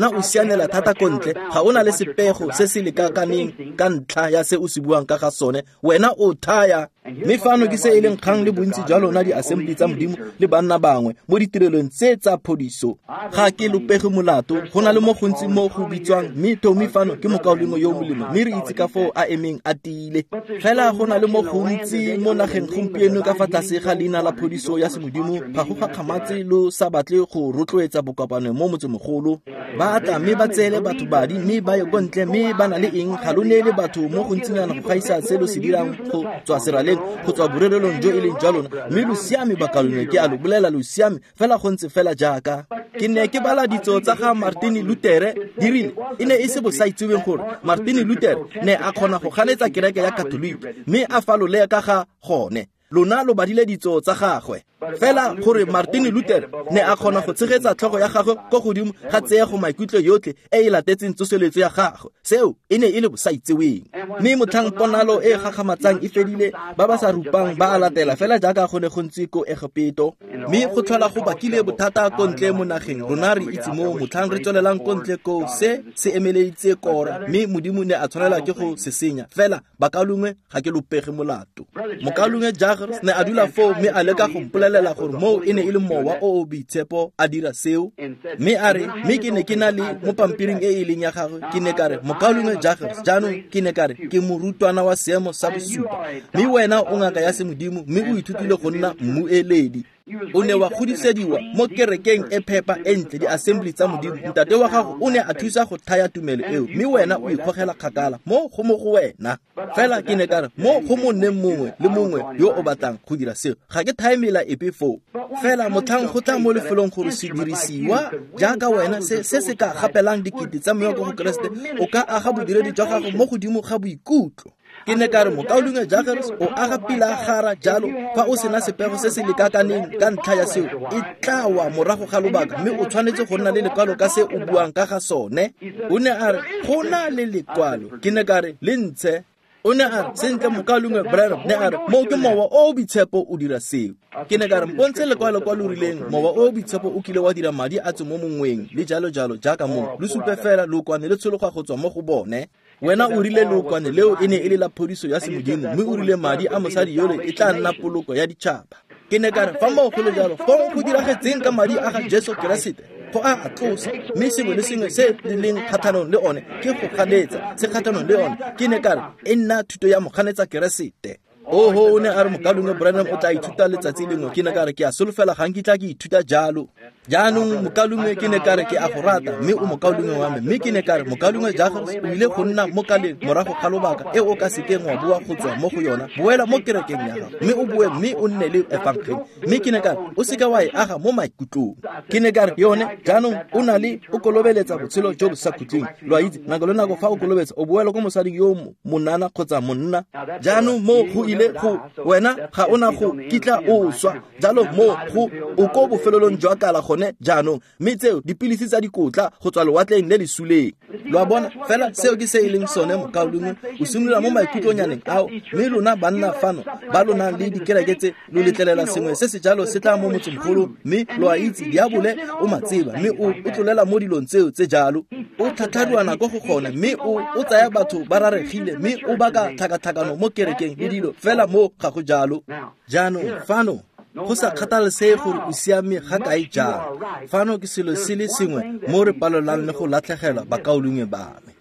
o sianela thata ko ntle, ga o na le sepego se se lekakaneng ka ntlha ya se o se buang ka ga sone, wena o thaya. Mme fano ke se e leng kgang le bontsi jwa lona di-assembly tsa Modimo le banna bangwe mo ditirelong tse tsa phodiso. Ga ke lopege molato, go na le mo gontsi mo go bitswang, mme Tommy fano ke mokaulengwe yo molemo, mme re itse ka foo a emeng a tiile. Fela go na le mo gontsi mo nageng gompieno ka fa tlase ga leina la phodiso ya semodimo, ga go gakgamatse lo sa batle go rotloetsa bokopano mo motsemogolo. Ba tla mme ba tseele batho badi mme ba ye ko ntle, mme ba na le eng? Ga lo neele batho mo gontsinyana go gaisa se lo se dirang go tswa seraleng, go tswa borerelong jo e leng jwa lona. Mme lo siame, bakaulengwe, ke a lo bolela, lo siame fela go ntse fela jaaka. Ke ne ke bala ditso tsa ga Martin Luther, di rile e ne e se bosaitseweng gore Martin Luther ne a kgona go ganetsa kereke ya Katoliki, mme a falole ka ga gone. Lona lo badile ditso tsa gagwe. Fela gore Martin Luther ne a kgona go tshegetsa tlhogo ya gagwe ko godimo ga tseego maikutlo yotlhe e e latetseng tsoseletso ya gagwe, seo e ne e le bosaitseweng. Mme motlhang ponalo e gagamatsang e fedile, ba ba sa rupang ba a latela fela jaaka go ne go ntse ko Egepeto. Mme go tlhola go bakile bothata ko ntle mo nageng. Rona re itse mo motlhang re tswelelang ko ntle ko se se emeleditse Kora, mme Modimo ne a tshwanela ke go se senya. Fela bakaulengwe, ga ke lopege molato. Mokaulengwe Jagers ne a dula foo mme a leka go mpolelela gore moo e ne e le mowa o o boitshepo a dira seo. Mme a re, mme ke ne ke na le mo pampiring e e leng ya gagwe, ke ne ka re, mokaulengwe Jagers, jaanong ke ne ka re, ke morutwana wa seemo sa bosupa, mme wena o ngaka ya semodimo, mme o ithutile go nna mmueledi. O ne wa godisediwa mo kerekeng e phepa e ntle, di-assembly tsa Modimo. Ntate wa gago o ne a thusa go thaya tumelo eo, mme wena o ikgogela kgakala mo go mo go wena. Fela ke ne ka re, mo go monneng mongwe le mongwe yo o batlang go dira seo, ga ke thae mela epe foo. Fela motlhang go tla mo lefelong gore se dirisiwa jaaka wena se se ka gapelang dikete tsa moya ko go Keresete, o ka aga bodiredi jwa gago mo godimo ga boikutlo. Ke ne ka re, mokaulengwe Jagers, o aga pilagara jalo, fa o sena sepego se se lekakaneng ka ntlha ya seo, e tla wa morago ga lobaka, mme o tshwanetse go nna le lekwalo ka se o buang ka ga sone. O ne a re, go na le lekwalo. Ke ne ka re, le ntshe. O ne a re, sentle, mokaulengwe Branham, ne a re, moo ke mowa o o boitshepo o dira seo. Ke ne ka re, mpontshe lekwalo kwa lo rileng mowa o o boitshepo o kile wa dira madi a tswe mo mongweng, le jalo jalo jaaka moo. Lo supe fela lookwane le tshologa go tswa mo go bone. Wena o rile lookwane leo e ne e le la phodiso ya semodimo, mme o rile madi a mosadi yole e tla nna poloko ya ditšhaba. Ke ne ka re, fa moo go le jalo, fong go diragetseng ka madi a ga Jesu Keresete? Go a tlosa, mme sengwe le sengwe se le leng kgatlhanong le one ke go ganetsa, se kgatlhanong le one. Ke ne ka re, e nna thuto ya moganetsa Keresete. Oho, o ne a re, mokaulengwe Branham o tla ithuta letsatsi lengwe. Ke ne ka re, ke a solofela ga nkitla ke ithuta jalo. Jaanong mokaulengwe, ke ne ka re, ke a go rata, mme o mokaulengwe wa me. Mme ke ne ka re, mokaulengwe Jagers, o ile go nna mo kaleng morago ga lobaka e o ka sekeng wa boa go tswa mo go yona. Boela mo kerekeng ya gago, mme o boe mme o nne le efangeli. Mme ke ne ka re, o seka wa e aga mo maikutlong. Ke ne ka re, yone jaanong o na le o kolobeletsa botshelo jo bo sa khutleng. Lo a itse, nako le nako fa o kolobetsa, o boela ko mosading yo monana kgotsa monna. Jaanong mo go ile go wena ga ona go kitla o swa. Jalo mo go o ko bofelelong jwa kala gone jaanong, mme tseo dipilisi tsa dikotla go tswa lewatleng le le suleng. Lo a bona, fela seo ke se e leng sone, mokaulengwe. O simolola mo maikutlonyaneng ao, mme lona banna fano ba lo nang le dikereke tse, lo letlelela sengwe se se jalo se tla mo motsemogolo, mme lo a itse diabole o matseba, mme o tlolela mo dilong tseo tse jalo. O tlhatlharuana ko go gone, mme o tsaya batho ba raregile, mme o baka tlhakatlhakano mo kerekeng le dilo, fela mo ga go jalo. Jaanong fano, go sa kgathalesege gore o siame ga kae jang, fano ke selo se le sengwe mo re palelang le go latlhegelwa, bakaulengwe ba me.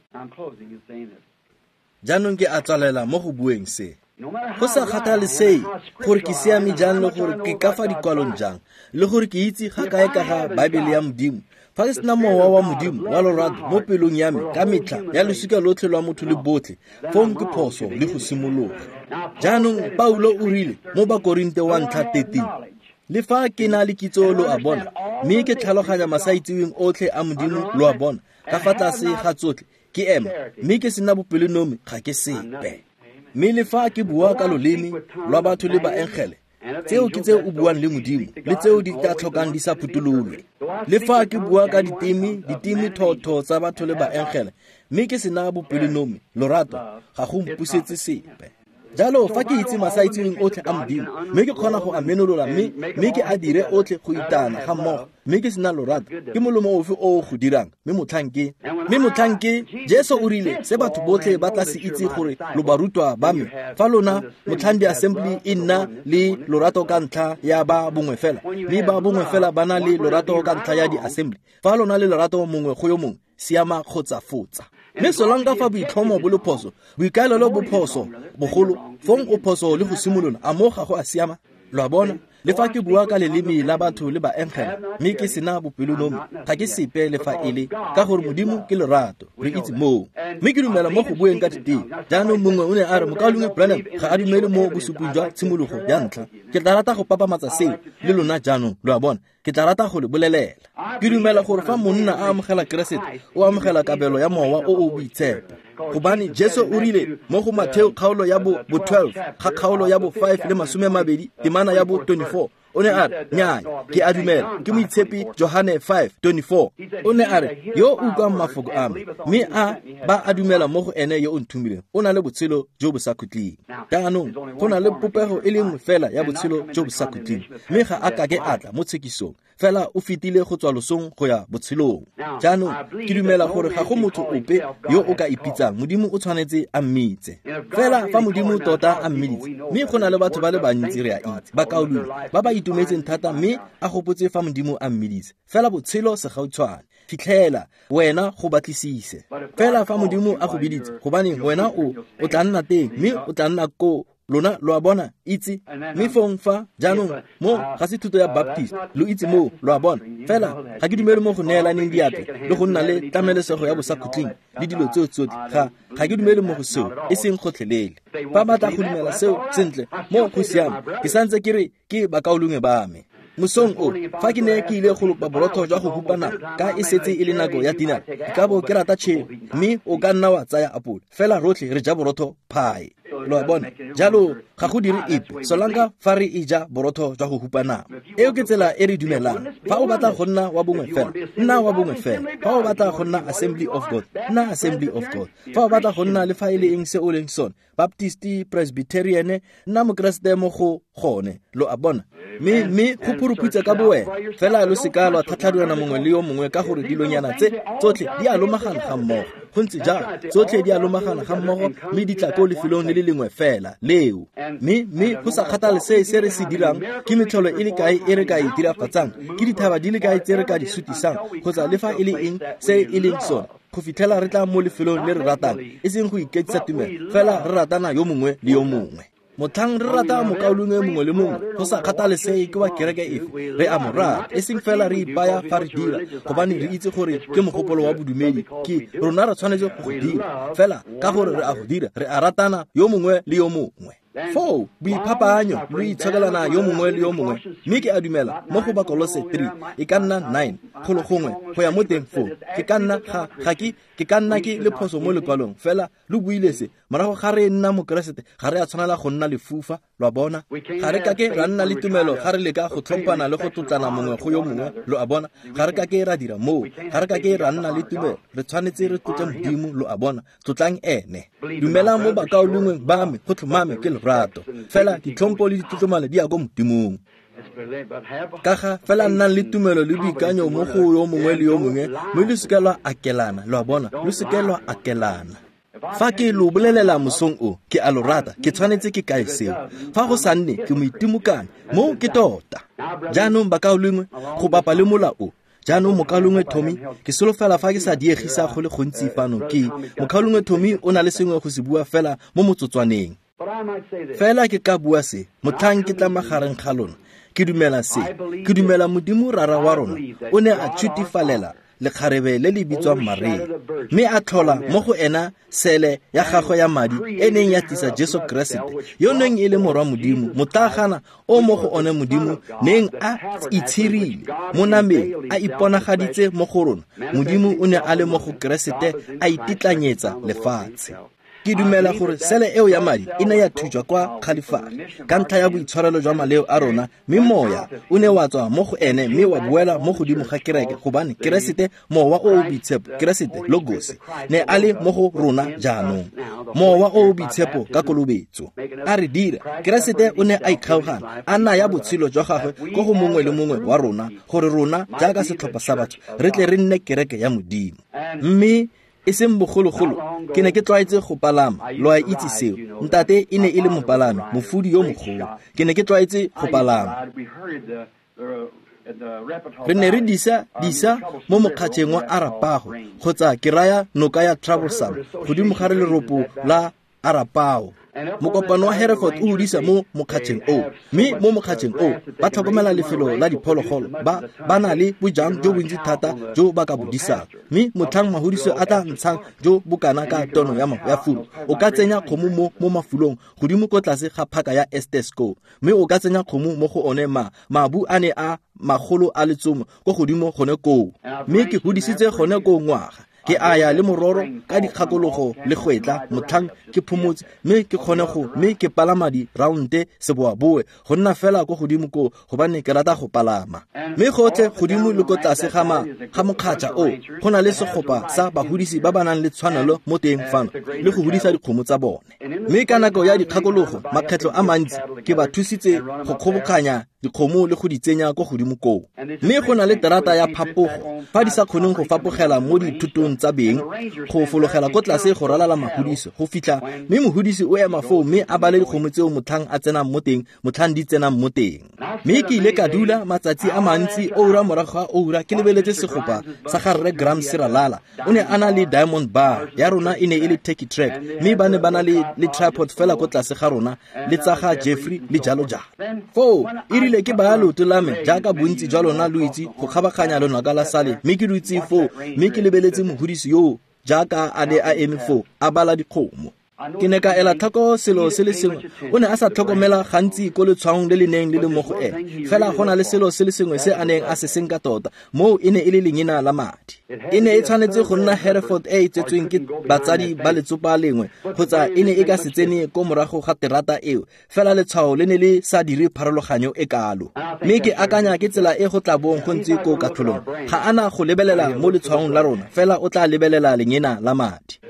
Jaanong ke a tswalela mo go bueng se. Go sa kgathalesege gore ke siame jang le gore ke ka fa dikwalong jang, le gore ke itse ga kae ka ga Baebele ya Modimo, fa ke sena mowa wa Modimo wa lorato mo pelong ya me ka metlha ya losika lotlhe lwa motho le botlhe, fong ke phoso le go simologa. Jaanong Paulo o rile mo Bakorinte wa ntlha 13, le fa ke na le kitso lo a bona, mme ke tlhaloganya masaitseweng otlhe a Modimo lo a bona, ka fa tlase ga tsotlhe ke ema, mme ke sena bopelonomi ga ke sepe. Mme le fa ke bua ka loleme lwa batho le baengele, tseo ke tse o buang le Modimo, le tseo di tla tlhokang di sa phuthololwe. Le fa ke bua ka diteme thotho tsa batho le baengele, mme ke sena bopelonomi, lorato, ga go mpusetse sepe. Jalo fa ke itse masaitseweng otlhe a Modimo, mme ke kgona go a menolola mme ke a dire otlhe go itana ga mmogo, mme ke sena lorato, ke molomo ofe o o go dirang? Mme motlhang ke Jesu o rile se batho botlhe ba tla se itse gore lo barutwa ba me, fa lona motlhang di-assembly e nna le lorato ka ntlha ya ba bongwe fela, mme ba bongwe fela ba na le lorato ka ntlha ya di-assembly, fa lona le lorato mongwe go yo mongwe, siama kgotsa fotsa. Mme solanka fa boitlhomo bo le phoso, boikaelelo bo phoso bogolo, fong o phoso le go simolola, a mo ga go a siama? Lo a bona? Le fa ke bua ka leleme la batho le baengele, mme ke sena bopelonomi, ga ke sepe le fa e le, ka gore Modimo ke lorato, re itse moo. Mme ke dumela mo go bueng ka diteme. Jaanong mongwe o ne a re mokaulengwe Branham ga a dumele mo bosuping jwa tshimologo ya ntlha. Ke tla rata go papamatsa seo le lona jaanong, lo a bona. Ke tla rata go le bolelela. Ke dumela gore fa monna a amogela Keresete, o amogela kabelo ya mowa o o boitshepo. Gobane Jesu o rile mo go Matheo kgaolo ya bo 12 ga kgaolo ya bo 5 le 20 temana ya bo 24, o ne a re, nnyaa, ke a dumela, ke moitshepi Johane 5:24. O ne a re, yo o utlwang mafoko a me, mme a ba a dumela mo go ene yo o nthomileng, o na le botshelo jo bo sa khutleng. Jaanong go na le popego e le nngwe fela ya botshelo jo bo sa khutleng, mme ga a kake a tla mo tshekisong, fela o fetile go tswa losong go ya botshelong. Jaanong ke dumela gore ga go motho ope yo o ka ipitsang Modimo o tshwanetse a mmitse. Fela fa Modimo tota a mmiditse, mme go na le batho ba le bantsi re a itse, bakaulengwe ba ba itumetseng thata mme a gopotse fa Modimo a mmiditse, fela botshelo segautshwane, fitlhela wena go batlisise. Fela fa Modimo a go biditse, gobane wena o tla nna teng, mme o tla nna ko lona, lo a bona, itse. Mme fong fa jaanong mo ga se thuto ya Baptist, lo itse moo, lo a bona. Fela ga ke dumele mo go neelaneng diatla le go nna le tlamelesego ya bosakhutleng le dilo tseo tsotlhe. Ga ke dumele mo go seo, e seng gotlhelele. Fa ba tla go dumela seo sentle, mo go siame, ke santse ke re ke bakaulengwe ba me. Mosong o, fa ke ne ke ile go lopa borotho jwa go hupa nama, ka e setse e le nako ya dinner, ke ka bo ke rata tšhelo, mme o ka nna wa tsaya apole, fela rotlhe re ja borotho pie. Lo a bona? Jalo ga go dire epe, solanka fa re e ja borotho jwa go hupa nama. Eo ke tsela e re dumelang. Fa o batla go nna wa bongwe fela, nna wa bongwe fela. Fa o batla go nna Assembly of God, nna Assembly of God. Fa o batla go nna le fa e le eng se o leng sone, Baptist, Presbyterian, nna Mokeresete mo go gone, lo a bona. Mme go phuruputsa ka bowena, fela lo seka lwa tlhatlhadiwana mongwe le yo mongwe, ka gore dilonyana tse tsotlhe di a lomagana ga mmogo. Go ntse jalo, tsotlhe di a lomagana ga mmogo, mme di tla ko lefelong le le lengwe fela leo. Mme go sa kgathalesege se re se dirang, ke metlholo e le kae e re ka e dirafatsang, ke dithaba di le kae tse re ka di sutisang, kgotsa le fa e le eng se e leng sone, go fitlhela re tla mo lefelong le re ratang, e seng go iketsisa tumelo, fela re ratana yo mongwe le yo mongwe. Motlhang re rata mokaulengwe mongwe le mongwe, go sa kgathalesege ke wa kereke efe, re a mo rata, e seng fela re ipaya fa re dira, gobane re itse gore ke mogopolo wa bodumedi, ke rona re tshwanetse go go dira, fela ka gore re a go dira, re a ratana yo mongwe le yo mongwe. Foo boiphapaanyo lo itshokelana yo mongwe le yo mongwe, mme ke a dumela mo go Bakolose 3 e ka nna 9 golo gongwe go ya mo teng foo, ke ka nna ga ke ka nna ke le phoso mo lekwalong, fela lo buile se morago ga re nna Mokeresete, ga re a tshwanela go nna lefufa, lo a bona. Ga re kake ra nna le tumelo ga re leka go tlhomphana le go tlotlana mongwe go yo mongwe, lo a bona. Ga re kake ra dira moo, ga re kake ra nna le tumelo, re tshwanetse re tlotle Modimo, lo a bona. Tlotlang ene. Dumelang mo bakaulengweng ba me, go tlhomame ke lerato, fela ditlhompo le ditlotlomane di ya ko Modimong. Ka ga fela nnang le tumelo le boikanyo mo go yo mongwe le yo mongwe, mme lo seke lwa akelana, lo a bona, lo seke lwa akelana. Fa ke lo bolelela mosong o, ke a lo rata, ke tshwanetse ke kae seo. Fa go sa nne, ke moitimokane, mo ke tota. Jaanong bakaulengwe, go bapa le mola o, jaanong mokaulengwe Tommy, ke solofela fa ke sa diegisa go le gontsi fano, ke mokaulengwe Tommy o na le sengwe go se bua fela mo motsotswaneng. Fela ke ka bua se, motlhang ke tla magareng ga lona, ke dumela se, ke dumela Modimo Rara wa rona o ne a tshutifalela lekgarebe le le bitswang Maria, mme a tlhola mo go ena sele ya gagwe ya madi e neng ya tlisa Jesu Keresete, yo neng e le morwa Modimo, motlaagana o mo go one Modimo neng a itshirile mo nameng, a iponagaditse mo go rona. Modimo o ne a le mo go Keresete, a ititlanyetsa lefatshe. Ke dumela gore sele eo ya madi e ne ya thujwa kwa Khalifari ka ntlha ya boitshwarelo jwa maleo a rona, mme moya o ne wa tswa mo go ene mme wa boela mo godimo ga kereke, gobane Keresete, mowa o o boitshepo, Keresete Logos, ne a le mo go rona jaanong. Mowa o o boitshepo ka kolobetso a re dira. Keresete o ne a ikgaogana, a naya botshelo jwa gagwe ko go mongwe le mongwe wa rona, gore rona jaaka setlhopha sa batho re tle re nne kereke ya Modimo. Mme e seng bogologolo ke ne ke tlwaetse go palama, lo a itse seo. Ntate e ne e le mopalami, mofudi yo mogolo. Ke ne ke tlwaetse go palama. Re ne re disa mo mokgatšheng wa Arapaho, kgotsa ke raya noka ya Troublesome, godimo ga leropo la Arapaho. Mokopano wa Hereford o hodisa mo mokgatšheng o, mme mo mokgatšheng o ba tlhokomela lefelo la diphologolo, ba na le bojang jo bontsi thata jo ba ka bo disang. Mme motlhang mahudiso a tla ntshang jo bokana ka tono ya furu, o ka tsenya kgomo mo mafulong godimo ko tlase ga phaka ya Estesco, mme o ka tsenya kgomo mo go one mabu a ne a magolo a letsomo ko godimo gone koo. Mme ke hodisitse gone koo ngwaga. Ke a ya le mororo ka dikgakologo le gwetla motlhang ke phomotse, mme ke kgone go mme ke palama di-rounde seboaboe go nna fela ko godimo koo, gobane ke rata go palama. Mme gotlhe godimo le ko tlase ga mokgatšha o go na le segopa sa bahudisi ba ba nang le tshwanelo mo teng fano le go hudisa dikgomo tsa bone. Mme ka nako ya dikgakologo makgetlho a mantsi ke ba thusitse go kgobokanya dikgomo le go di tsenya ko godimo koo. Mme go na le terata ya phapogo fa di sa kgoneng go fapogela mo dithutong tsa beng, go fologela ko tlase go ralala mahudiso go fitlha, mme mohudisi o ema foo mme a bale dikgomo tseo motlhang a tsenang mo teng, motlhang di tsenang mo teng. Mme ke ile ka dula matsatsi a mantsi, oura morago ga oura, ke lebeletse segopa sa ga Rre Graham Siralala. O ne a na le Diamond Bar ya rona, e ne e le Turkey Track, mme ba ne ba na le tripod fela ko tlase ga rona, le tsa ga Jeffrey le jalo jalo. Foo e rile ke baya leoto la me jaaka bontsi jwa lona lo itse go kgabaganya lonaka la sale, mme ke dutse foo mme ke lebeletse mohudisi yoo jaaka a ne a eme foo a bala dikgomo. Ke ne ka ela tlhoko selo se le sengwe. O ne a sa tlhokomela gantsi ko letshwaong le le neng le le mo go ene, fela go na le selo se le sengwe se a neng a se senka tota, moo e ne e le lengina la madi. E ne e tshwanetse go nna Hereford e e tsetsweng ke batsadi ba letsopa lengwe, kgotsa e ne e ka se tsene ko morago ga terata eo, fela letshwao le ne le sa dire pharologanyo e kalo. Mme ke akanya ke tsela e go tla bong go ntse ko katlholong. Ga ana go lebelela mo letshwaong la rona, fela o tla lebelela lengina la madi.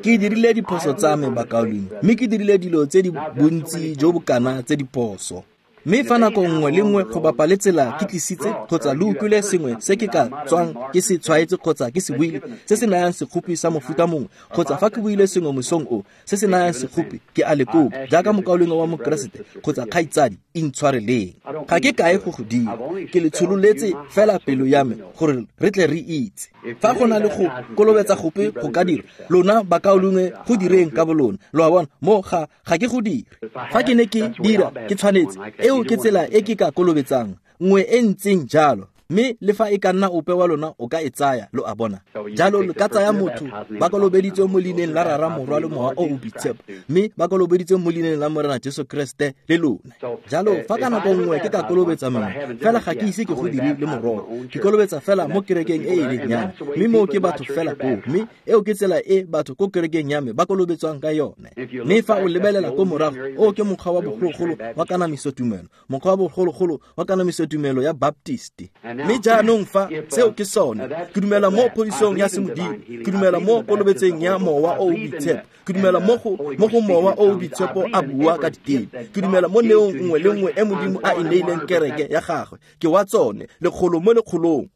Ke dirile diphoso tsa me bakaulengwe, mme ke dirile dilo tse di bontsi jo bokana tse diphoso. Mme fa nako nngwe le nngwe go bapa le tsela ke tlisitse kgotsa lo utlwile sengwe se ke ka tswang ke se tshwaetse kgotsa ke se buile se se nayang sekgopi sa mofuta mongwe, kgotsa fa ke buile sengwe mosong o se se nayang sekgopi, ke a le kopa jaaka mokaulengwe wa Mokeresete kgotsa kgaitsadi, intshwareleng. Ga ke kae go go dira, ke le tshololetse fela pelo ya me gore re tle re itse. Fa go na le go kolobetsa gope go ka dira, lona bakaulengwe go direng ka bolona. Lo a bona, mo ga ke go dire. Fa ke ne ke dira, ke tshwanetse. Eo ke tsela e ke ka kolobetsang, nngwe e ntseng jalo. Mme le fa e ka nna ope wa lona o ka e tsaya, lo a bona. Jalo lo ka tsaya motho ba kolobeditswe mo leineng la Rara, Morwa le Mowa o o Boitshepo, mme ba kolobeditswe mo leineng la Morena Jesu Kriste le lona. Jalo fa ka nako nngwe ke ka kolobetsa mongwe, fela ga ke ise ke go dire le mororo, ke kolobetsa fela mo kerekeng e e leng ya me, mme moo ke batho fela koo, mme eo ke tsela e batho ko kerekeng ya me ba kolobetswang ka yone. Mme fa o lebelela ko morago, o ke mokgwa wa bogologolo wa kanamiso tumelo, mokgwa wa bogologolo wa kanamiso tumelo ya Baptist. Mme jaanong fa seo ke sone, ke dumela mo phodisong ya semodimo, ke dumela mo kolobetseng ya mowa o o boitshepo, ke dumela mo go mowa o o boitshepo a bua ka diteme, ke dumela mo neong nngwe le nngwe e Modimo a e neileng kereke ya gagwe, ke wa tsone lekgolo mo lekgolong.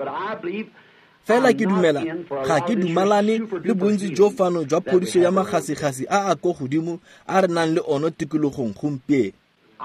Fela ke dumela ga ke dumalane le bontsi jo fano jwa phodiso ya magasigasi a a ko godimo a re nang le ono tikologong gompieno.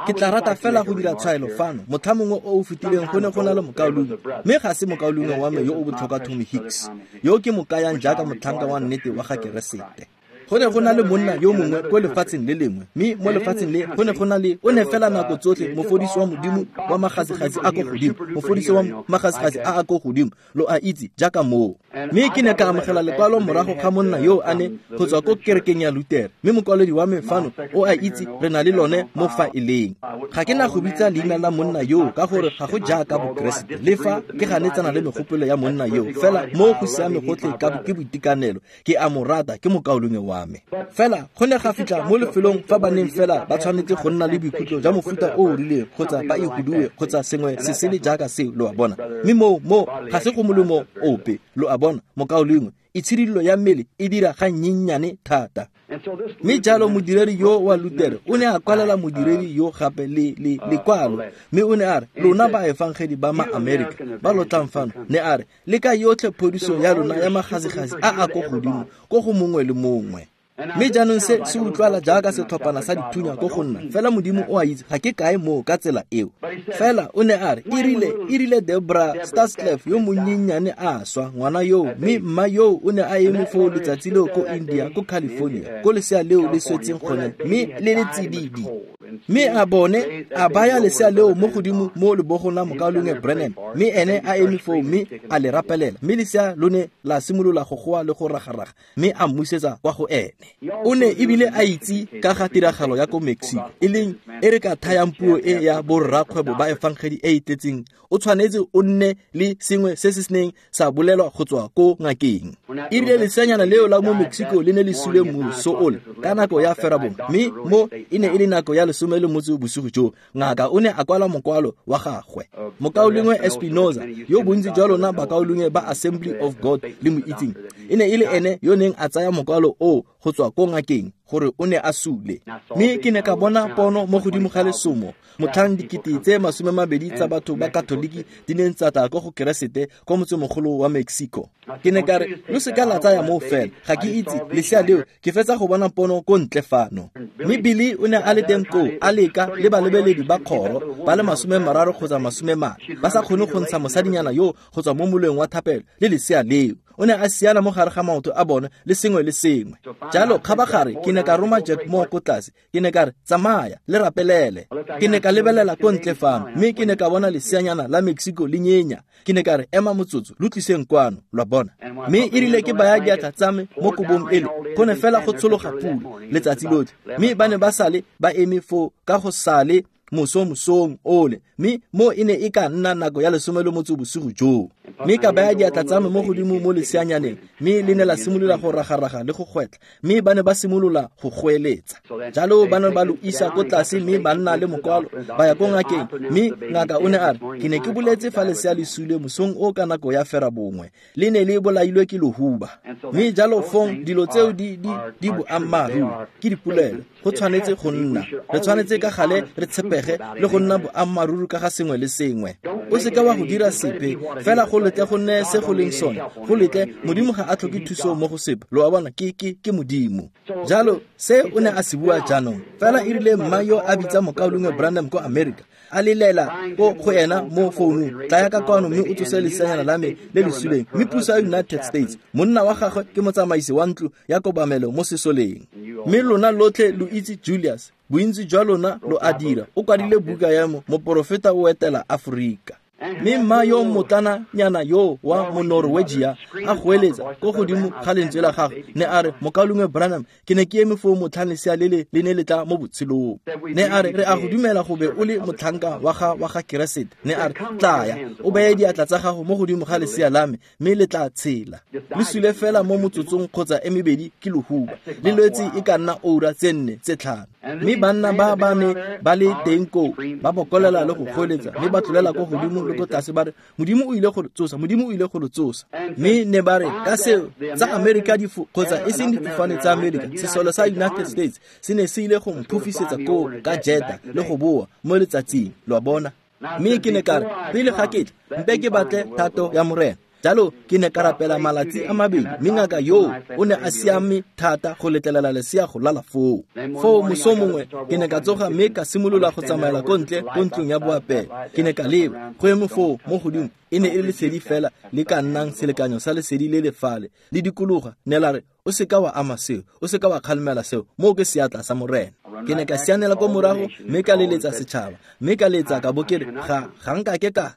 Ke tla rata fela go dira tshwaelo fano. Motlha mongwe o o fetileng go ne go na le mokaulengwe, mme ga se mokaulengwe wa me yo o botlhokwa Tommy Hicks, yo ke mo kayang jaaka motlhanka wa nnete wa ga Keresete. Go ne go na le monna yo mongwe ko lefatsheng le lengwe, mme mo lefatsheng le go ne go na le o ne fela nako tsotlhe mofodisi wa Modimo wa magasigasi a ko godimo, mofodisi wa magasigasi a a ko godimo, lo a itse jaaka moo. Mme ke ne ka amogela lekwalo morago ga monna yo a ne go tswa ko kerekeng ya Lutere, mme mokwaledi wa me fano o a itse re na le lone mo faeleng. Ga ke na go bitsa leina la monna yoo ka gore ga go jaaka Bokeresete, le fa ke ganetsana le megopolo ya monna yoo, fela mo go siame gotlhe ka ke boitekanelo, ke a mo rata, ke mokaulengwe wa me. Fela go ne ga fitlha mo lefelong fa ba neng fela ba tshwanetse go nna le boikutlo jwa mofuta o o rileng kgotsa ba ihuduwe kgotsa sengwe se sele jaaka seo, lo a bona. Mme moo ga se go molemo ope, lo a bona, mokaulengwe. Itshidilo ya mmele e dira ga nnyennyane thata. Mme jalo modiredi yo wa Lutere o ne a kwalela modiredi yo gape le lekwalo, mme o ne a re, lona baefangedi ba ma-Amerika ba lo tlang fano, ne a re, le ka yotlhe phodiso ya lona ya magasigasi a a ko godimo ko go mongwe le mongwe. Mme jaanong se se utlwala jaaka setlhophana sa dithunya ko go nna, fela Modimo o a itse ga ke kae moo ka tsela eo. Fela o ne a re, e rile Debra Starsclef yo monnyennyane a swa, ngwana yoo, mme mma yoo o ne a eme foo letsatsi leo ko India, ko California, ko lesea leo le swetseng gone, mme le le tsididi. Mme a bone a baya lesea leo mo godimo mo lebogong la mokaulengwe Branham, mme ene a eme foo mme a le rapelela, mme lesea lo ne la simolola go goa le go ragaraga, mme a mmusetsa kwa go ene. O ne ebile a itse ka ga tiragalo ya ko Mexico, e leng e re ka thayang puo e ya borrakgwebo ba efangedi e e tletseng, o tshwanetse o nne le sengwe se se neng sa bolelwa go tswa ko ngakeng. E rile leseanyana leo la mo Mexico le ne le sule moso ole ka nako ya ferabongwe, mme mo e ne e le nako ya 18 bosigo jo, ngaka o ne a kwala mokwalo wa gagwe. Mokaulengwe Espinoza, yo bontsi jwa lona bakaulengwe ba Assembly of God le mo itseng, e ne e le ene yo neng a tsaya mokwalo o go tswa ko ngakeng gore o ne a sule. Mme ke ne ka bona pono mo godimo ga lesomo, motlhang 20,000 tsa batho ba Katoliki di neng tsa tla ko go Keresete ko motsemogolo wa Mexico. Ke ne ka re, lo seka la tsaya moo fela, ga ke itse lesea leo, ke fetsa go bona pono ko ntle fano. Mme Billy o ne a le teng koo, a leka le balebeledi ba kgoro ba le 30 kgotsa 40, ba sa kgone go ntsha mosadinyana yo go tswa mo moleng wa thapelo le lesea leo. O ne a siana mo gare ga maoto a bone le sengwe le sengwe. Jalo kgabagare ke ne ka roma Jack Moore ko tlase, ke ne ka re, tsamaya le rapelele. Ke ne ka lebelela ko ntle fano, mme ke ne ka bona leseanyana la Mexico le nyenya. Ke ne ka re, ema motsotso, lo tliseng kwano, lwa bona. Mme e rile ke baya diatla tsa me mo kobong ele, go ne fela go tshologa pula letsatsi lotlhe, mme ba ne ba sale ba eme foo ka go sale moso mosong ole, mme mo e ne e ka nna nako ya 18 bosigo joo. Mme ka baya diatla tsa me mo godimo mo leseanyaneng, mme le ne la simolola go ragaraga le go gwetla, mme ba ne ba simolola go goeletsa. Jalo ba ne ba lo isa ko tlase, mme ba nna le mokwalo ba ya ko ngakeng, mme ngaka o ne a re, ke ne ke boletse fa lesea le sule mosong o ka nako ya 9:30, le ne le bolailwe ke lohuba. Mme jalo fong dilo tseo di boammaaruri, ke dipolelo, go tshwanetse go nna. Re tshwanetse ka gale re tshepege le go nna boammaaruri ka ga sengwe le sengwe. O seka wa go dira sepe, fela go letle go nne se go leng sone, go letle Modimo ga a tlhoke thuso mo go sepe. Lo a bona, ke Modimo. Jalo se o ne a se bua jaanong. Fela e rile mma yo a bitsa mokaulengwe Branham ko America, a lelela ko go ena mo founung, tlaya ka kwano mme o tsose leseanyana la me le le suleng. Mme puso ya United States, monna wa gagwe ke motsamaisi wa ntlo ya kobamelo mo sesoleng. Mme lona lotlhe lo itse Julius, bontsi jwa lona lo a dira, o kwadile buka ya moporofeta o etela Aforika. Mme mma yo motlananyana yo wa Monorwegia a goeletsa ko godimo ga lentswe la gagwe, ne a re, mokaulengwe Branham, ke ne ke eme foo motlhang lesea lele le ne le tla mo botshelong. Ne a re, re a go dumela go be o le motlhanka wa ga Keresete. Ne a re, tlaya o beye diatla tsa gago mo godimo ga lesea la me, mme le tla tshela. Le sule fela mo motsotsong kgotsa e mebedi ke lohuba, le lwetse e ka nna oura tse 4 tse 5. Mme banna ba ba ne ba le teng koo ba bokolela le go goeletsa, mme ba tlolela ko godimo le ko tlase ba re, Modimo o ile go re tsosa, Modimo o ile go re tsosa. Mme ne ba re ka seo tsa America kgotsa e seng difofane tsa America, sesole sa United States se ne se ile go mphofisetsa koo ka jeta le go boa mo letsatsing, lo a bona. Mme ke ne ka re, pele ga ke tla, mpe ke batle thato ya Morena. Jalo ke ne ka rapela malatsi a mabedi, mme ngaka yoo o ne a siame thata go letlelela lesea go lala foo. Foo moso mongwe ke ne ka tsoga mme ka simolola go tsamaela ko ntle ko ntlong ya boapelo. Ke ne ka leba go eme foo mo godimo, e ne e le lesedi fela le ka nnang selekanyo sa lesedi le le fale le dikologa. Ne la re, O seka wa ama seo, o seka wa kgalemela seo, moo ke seatla sa Morena. Ke ne ka sianela ko morago mme ka leletsa setšhaba, mme ka letsa ka bo ke re ga nka ke ka tla.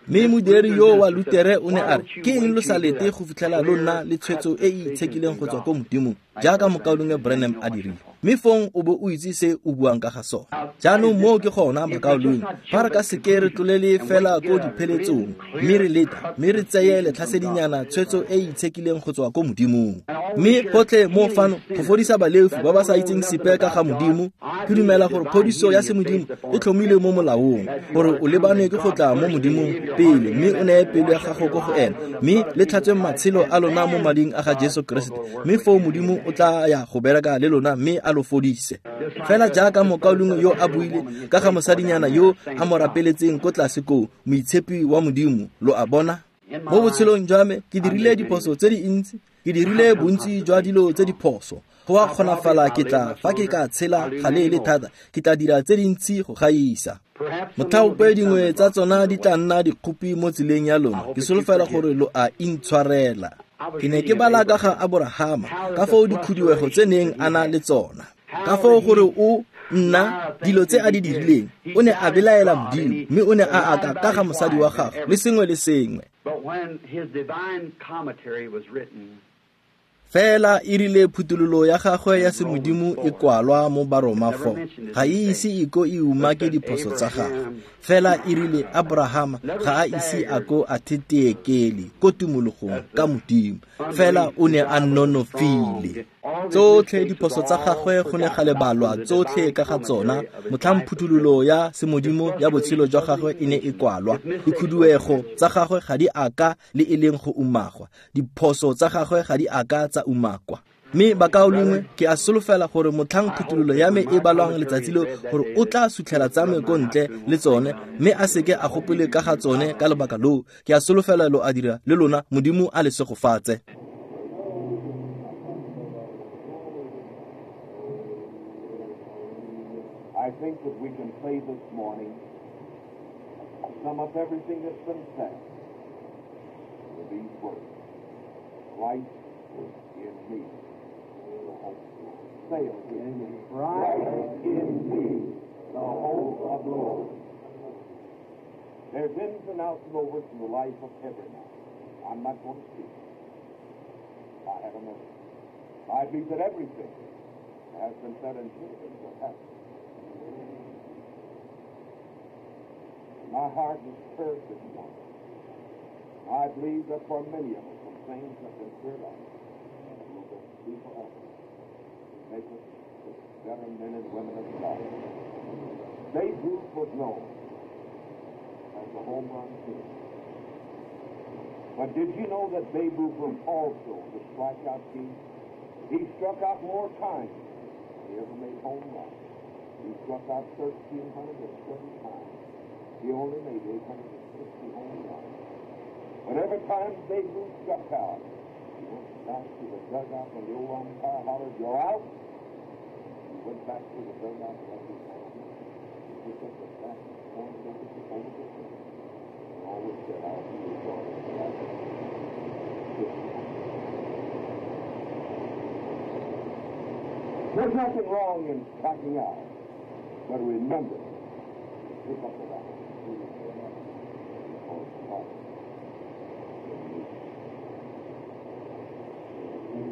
Mme modiri yo wa Lutere o ne a re, ke eng lo sa lete go fitlhela lo nna le tshwetso e e itshekileng go tswa ko Modimong, jaaka mokaulengwe Branham a dirile, mme fong o bo o itse se o buang ka ga sona. Jaanong moo ke gona, mokaulengwe, fa re ka seke re tlolele fela ko dipheletsong, mme re leta, mme re tseye letlhasedinyana tshwetso e e itshekileng go tswa ko Modimong. Mme gotlhe mo fano go fodisa baleofi ba ba sa itseng sepe ka ga Modimo, ke dumela gore phodiso ya semodimo e tlhomilwe mo molaong, gore o lebane ke go tla mo Modimong pele, mme o neye pelo ya gago ko go ena, mme le tlhatswe matshelo a lona mo mading a ga Jesu Keresete, mme foo Modimo o tla ya go bereka le lona mme a lo fodise. Fela jaaka mokaulengwe yo a buile ka ga mosadinyana yo a mo rapeletseng ko tlase koo, moitshepi wa Modimo, lo a bona. Mo botshelong jwa me ke dirile diphoso tse dintsi, ke dirile bontsi jwa dilo tse diphoso. Go a kgonafala ke tla fa ke ka tshela galeele thata, ke tla dira tse dintsi go gaisa. Motlhaope dingwe tsa tsona di tla nna dikgopi mo tseleng ya lona, ke solofela gore lo a intshwarela. Ke ne ke bala ka ga Aborahama, ka foo dikhuduego tse neng a na le tsona, ka foo gore o nna dilo tse a di dirileng, o ne a belaela Modimo, mme o ne a aka ka ga mosadi wa gagwe le sengwe le sengwe. Fela e rile phuthololo ya gagwe ya semodimo e kwalwa mo Baroma 4, ga e ise e ko e umake diphoso tsa gagwe. Fela e rile Abrahama ga a ise a ko a theteekele ko tumologong ka Modimo, fela o ne a nonofile. Tsotlhe diphoso tsa gagwe go ne ga lebalwa tsotlhe ka ga tsona motlhang phuthololo ya semodimo ya botshelo jwa gagwe e ne e kwalwa. Dikhuduego tsa gagwe ga di aka le e leng go umagwa, diphoso tsa gagwe ga di aka tsa umakwa. Mme bakaulengwe, ke a solofela gore motlhang phuthololo ya me e balwang letsatsi leo, gore o tla sutlhela tsa me ko ntle le tsone, mme a seke a gopole ka ga tsone ka lebaka loo. Ke a solofela lo a dira le lona, Modimo a le segofatse. I think that we can say this morning, sum up everything that's been said with these words: Christ in me, the hope of glory. Say it with me. Christ in me, the hope of glory. There's ins and outs and overs in the life of every man. I'm not going to speak. I have a message. I believe that everything has been said and should have been what happened. My heart is stirred this morning. I believe that for many of us, some things have been stirred up. Will be forever. Make us better men and women of God. Babe Ruth was known as the home run king. But did you know that Babe Ruth was also the strikeout king? He struck out more times than he ever made home runs. He struck out 1,330 times. He only made 860 home runs. But every time Babe Ruth struck out, he went back to the dugout when the old umpire hollered, "You're out." He went back to the dugout every time. He picked up the bat and pointed over the fence. And always said, "I'll be your daughter." There's nothing wrong in striking out, but remember, pick up the bat.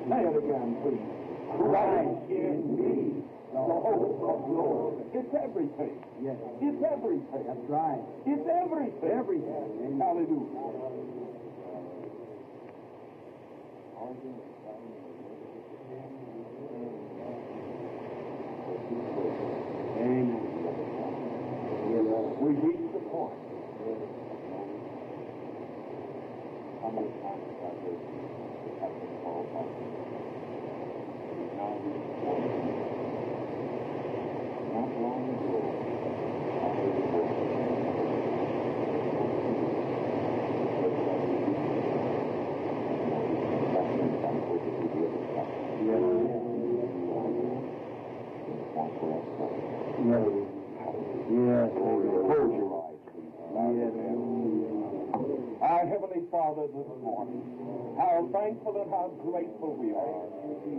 Say it again, please. Christ in me, the hope of glory. It's everything. Yes. It's everything. That's right. It's everything. Everything. Hallelujah. Amen. We reach the point. How many times have I heard have been called by me? Now reach the point. Not long ago, I heard a voice. Yes. Close your eyes, please. Yes. Our Heavenly Father, this morning, how thankful and how grateful we are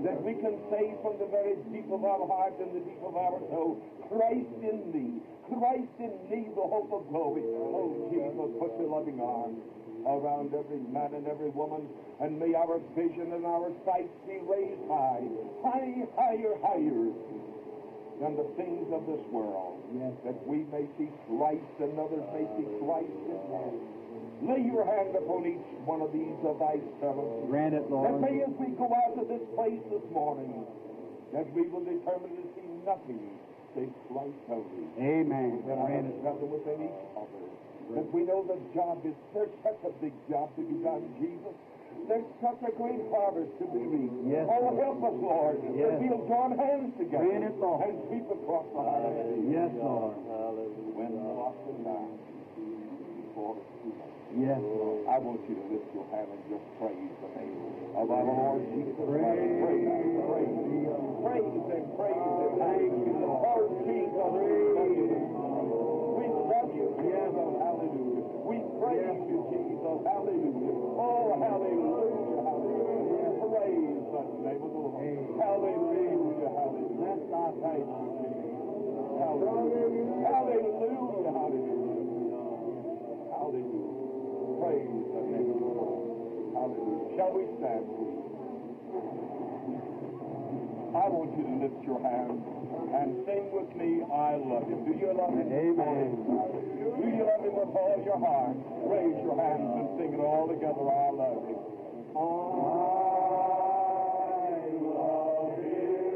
that we can say from the very deep of our heart and the deep of our soul, Christ in me, Christ in me, the hope of glory. Oh, Jesus, put your loving arms around every man and every woman, and may our vision and our sight be raised high, high, higher, higher than the things of this world, Yes. that we may see Christ and others may see Christ in us. Lay your hand upon each one of these of thy servants. Grant it, That Lord. may, as we go out of this place this morning, that we will determine to see nothing save Christ only. Amen. Within Grant it. ourselves and within each other. That we know the job is, there's such a big job to be done, Jesus. There's such a great harvest to be reaped. Yes, oh, Lord. help us, Lord, Yes. that we'll join hands together Grant it, Lord. and sweep across the harvest. Yes, Lord. When the lost and dying before it's too late. Yes, Lord. I want you to lift your hand and just praise the name of our Lord Jesus Christ. Praise, praise, praise and praise and thank you, Lord Jesus. We love you. We love you, Jesus. Hallelujah. We praise you, Jesus. Hallelujah. Oh, hallelujah, hallelujah. Praise the name of the Lord. Hallelujah, hallelujah. Thank you, Jesus. Hallelujah, hallelujah, hallelujah. Hallelujah. Praise the name of the Lord. Hallelujah. Shall we stand, please? I want you to lift your hand and sing with me, I love him. Do you love him? Amen. Do you love him with all your heart? Raise your hands and sing it all together, I love him. I love him.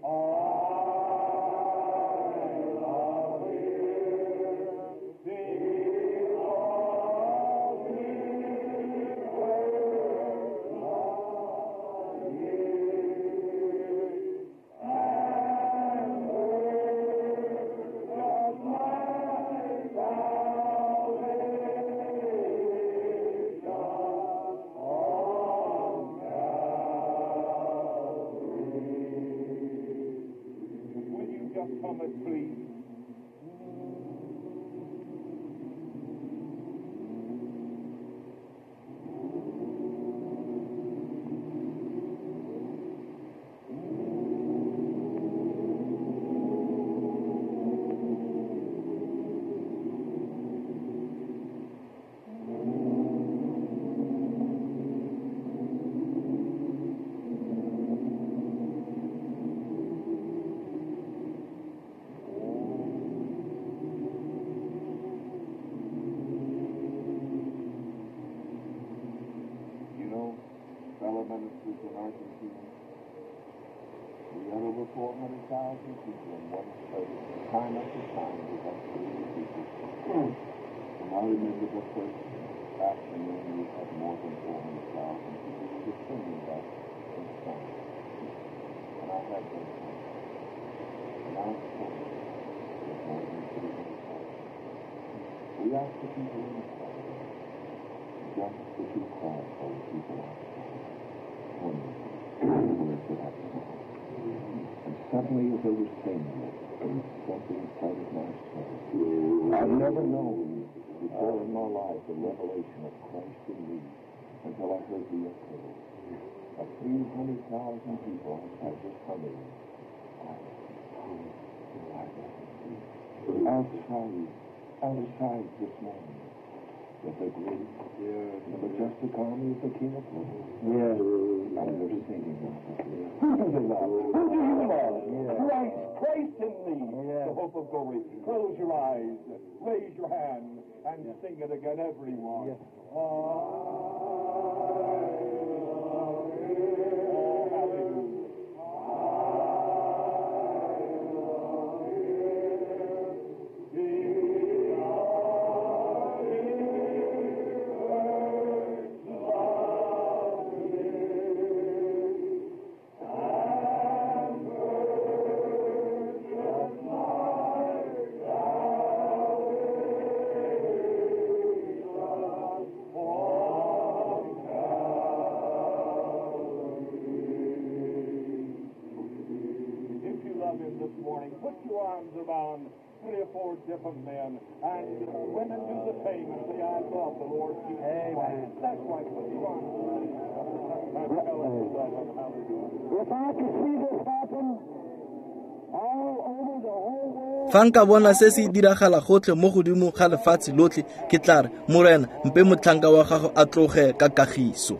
I love him. He loves me first loved me. And purchased my salvation on Calvary. Will you just hum it, please? You know, fellow ministers in Argentina, we had over 400,000 people in one place, time after time, we had 30 people. And I remember the first afternoon we had more than 400,000 people. We were singing that song. And I had that song. And I sang with more than 300,000. We asked the people in the crowd, just the two crowds full of people outside, wondering where could have come. And suddenly, as they were saying it, something inside of my soul. I've never known before in my life the revelation of Christ in me until I heard the echo of 300,000 people outside just humming. I love you. Outside, outside this morning, with the great and the majestic army of the King of Glory. Yes. And they're singing out of here. Who do they love? Who do you love? Yeah. Christ, Christ in me, Yeah. the hope of glory. Close your eyes, raise your hand, and sing it again, everyone. Yes. I love him. Oh, hallelujah. Oh, Put your arms around 3 or 4 different men, and women do the same and say, I love the Lord Jesus Christ. That's right. Put your arms around each other. Tell us you love them. Hallelujah. If I could see this happen all over the whole world, Fa nka bona se se diragala gotlhe mo godimo ga lefatshe lotlhe, ke tla re, Morena, mpe motlhanka wa gago a tloge ka kagiso.